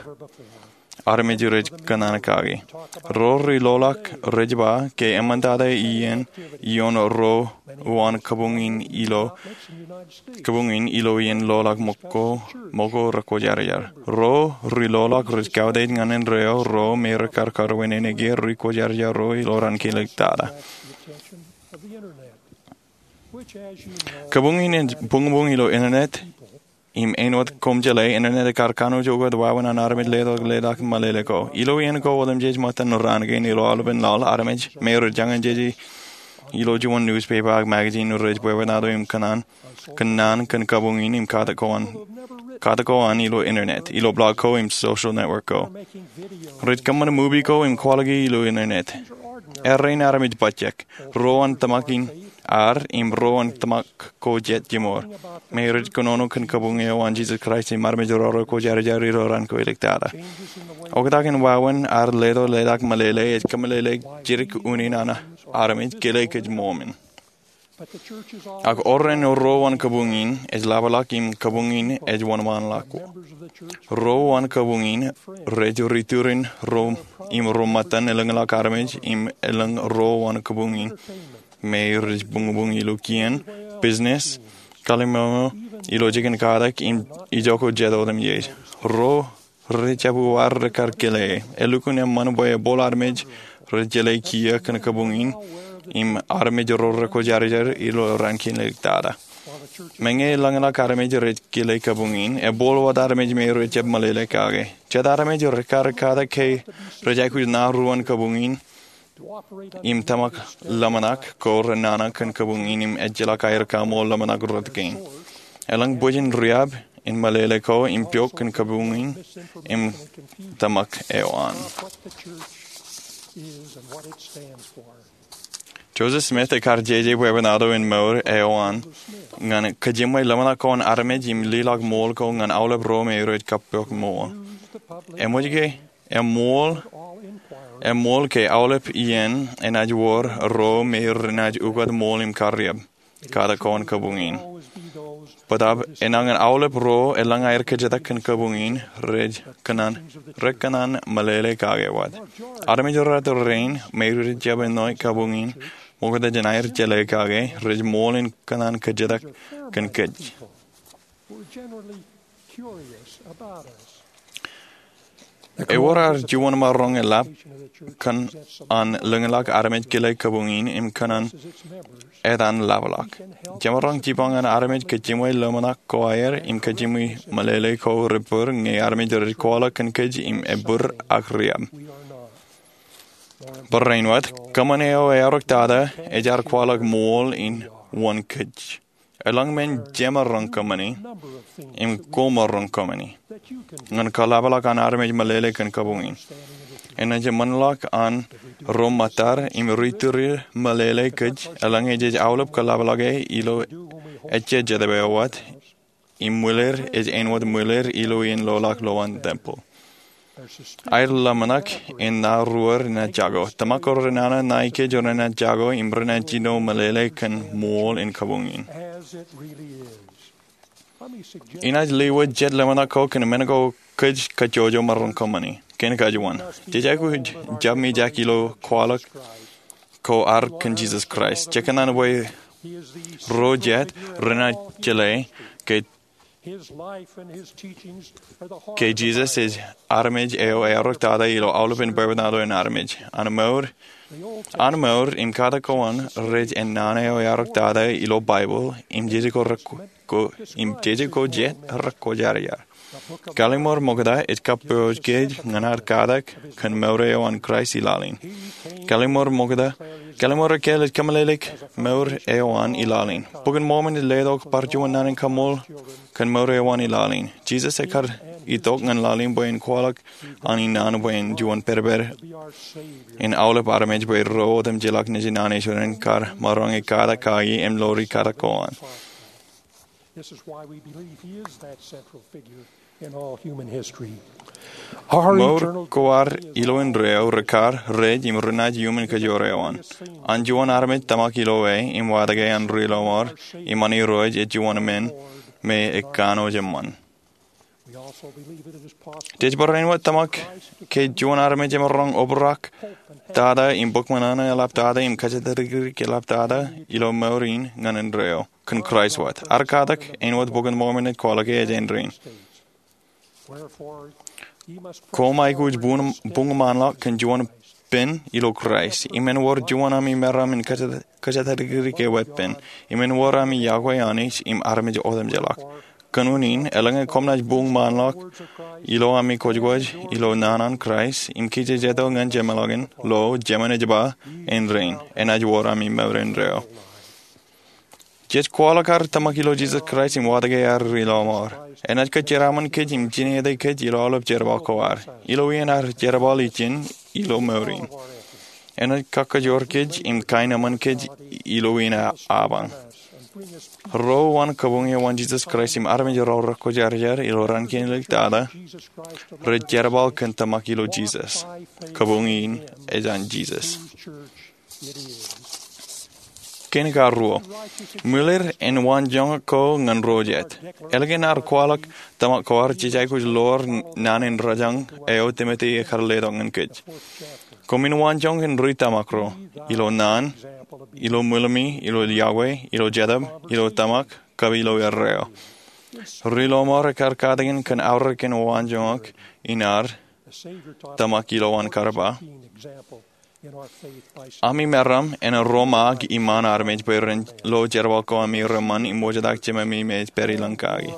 armej rej kōṇaan kake. Ro ri loḷọk rej ba ke eṃṃan tata iien ioon ro an kōbuñ in ilo, kōbuñ in ilo iien loḷọk ṃōko, ṃōko rekwōjarjar. Ro ri loḷọk rej kautiej ñan indeeo ro me rekar karuwaineneik er ri kwōjarjar ro ilo raan kilik tata. Kōbuñ in ej buñbuñ ilo internet, im āinwōt koṃ jeḷā, internet ekar kanooj ukōt wāween an armej letok leḷọk meḷeḷe ko. Ilo iien ko otemjej ṃōttan raan kein ilo aolepān laḷ, armej me rej jañin jeje ilo juon newspaper ak magazine rej bwebwenato im kōṇaan, kōṇaan kōn kōbuñ in im katak ko an, katak ko an ilo internet, ilo blog ko im social network ko. Rej kōṃṃan movie ko im kwōḷọke ilo internet. Errein armej bajjek. Ro an tōmak in ad im ro an tōmak ko jet jiṃor me rej kōnono kōn kōbuñ eo an Jesus Christ im armej ro rekwōjarjar ilo raan ko iliktata. Oktak in wāween ad letok leḷọk meḷeḷe ej kōmeḷeḷeik jidik unin an armej kile kōj ṃool men. Ak orren ro an kōbuñ in ej ḷapḷọk im kōbuñ in ej wōnṃaanḷọk. Ro an kōbuñ in rej ri-turin ro im ro ṃōttan elōñḷọk armej im elōñ ro an kōbuñ in me rej buñbuñ ilo kien, business, kallim̧ur, ilo jikin katak im ijoko jet otemjej. Ro rej jab uwaar rekar kile. Elukkuun eṃṃan bwe ebooḷ armej rej jeḷā kiiō kōn kōbuñ in im armej ro rekwōjarjar ilo raan kiin iliktata. Meñe elōñḷọk armej rej kile kōbuñ in, ebooḷ wōt armej me rej jab meḷeḷe kake. Jet armej rekar katak ke rej aikuj ṇa ro an kōbuñ in im tōmak ḷōmṇak ko renana kōn kōbuñ in im ejjeḷọk aer kaṃool ḷōmṇak rot kein. Elōñ bwijin riab in meḷeḷe ko im pok kōn kōbuñ in im tōmak eo an. Joseph Smith ekar jeje bwebwenato in mour eo an ñan kajiṃwe ḷōmṇak ko an armej im leḷọk ṃool ko ñan aolep ro me rej kappok ṃool. Eṃōj ke, eṃool, eṃool ke aolep iien enaaj wōr ro me renaaj ukōt ṃool im kariab katak ko an kōbuñ in. Bōtaab enañin aolep ro elōñ aer kōjatōk kōn kōbuñ in rej kōṇaan, rej kōṇaan meḷeḷe kake wōt. Armej ro rein me rej jab āinwōt kōbuñ in ṃokta jān aer jeḷā kake rej ṃool in kōṇaan kōjatōk kōn kōj. Ewōr ad juon maroñ eḷap kōn an lōñḷọk armej kile kōbuñ in im kōn an etan ḷapḷọk. Jemaroñ jipañ an armej kajiṃwe ḷōmṇak ko aer im kajiṃwe meḷeḷe ko rebōd ñe armej rej kwaḷọk kōn kōj im ebōd ak riab. Barāinwōt, kōṃṃan eo eaorōk tata ej ad kwaḷọk ṃool in wōn kōj. Elōñ men jemaroñ kōṃṃani im komaroñ kōṃṃani ñan kaḷapḷọk an armej meḷeḷe kōn kōbuñ in. Enaaj eṃṃanḷọk an ro ṃōttad im ri-tūriḷ meḷeḷe kōj, eḷaññe jej aolep kaḷapḷọke ilo Ejja jetōb eo wōt, im mwiler ej āinwōt mwiler ilo iien loḷọk lowaan tempel. Aer ḷōmṇak in ṇa ruo renaaj jako. Tōmak ko renana ṇae kōj renaaj jako im renaaj jino meḷeḷe kōn ṃool in kabuñ in. Inaaj lewōj jet ḷōmṇak ko kōn men ko kōj kajjojo maroñ kōṃṃani. Kein kajuon, jej aikuj jab mijak ilo kwaḷọk ko ad kōn Jisōs Kraist. Jekōṇaan bwe ro jet renaaj jeḷā ke, ke Jisōs ej armej eo earoktata ilo aolepen bwebwenato in armej. An mour, an mour im katak ko an rej ennaan eo earoktata ilo Baibōḷ im jeje ko rek- ko, im jeje ko jet rekwōjarjar. Kallim̧ur Ṃokta ej kappojak kōj ñan ad katak kōn mour eo an Kraist i laḷ in. Kallim̧ur Ṃokta, Kallim̧ur Ekkāāl ej kōmeḷeḷeik mour eo an i laḷ in. Bok in Mōrmon ej letok bar juon naan in kaṃool kōn mour eo an i laḷ in. Jisōs ekar itok ñan laḷ in bwe en kwaḷọk an i naan bwe en juon pedped in aolep armej bwe ro otemjeḷọk nejin an Israel en kar maroñ katak kaki im lori katak ko an. This is why we believe he is that central figure in all human history. Mour ko ad ilo indeeo rekar, rej, im renaaj iuṃwin kōjro eo an. An juon armej tōmak ilo e im watōke an ri lọmọọr im an Irooj ej juon men me ekanooj eṃṃan. Jej barāinwōt tōmak ke juon armej emaroñ obrak tata im bōk ṃōṇōṇō eḷaptata im kōjatdikdik eḷaptata ilo mour in ñan indeeo kōn Kraist wōt. Ad katak āinwōt Bok in Mōrmon ej kwaḷọke ej āindein. Koṃ aikuj buñ, buñṃaanḷọk kōn juon pen ilo Kraist, im en wōr juon ami meram in kōjatdikdik e wōt pen, im en wōr ami yokwe Anij im armej otemjeḷọk. Kōn unin, eḷaññe koṃ naaj buñṃaanḷọk ilo ami kwōjkwōj ilo naan an Kraist im kijejeto ñan jemeḷọkin lo jemān ej ba, āindein enaaj wōr ami mour indeeo. Jej kwaḷọk ad tōmak ilo Jisōs Kraist im watōke ad ri lọmọọr. Enaaj kōjeraaṃṃan kōj im jinete kōj ilo aolep jerbal ko ad, ilo iien ad jerbal ijin ilo mour in. Enaaj kakkōjor kōj im kain eṃṃan kōj ilo iien apañ. Ro uwaan kabuñ eo an Jisōs Kraist im armej ro rekwōjarjar ilo raan kein āliktata rej jerbal kōn tōmak ilo Jisōs. Kabuñ in ej an Jisōs. Kein karuo, mwiler en waanjoñak ko ñan ro jet. Ālikin ad kwaḷọk tōmak ko ad, jej aikuj lowar naan in rōjañ eo Timote ekar letok ñan kōj. Koṃwin waanjoñak in ri tōmak ro, ilo naan, ilo mwilim̧i, ilo yokwe, ilo jetōb, ilo tōmak, kab ilo erreo. Ri lọmọọr ekar katakin kōn aorōk in waanjoñak in ad tōmak ilowaan kar ba, ami meram en ro maak iṃaan armej bwe ren lo jerbal ko ami reṃṃan im wōjtak Jememi me ej pād ilañ kaki.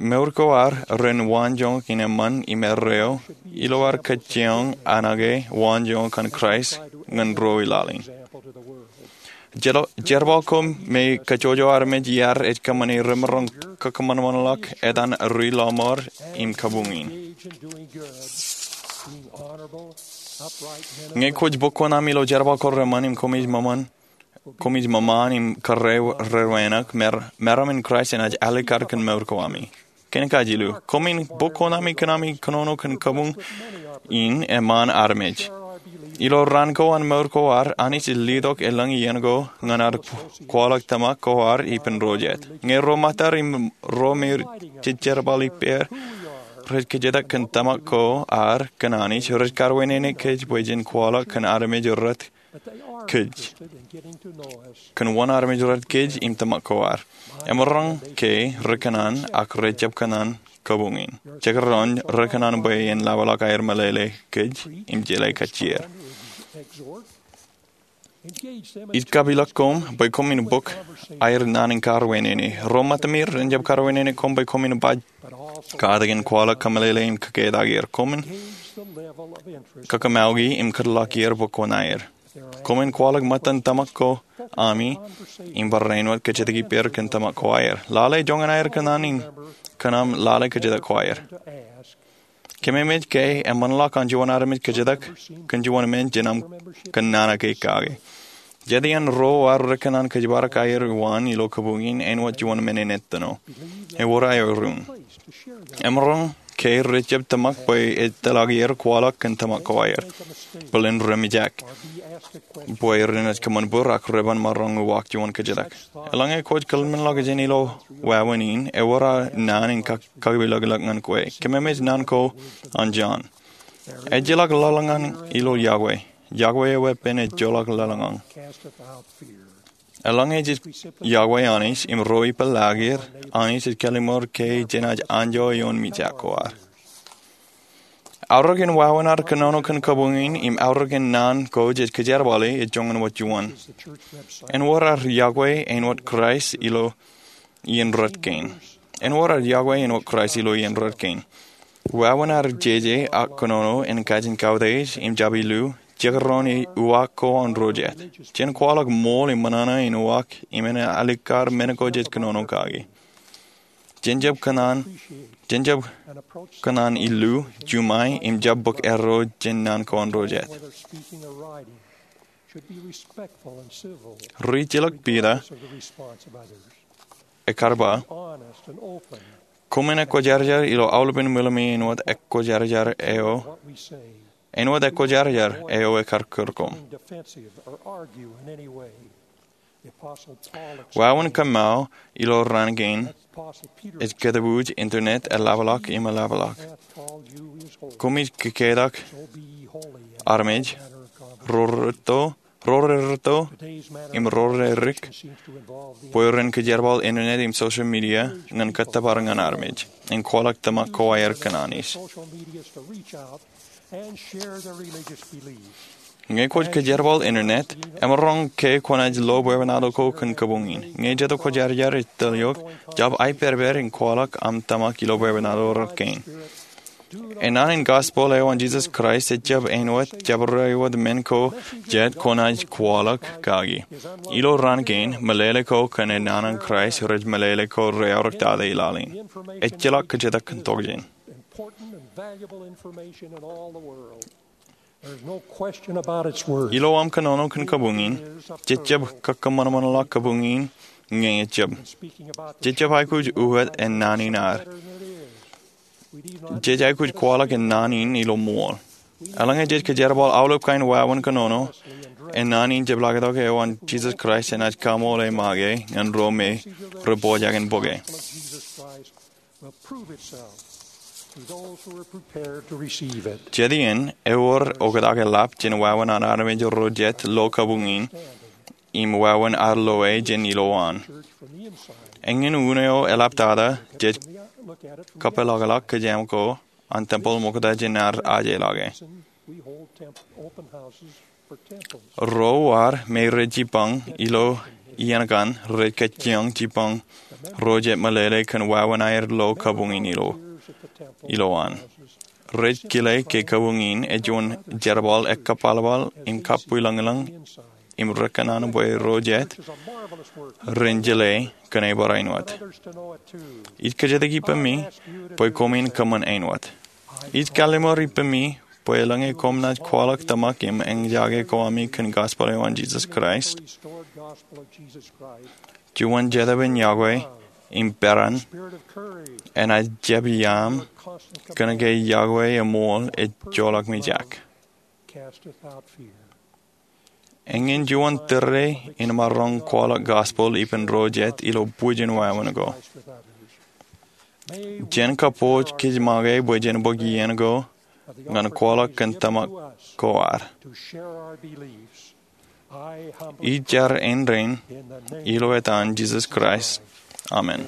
Mour ko ad ren waanjoñak in eṃṃan im erreo ilo ad kōjeañ anake waanjoñak an Kraist ñan ro i laḷ in. Jerbal ko me kajjojo armej iaad ej kōṃṃane remaroñ kakōṃanṃanḷọk etan ri lọmọọr im kabuñ in. Ñe kwōj bōk koṇ ami ilo jerbal ko reṃṃan im koṃij ṃōṃan, koṃij ṃōṃan im kōrā rerrenaik, meram in Kraist enaaj alikkar kōn mour ko ami. Kein kajilu, koṃwin bōk koṇ ami kōn ami kōnono kōn kabuñ in eṃṃan armej. Ilo raan ko an mour ko ad, Anij ej letok elōñ iien ko ñan ad kwaḷọk tōmak ko ad ippān ro jet. Ñe ro ṃōttad im ro me jej jerbal ippāer rej kōjatdikdik kōn tōmak ko ad kōn Anij, rej kawōnāine kōj bwe jen kwaḷọk kōn armej rot kōj, kōn wōn armej rot kōj im tōmak ko ad. Emaroñ ke rekōṇaan ak rejjab kōṇaan kabuñ in. Jekdọọn rekōṇaan bwe en lọmọọr aer meḷeḷe kōj im jeḷā kajjieer. Ij kapeḷḷọk koṃ bwe koṃwin bōk aer naan in kawōnāine. Ro ṃōttami ren jab kawōnāine koṃ bwe koṃwin ba katakin kwaḷọk, kōmeḷeḷe im kōketak er. Koṃwin kakōṃṃani im kōtḷọk er bwe koṇaer. Koṃwin kwaḷọk ṃōttan tōmak ko ami im barāinwōt kōjatdikdik ippāer kōn tōmak ko aer. Lale joñan aer kōṇaan in kōn aṃ lale kōjatdikdik ko aer. Kōmemej ke eṃṃanḷọk an juon armej kōjatdikdik kōn juon men jān aṃ kōnono ke kake. Jet iaan ro ar rikōṇaan kōjparok aer waan ilo kabuñ in āinwōt juon men in ettino. Ewōr aer ruun. Emaroñ ke rej jab tōmak bwe etōḷọk er kwaḷọk kōn tōmak ko aer. Bōlen remijak bwe renaaj kōṃṃan bōd ak reban maroñ uwaak juon kōjatdikdik. Eḷaññe kwōj kōḷmenḷọkjeṇ ilo wāween in, ewōr aō naan in kak- kakipilōklōk ñan kwe. Kōmemej naan ko an Jon. Ejjeḷọk laḷ ñan ilo yokwe. Yokwe eweeppān ejjeḷọk laḷ ñan. Eḷaññe jej yokwe Anij im ro ippān laḷ er, Anij ej kallimur ke jenaaj anjọ eoon mijak ko ad. Aorōkin wāween ad kōnono kōn kabuñ in im aorōkin naan ko jej kōjerbale ej joñan wōt juon. Āinwōt ad yokwe āinwōt Kraist ilo iien red kein. Āinwōt ad yokwe āinwōt Kraist ilo iien red kein. Wāween ad jeje ak kōnono en kajin kautiej im jab illu, jekdọọn uwaak ko an ro jet. Jen kwaḷọk ṃool im ṃōṇōṇō in uwaak im en alikkar men ko jej kōnono kaki. Jen jab kōṇaan, jen jab kōṇaan illu, juṃae im jab bōk erro jān naan ko an ro jet. Ri-ejjeḷọk Piter ekkar ba, koṃwin ekwojarjar ilo aolepen ṃwilimṃwi āinwōt ekwojarjar eo, āinwōt ekwojarjar eo ekkar kūr koṃ. Wāween kōṃṃao ilo raan kein ej kōtbuuj internet eḷapḷọk im eḷapḷọk. Koṃij kōketak armej ro rerūtto, ro rerūtto im ro rerik bwe ren kōjerbal internet im social media ñan kōttōpar ñan armej en kwaḷọk tōmak ko aer kōn Anij. Ñe kwōj kōjerbal internet, emaroñ ke kwōnaaj lo bwebwenato ko kōn kabuñ in. Ñe jet kwōjarjar ej tōl eok, jab aepperpper in kwaḷọk aṃ tōmak ilo bwebwenato rej kein. Enaan in gospel eo an Jesus Christ ejjab āinwōt jabdewōt men ko jet kwōnaaj kwaḷọk kaki. Ilo raan kein, meḷeḷe ko kōn enaan in Kraist rej meḷeḷe ko reaorōktata i laḷ in. Ejjeḷọk kōjatdikdik kōn tokjān. Ilo aṃ kōnono kōn kabuñ in, jej jab kōṃanṃanḷọk kabuñ in ñe ejjab. Jej jab aikuj uwet en naan in ad. Jej aikuj kwaḷọk en naan in ilo ṃool. Eḷaññe jej kōjerbal aolep kain wāween kōnono, en naan in jepḷaaktok eo an Jesus Christ enaaj kaṃool e make ñan ro me rej pojak in bōke. Jet iien, ewōr oktak eḷap jān wāween an armej ro jet lo kabuñ in im wāween ad loe jān ilowaan. Eñin unin eo eḷaptata jej kapeḷḷọk kōj aṃ ko an tempel ṃokta jān ad ajeḷọke. Ro ad me rej jipañ ilo iien kaṇ rej kajjioñ jipañ ro jet meḷeḷe kōn wāween aer lo kabuñ in ilo, ilowaan. Rej kile ke kabuñ in ej juon jerbal ekkapalpal im kabbwilōñlōñ im rekōṇaan bwe ro jet ren jeḷā kōn e barāinwōt. Ij kōjatdikdik ippemi bwe koṃwin kōṃṃan āinwōt. Ij kallimur ippemi bwe eḷaññe koṃ naaj kwaḷọk tōmak im eñjake ko ami kōn gospel eo an Jesus Christ, juon jetōb in yokwe im peran enaaj jab iaam kōnke yokwe eṃool ejjeḷọk mijak. Eñin juon tōre in maroñ kwaḷọk gospel ippān ro jet ilo bwijin wāween ko. Jen kabbokbok kōj make bwe jen bōk iien ko ñan kwaḷọk kōn tōmak ko ad. Ij jar āindein ilo etan Jesus Christ. Amen.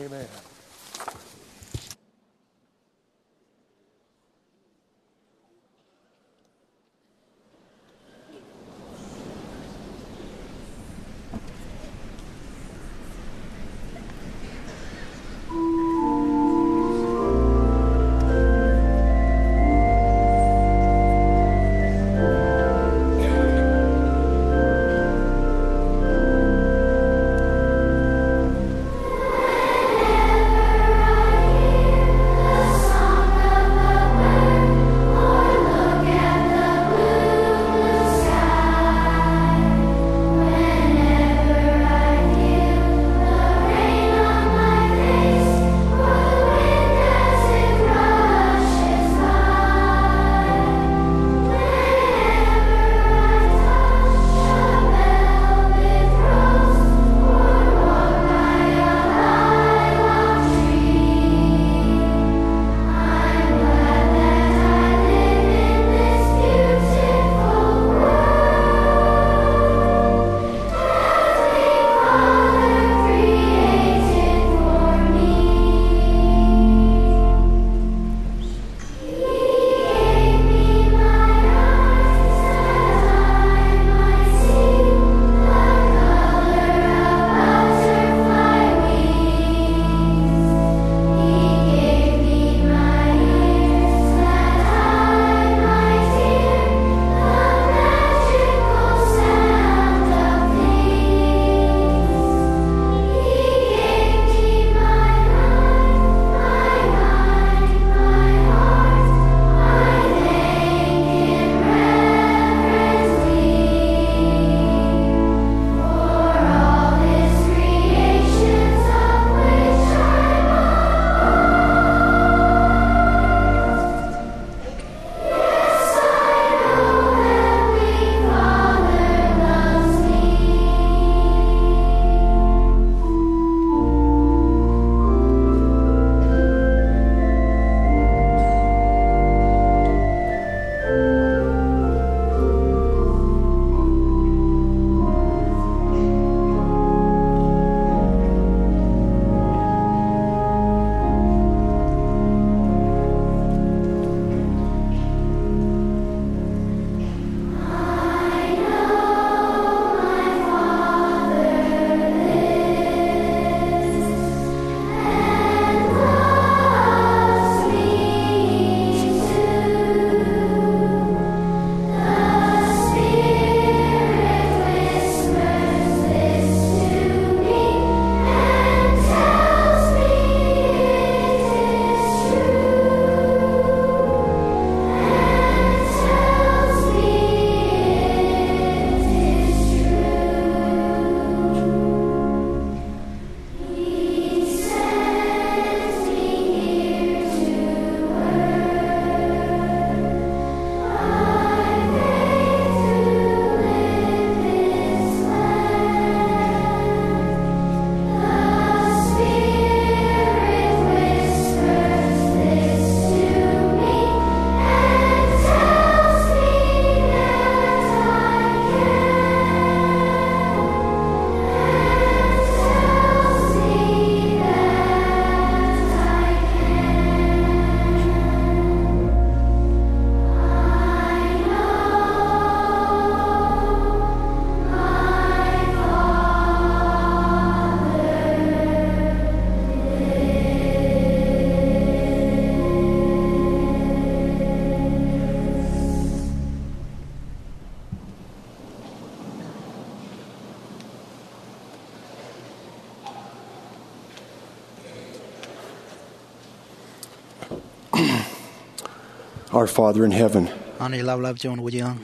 Our Father in heaven, Anij Laplap, juon wōj eo aṃ,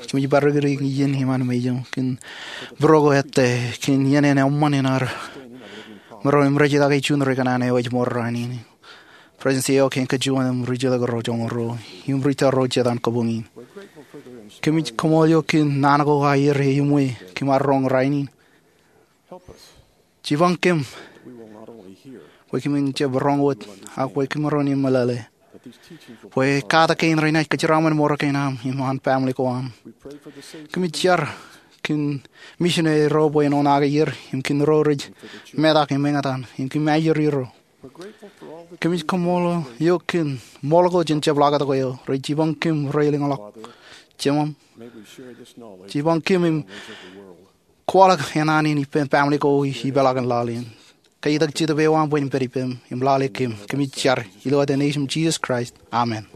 kōmij bar rikūri iien iṃaan mejān kōn būruō ko ettā kōn iien in eṃṃan in ad maroñ im rej itōn juon ri kōṇaan eo ej ṃool rainin. Presidency eo kein kōj juon im ri-jetōb ro joñoul ruo im ri-tōl ro jet an kabuñ in. Kōmij kaṃool eok kōn naan ko aer eṃṃan kōm ar roñ rainin. Jipañ kōm bwe kōmin jab roñ wōt ak bwe kōm maroñ in meḷeḷe bwe katak kein renaaj kōjeraṃṃan mour kein aṃ im an family ko aṃ. Kōmij jar kōn missionary ro bwe en oṇaake er im kōn ro rej metak im eñtaan im kōm ajri ro. Kōmij kaṃool eok kōn ṃool ko jān jab ḷakatok eo rej jipañ kōm rej lōñḷọk. Jemem, jipañ kōm im kwaḷọk naan in ippān family ko ipeḷaakin laḷ in. Ke itok Jetōb eo aṃ bwe en pād ippām im lale kōm. Kōmij jar ilo etan Nejūṃ Jisōs Kraist, amen.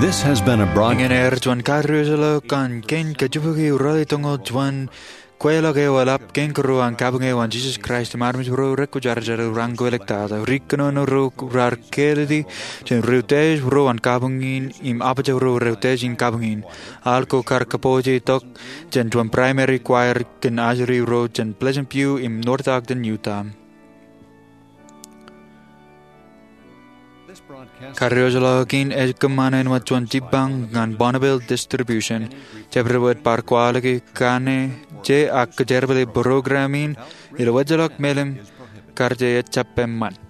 This has been a broad- Eñin ear juon karuosoḷọk an kein kajjibukwi ralitōñoul juon kweilọk eo eḷap kein kōrā an kabuñ eo an Jisōs Kraist im armej ro rekwōjarjar ro raṇ ko elōñ tata. Ri kōnono ro raar kāālōt jān ri-utiej ro an kabuñ in im apōjak ro ri-utiej in kabuñ in. Al ko kar kōpooje tok jān juon primary choir kōn ajri ro jān Pleasant View im North Ogden, Utah. Karuosoḷọk in ej kōṃṃan āinwōt juon jipañ ñan Bonneville Distribution. Jabdewōt bar kwaḷọk kaṇe, je, ak kōjerbale program in ilo wōjḷọk melim kar je ejjab eṃṃan.